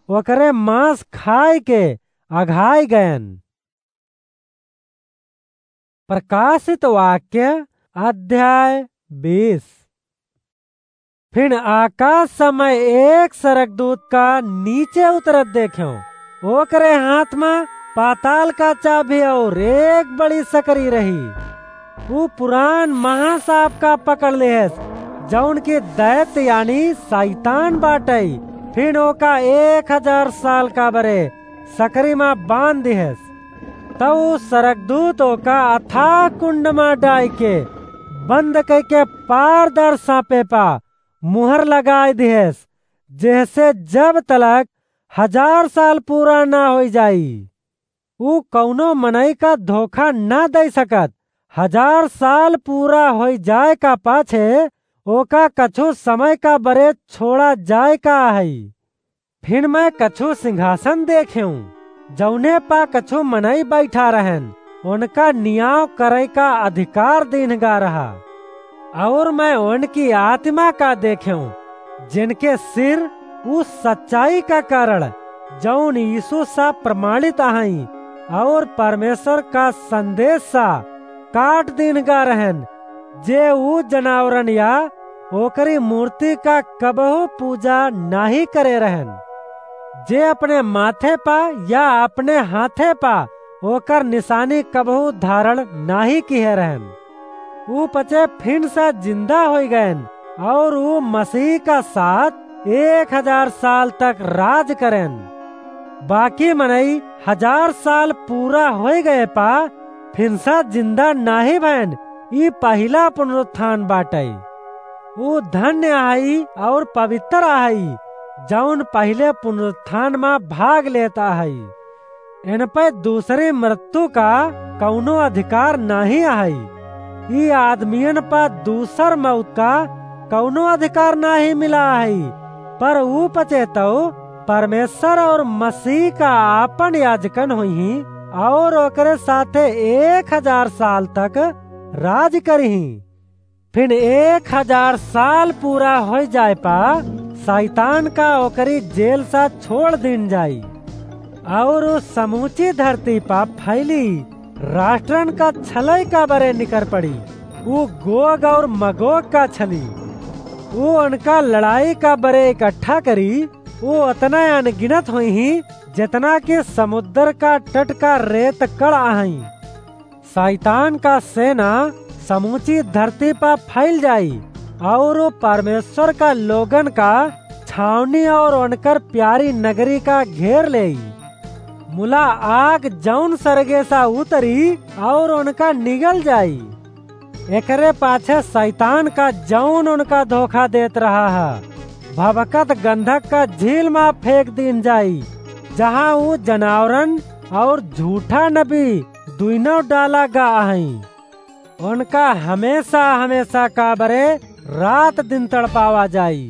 ओकरे मांस खाए के अघाए गयन। प्रकाशित वाक्य अध्याय बीस। फिन आकास से मैं एक सरगदूत का नीचे उतरत देखेंव। ओकरे हाथ मा पाताल का चाबी और एक बड़ी सकरी रही। ऊ पुरान महासाप का पकड़ लेहस, जौन की दैत्य यानी शैतान बाटई। फिन ओका एक हजार साल का बरे सकरी मा बांध दिहस। तब ऊ सरगदूत ओका अथाह कुंड मा डाइके बंद कइके पारदर साँपे पा मुहर लगाइ दिहस, जेहसे जब तलक हजार साल पूरा ना होइ जाई। ऊ कउनो मनई का धोखा ना दइ सकत। हजार साल पूरा होइ जाए का पाछे ओका कछु समय का बरे छोड़ा जाए का अहइ। फिन मैं कछु सिंहासन देखेंव, जउने पा कछु मनई बइठा रहन, ओनका नियाव करइ का अधिकार दीन्ह गा रहा। अउर मैं ओनकी आतिमा का देखेंव, जेनके सिर उ सच्चाई का कारण, जउन यीसु सा प्रमाणित अहइँ, अउर परमेसर का संदेस सा काट दीन्ह गा रहन, जे उ जनावरन या ओकरी मूर्ति का कबहूँ पूजा नाहीं करे रहन, जे अपने माथे पा या अपने हाथे पा ओकर निसानी कबहूँ धारण नाहीं किहे रहन। उ पचे फिन से जिन्दा होइ गएन, अउर उ मसीह का साथ एक हजार साल तक राज करेन। बाकी मनई हजार साल पूरा होइ गए पा फिन से जिन्दा नाहीं भएन, ई पहिला पुनरुत्थान बाटइ। उ धन्य अहइ अउर पबित्तर अहइ, जउन पहिले पुनरुत्थान मा भाग लेत अहइ। एनपइ दूसरी मृत्यु का कउनो अधिकार नाहीं अहइ। ई आदमियन पा दूसर मउत का कउनो अधिकार नाहीं मिला अहइ, पर उ पचे तउ परमेसर अउर मसीह का आपन याजकन होइहीं अउर ओकरे साथे एक हजार साल तक राज करिहीं। फिन एक हजार साल पूरा होइ जाए पा सैतान का ओकरी जेल सा छोड़ दीन जाई, अउर उ समूची धरती पा फैली राष्ट्रन का छलई का बरे निकर पड़ी। उ गोग अउर मगोग का छली। उ ओनका लड़ाई का बरे इकट्ठा करी। उ ओतना अनगिनत होइहीं, जेतना कि समुद्र का तट का रेत कण अहइँ। सैतान का सेना समूची धरती पा फैल जाई, अउर उ परमेसर का लोगन का छावनी अउर ओनकर प्यारी नगरी का घेर लेई। मुला आग जउन सरगे सा उतरी अउर ओनका निगल जाई। एकरे पाछे सैतान का जउन ओनका धोखा देत रहा ह, भभकत गंधक का झील मा फेंक दीन जाई, जहाँ ऊ जनावरन और झूठा नबी दुइनों डाला गा अहइँ। उनका हमेसा हमेसा का बरे रात दिन तड़पावा जाई।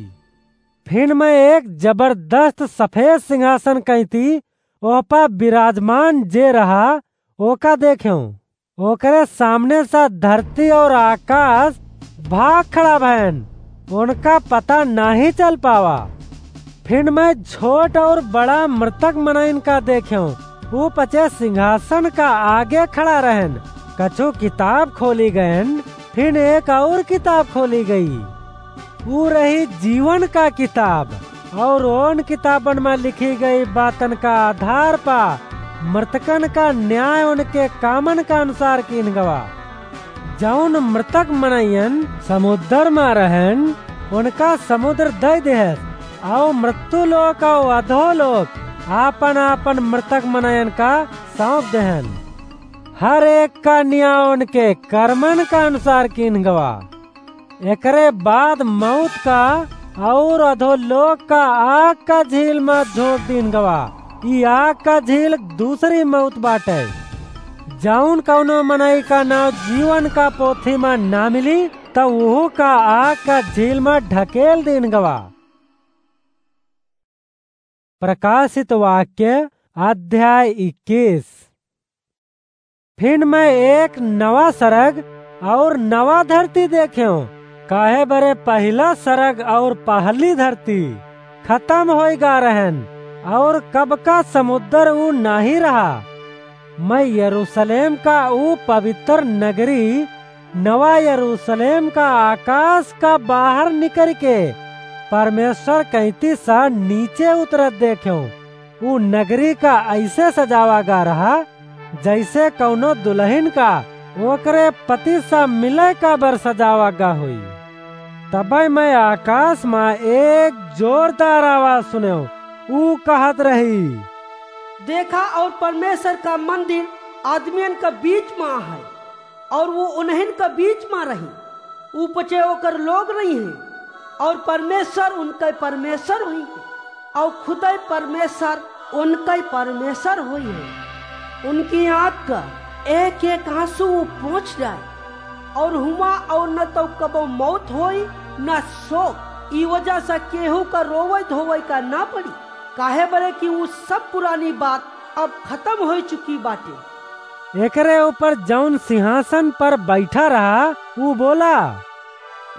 फिन मैं एक जबरदस्त सफेद सिंहासन कइँती ओह पा विराजमान जे रहा, ओका देखेंव। ओकरे सामने सा धरती और आकाश भाग खड़ा भएन, उनका पता नाहीं चल पावा। फिन मैं छोट और बड़ा मृतक मनइन का देखेंव, ऊ पचे सिंहासन का आगे खड़ा रहेन। कछु किताब खोली गएन, फिन एक और किताब खोली गई। ऊ रही जीवन का किताब, और ओन किताबन मा लिखी गई बातन का आधार पा मृतकन का न्याय उनके कामन का अनुसार कीन गवा। जउन मृतक मनइयन समुद्र मा रहेन, उनका समुद्र दइ देहस, और मृत्यु लोक और अधो लोक आपन आपन मृतक मनइयन का सौंप देहन। हर एक का न्याय उनके कर्मन का अनुसार कीन गवा। एकरे बाद मौत का और अधोलोक का आग का झील मा झोंक दीन गवा। ई आग का झील दूसरी मौत बाटे। जउन कउनो मनई का नाउँ जीवन का पोथी मा ना मिली, त उहू का आग का झील मा ढकेल दीन गवा। प्रकाशित वाक्य अध्याय इक्कीस। फिन मैं एक नवा सरग और नवा धरती देखेंव, काहे बरे पहिला सरग और पहली धरती खतम होई गा रहेन, और कब का समुद्र ऊ नाहीं रहा। मैं यरूशलेम का ऊ पवित्र नगरी नवा यरूशलेम का आकाश का बाहर निकरि के परमेश्वर कइँती सा नीचे उतरत देखेंव। ऊ नगरी का अइसे सजावा गा रहा, जइसे कउनो दुलहिन का ओकरे पति सा मिले का बर सजावा गा होई। तबइ मैं आकाश मा एक जोरदार आवाज सुनेंव, ऊ कहत रही, देखा, और परमेश्वर का मंदिर आदमियन का बीच मा है, और ऊ उन्हन का बीच मा रही। ऊ पचे ओकर लोग रहिहैं, और परमेश्वर उनके परमेश्वर होइहैं, और खुदइ परमेश्वर उनके परमेश्वर होइहैं। उनकी आँख का एक एक आँसू ऊ पोंछ जाए, और हुआँ और न तउ कबहुँ मौत होई, न शोक। ई वजह से केहू का रोवइ धोवइ का ना पड़ी, काहे बरे कि ऊ सब पुरानी बात अब खतम होइ चुकी बाटे। एकरे ऊपर जउन सिंहासन पर बइठा रहा, ऊ बोला,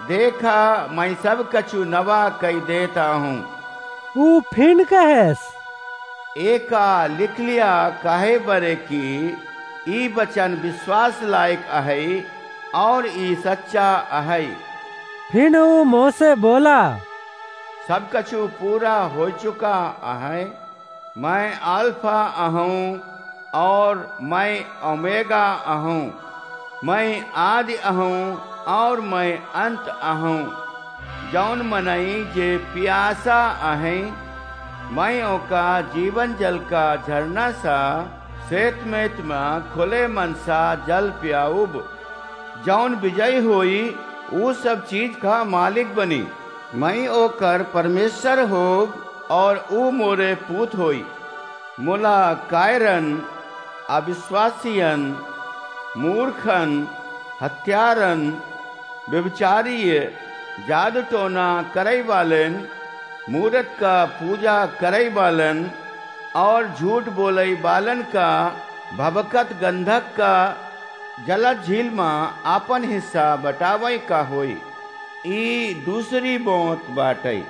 देखा, मैं सब कछु नवा कइ देत आहूँ। ऊ फिन कहेस, एका लिख लिया, काहे बरे कि ई वचन विश्वास लायक अहइ, और ई सच्चा अहइ। फिन ऊ मोसे बोला, सब कछु पूरा होइ चुका अहइ। मैं अल्फा अहूँ और मैं ओमेगा अहूँ, मैं आदि अहूँ और मैं अंत अहूँ। जउन मनई जे पियासा अहइँ, मैं ओका जीवन जल का झरना सा सेतमेत मा खुले मन सा जल पियाउब। जउन विजयी होई, ऊ सब चीज का मालिक बनी। मैं ओकर परमेश्वर होब और ऊ मोरे पूत होई। मोला कायरन, अविश्वासियन, मूर्खन, हत्यारन, व्यभिचारिय, जादू टोना करइ वालेन, मूरत का पूजा करइ वालन और झूठ बोलइ वालन का भभकत गंधक का जलत झील मा आपन हिस्सा बटावइ का होई। ई दूसरी मौत बाटइ।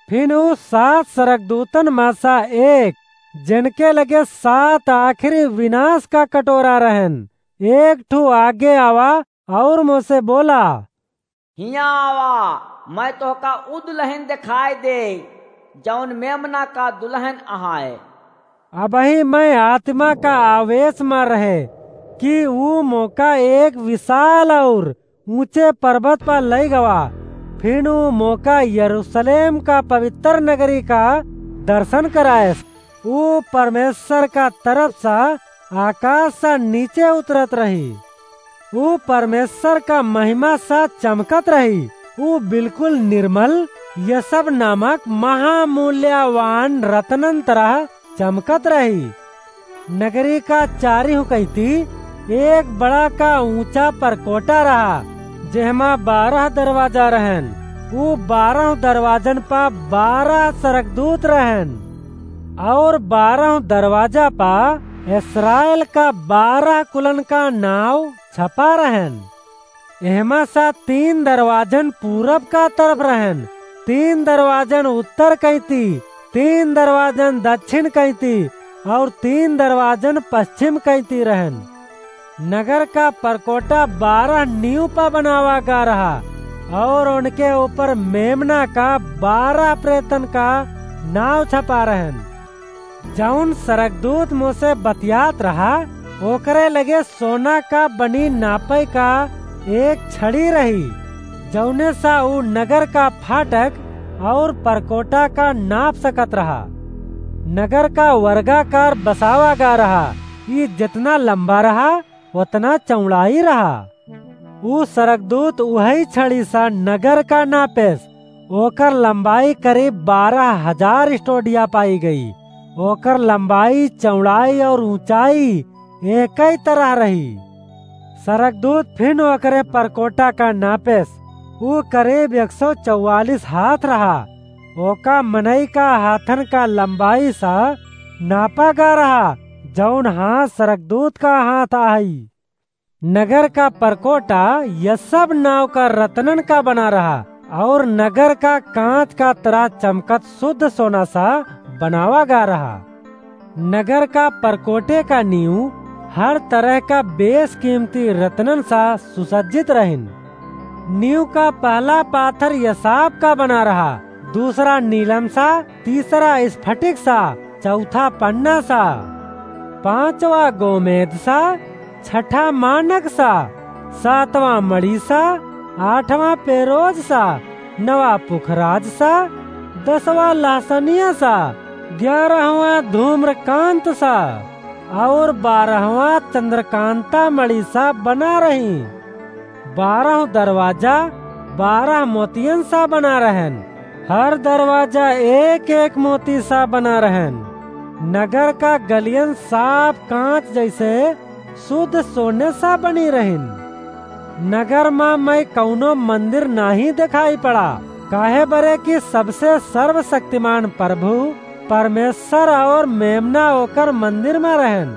फिन ऊ सात सरगदूतन मा सा एक, जेनके लगे सात आखिरी विनाश का कटोरा रहेन, एक ठू आगे आवा और मोसे बोला, हियाँ आवा, मैं तोहका ऊ दुलहिन देखाई देई, जउन मेमना का दुलहिन अहइ। अबहीं मैं आत्मा का आवेश मा रहे कि ऊ मोका एक विशाल और ऊँचे परबत पर लइ गवा। फिन ऊ मोका यरूशलेम का पवित्र नगरी का दर्शन करायस। ऊ परमेश्वर का तरफ सा आकाश सा नीचे उतरत रही। ऊ परमेश्वर का महिमा सा चमकत रही ऊ बिल्कुल निर्मल यसब नामक महामूल्यवान रतनन तरह चमकत रही। नगरी का चारिहु कैती एक बड़ा का ऊंचा परकोटा रहा, जेहमा बारह दरवाजा रहन। ऊ बारह दरवाजन पा बारह सरगदूत रहन, और बारह दरवाजा पा इस्राएल का बारह कुलन का नाव छपा रहन। एहमा सा तीन दरवाजन पूरब का तरफ रहन, तीन दरवाजन उत्तर कैती, तीन दरवाजन दक्षिण कैती, और तीन दरवाजन पश्चिम कैती रहन। नगर का परकोटा बारह नींव पा बनावा गा रहा, और उनके ऊपर मेमना का बारह प्रेतन का नाव छपा रहन। जौन सरगदूत मोसे बतियात रहा, ओकरे लगे सोना का बनी नापै का एक छड़ी रही, जौने सा ऊ नगर का फाटक और परकोटा का नाप सकत रहा। नगर का वर्गाकार बसावा गा रहा, ई जितना लंबा रहा, ओतना चौड़ाई रहा। ऊ सरगदूत उहई छड़ी सा नगर का नापेस, ओकर लंबाई करीब बारह हजार स्टोडिया पाई गई। ओकर लंबाई, चौड़ाई और ऊंचाई एकई तरह रही। सरगदूत फिन ओकरे परकोटा का नापेस, ऊ करीब एक सौ चौवालीस हाथ रहा। ओका मनई का हाथन का लंबाई सा नापा गा रहा, जौन हाथ सरगदूत का हाथ आई। नगर का परकोटा यह सब नाव का रतनन का बना रहा, और नगर का कांच का तरह चमकत शुद्ध सोना सा बनावा गा रहा। नगर का परकोटे का नींव हर तरह का बेशकीमती रतनन सा सुसज्जित रहिन। नींव का पहला पाथर यसाप का बना रहा, दूसरा नीलम सा, तीसरा स्फटिक सा, चौथा पन्ना सा, पांचवा गोमेद सा, छठा मानक सा, सातवां मणि सा, आठवां पेरोज सा, नवा पुखराज सा, दसवां लहसनिया सा, ग्यारहवां धूम्रकांत सा, और बारहवां चंद्रकांता मणि सा बना रही। बारह दरवाजा बारह मोतियन सा बना रहन, हर दरवाजा एक एक मोती सा बना रहन। नगर का गलियन साफ कांच जैसे शुद्ध सोने सा बनी रहिन। नगर मा मैं कौनो मंदिर नाही दिखाई पड़ा, काहे बरे कि सबसे सर्वशक्तिमान प्रभु परमेश्वर और मेमना ओकर मंदिर मा रहन।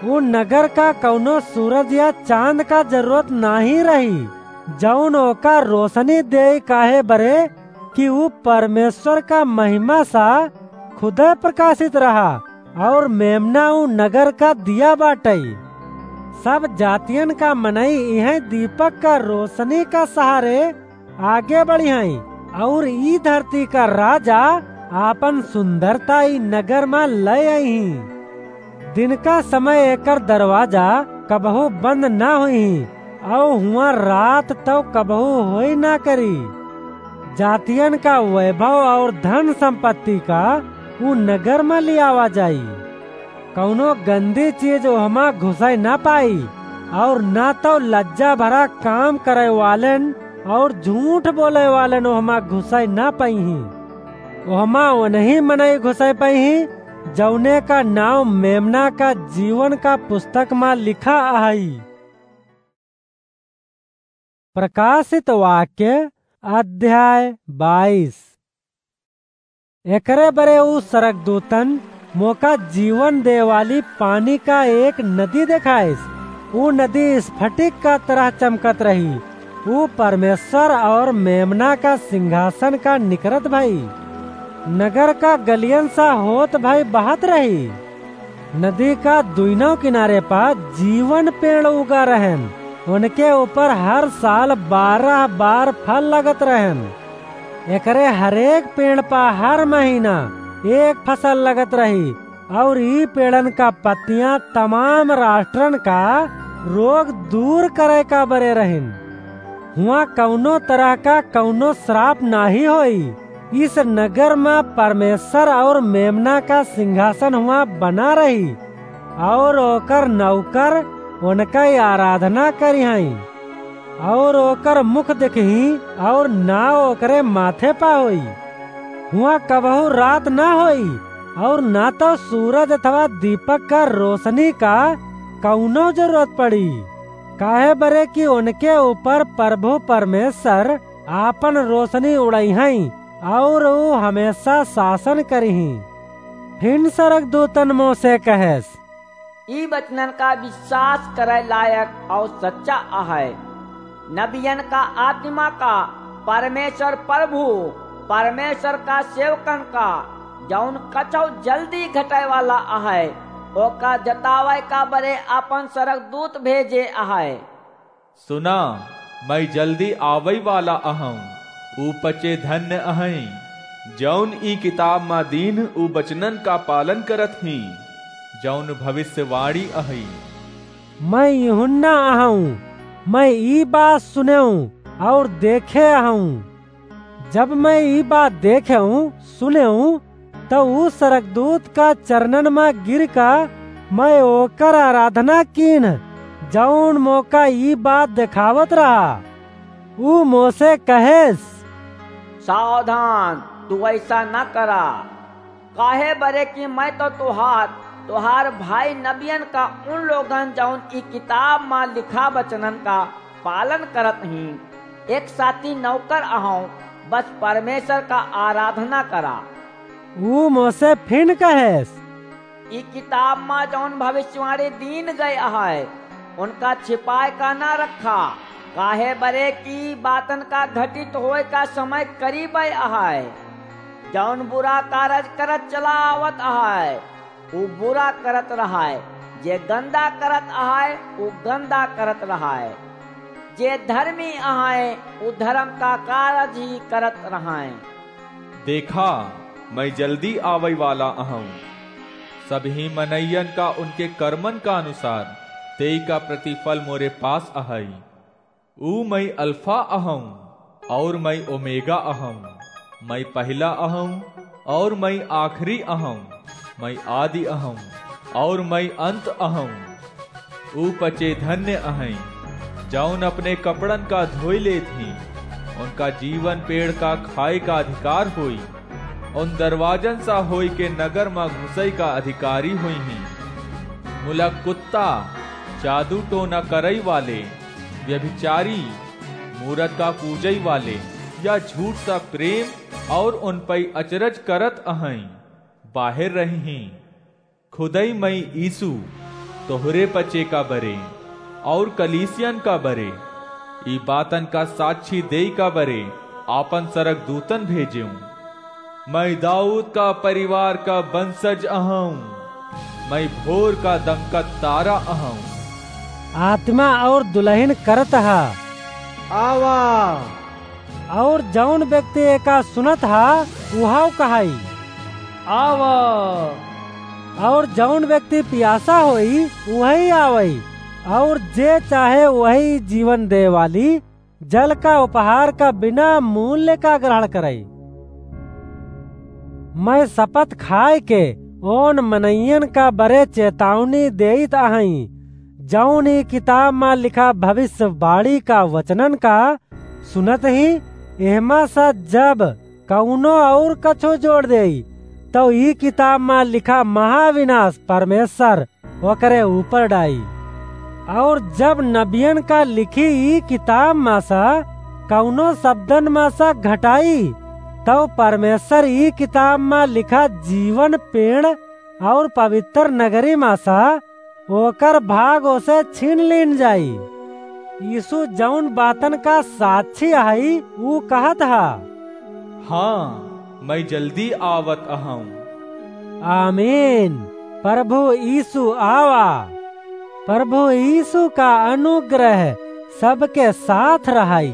उ नगर का कौनो सूरज या चांद का जरूरत नाही रही, जौन ओका रोशनी देई, काहे बरे कि उ परमेश्वर का महिमा सा खुदे प्रकाशित रहा, और मेमना उ नगर का दिया बाटई। सब जातियन का मनई इहै दीपक का रोशनी का सहारे आगे बढ़िहैं, और ई धरती का राजा आपन सुंदरता ई नगर मा लय अइहीं। दिन का समय एकर दरवाजा कबहू बंद ना होइहीं, और हुआं रात तौ कबहू होई ना करी। जातियन का वैभव और धन संपत्ति का उ नगर मा लियावा जाई। कौनो गंदी चीज ओहमा घुसै ना पाई, और ना तौ लज्जा भरा काम करै वालेन और झूठ बोलै वालेन ओहमा घुसै ना पइहीं। ओहमा ओनही मनई घुसै पइहीं, जौने का नाव मेमना का जीवन का पुस्तक मा लिखा अहई। प्रकाशित वाक्य, अध्याय बाईस। एकरे बरे उ सरगदूतन मोका जीवन दे वाली पानी का एक नदी देखाइस। उ नदी स्फटिक का तरह चमकत रही। उ परमेश्वर और मेमना का सिंहासन का निकरत भई। नगर का गलियन सा होत भई बहत रही। नदी का दुइनों किनारे पा जीवन पेड़ उगा रहन। उनके ऊपर हर साल बारह बार फल लगत रहन। एकरे हरेक पेड़ पा हर महीना एक फसल लगत रही, और ई पेड़न का पत्तियां तमाम राष्ट्रन का रोग दूर करे का बरे रहिन। हुआं कौनो तरह का कौनो श्राप नाही होई। इस नगर मा परमेश्वर और मेमना का सिंहासन हुआं बना रही, और ओकर नौकर उनका आराधना करिहैं। और ओकर मुख देखही और ना ओकरे माथे पा होई। हुआं कबहू रात ना होई और ना तो सूरज अथवा दीपक का रोशनी का कौनो जरूरत पड़ी, काहे बरे कि उनके ऊपर प्रभु परमेश्वर आपन रोशनी उड़इहैं और ऊ हमेशा शासन करिहीं। फिन सरगदूतन मोसे कहेस, ई वचनन का विश्वास करे लायक और सच्चा अहै। नबियन का आत्मा का परमेश्वर प्रभु, परमेश्वर का सेवकन का, जौन कछौ जल्दी घटे वाला अहै, ओका जतावे का बरे आपन सरगदूत भेजे अहै। सुना, मैं जल्दी आवै वाला अहौं। ऊ पचे धन्य अहैं, जौन ई किताब मा दीन ऊ वचनन का पालन करत हीं, जौन भविष्यवाणी अहै। मैं यूहन्ना अहौं, मैं ई बात सुनेऊं और देखे अहौं। जब मैं ई बात देखेऊं, सुनेऊं, त ऊ सरगदूत का चरणन मा गिर का मैं ओकर आराधना कीन, जौन मोका ई बात देखावत रहा। ऊ मोसे कहेस, सावधान, तू ऐसा न करा, काहे बरे कि मैं तो तोहार, तोहार भाई नबियन का उन लोगन जौन ई किताब मा लिखा वचनन का पालन करत हीं, एक साथी नौकर अहौं, बस परमेश्वर का आराधना करा। ऊ मोसे फिन कहेस, ई किताब मा जौन भविष्यवाणी दीन गए अहै, उनका छिपाए का ना रखा, काहे बरे कि बातन का घटित होए का समय करीबे अहै। जौन बुरा कारज करत चला आवत अहै, ऊ बुरा करत रहै, जे गंदा करत अहै, ऊ गंदा करत रहै, जे धर्मी अहै, ऊ धर्म का कारज ही करत रहै। देखा, मैं जल्दी आवै वाला अहौं। सबही मनइयन का उनके कर्मन का अनुसार तेई का प्रतिफल मोरे पास अहै। ऊ मैं अल्फा अहौं और मैं ओमेगा अहौं, मैं पहिला अहौं और मैं आखिरी अहौं, मैं आदि अहौं और मैं अंत अहौं। ऊ पचे धन्य अहैं, जौन अपने कपड़न का धोई लेत हीं, उनका जीवन पेड़ का खाए का अधिकार होई। उन दरवाजन सा होई के नगर मा घुसई का अधिकारी होइहीं। मुला कुत्ता, जादू टोना करई वाले, व्यभिचारी, मूरत का पूजई वाले, या झूठ सा प्रेम और उन पई अचरज करत अहईं, बाहेर रहिहीं। खुदई मई यीशु तोहरे पचे का बरे और कलीसियन का बरे ई बातन का साक्षी देई का बरे आपन सरगदूतन भेजेऊं। मई दाऊद का परिवार का बंसज अहऊं, मई भोर का दमकत तारा अहऊं। आत्मा और दुलहिन करत हा, आवा। और जौन व्यक्ति एका सुनत हा, उहाव कहाई, आवा। और जौन व्यक्ति पियासा होई, उहई आवई, और जे चाहे उहई जीवन दे वाली जल का उपहार का बिना मूल्य का ग्रहण करई। मई शपथ खाए के ओन मनइयन का बरे चेतावनी देइत अहईं, जौन ई किताब मा लिखा भविष्यवाणी का वचनन का सुनत ही एहमा सा जब कउनो और कछो जोड़ देई, तउ ई किताब मा लिखा महाविनाश परमेश्वर ओकरे ऊपर डाई। और जब नबियन का लिखी ई किताब मा सा कउनो शब्दन मा सा घटाई, तउ परमेश्वर ई किताब मा लिखा जीवन पेड़ और पवित्र नगरी मा सा ओकर भाग ओसे छीन लीन जाई। यीशु जौन बातन का साक्षी हई, ऊ कहत हा, हाँ, मई जल्दी आवत अहऊं। आमीन। प्रभु यीशु आवा। प्रभु यीशु का अनुग्रह सबके साथ रहाई।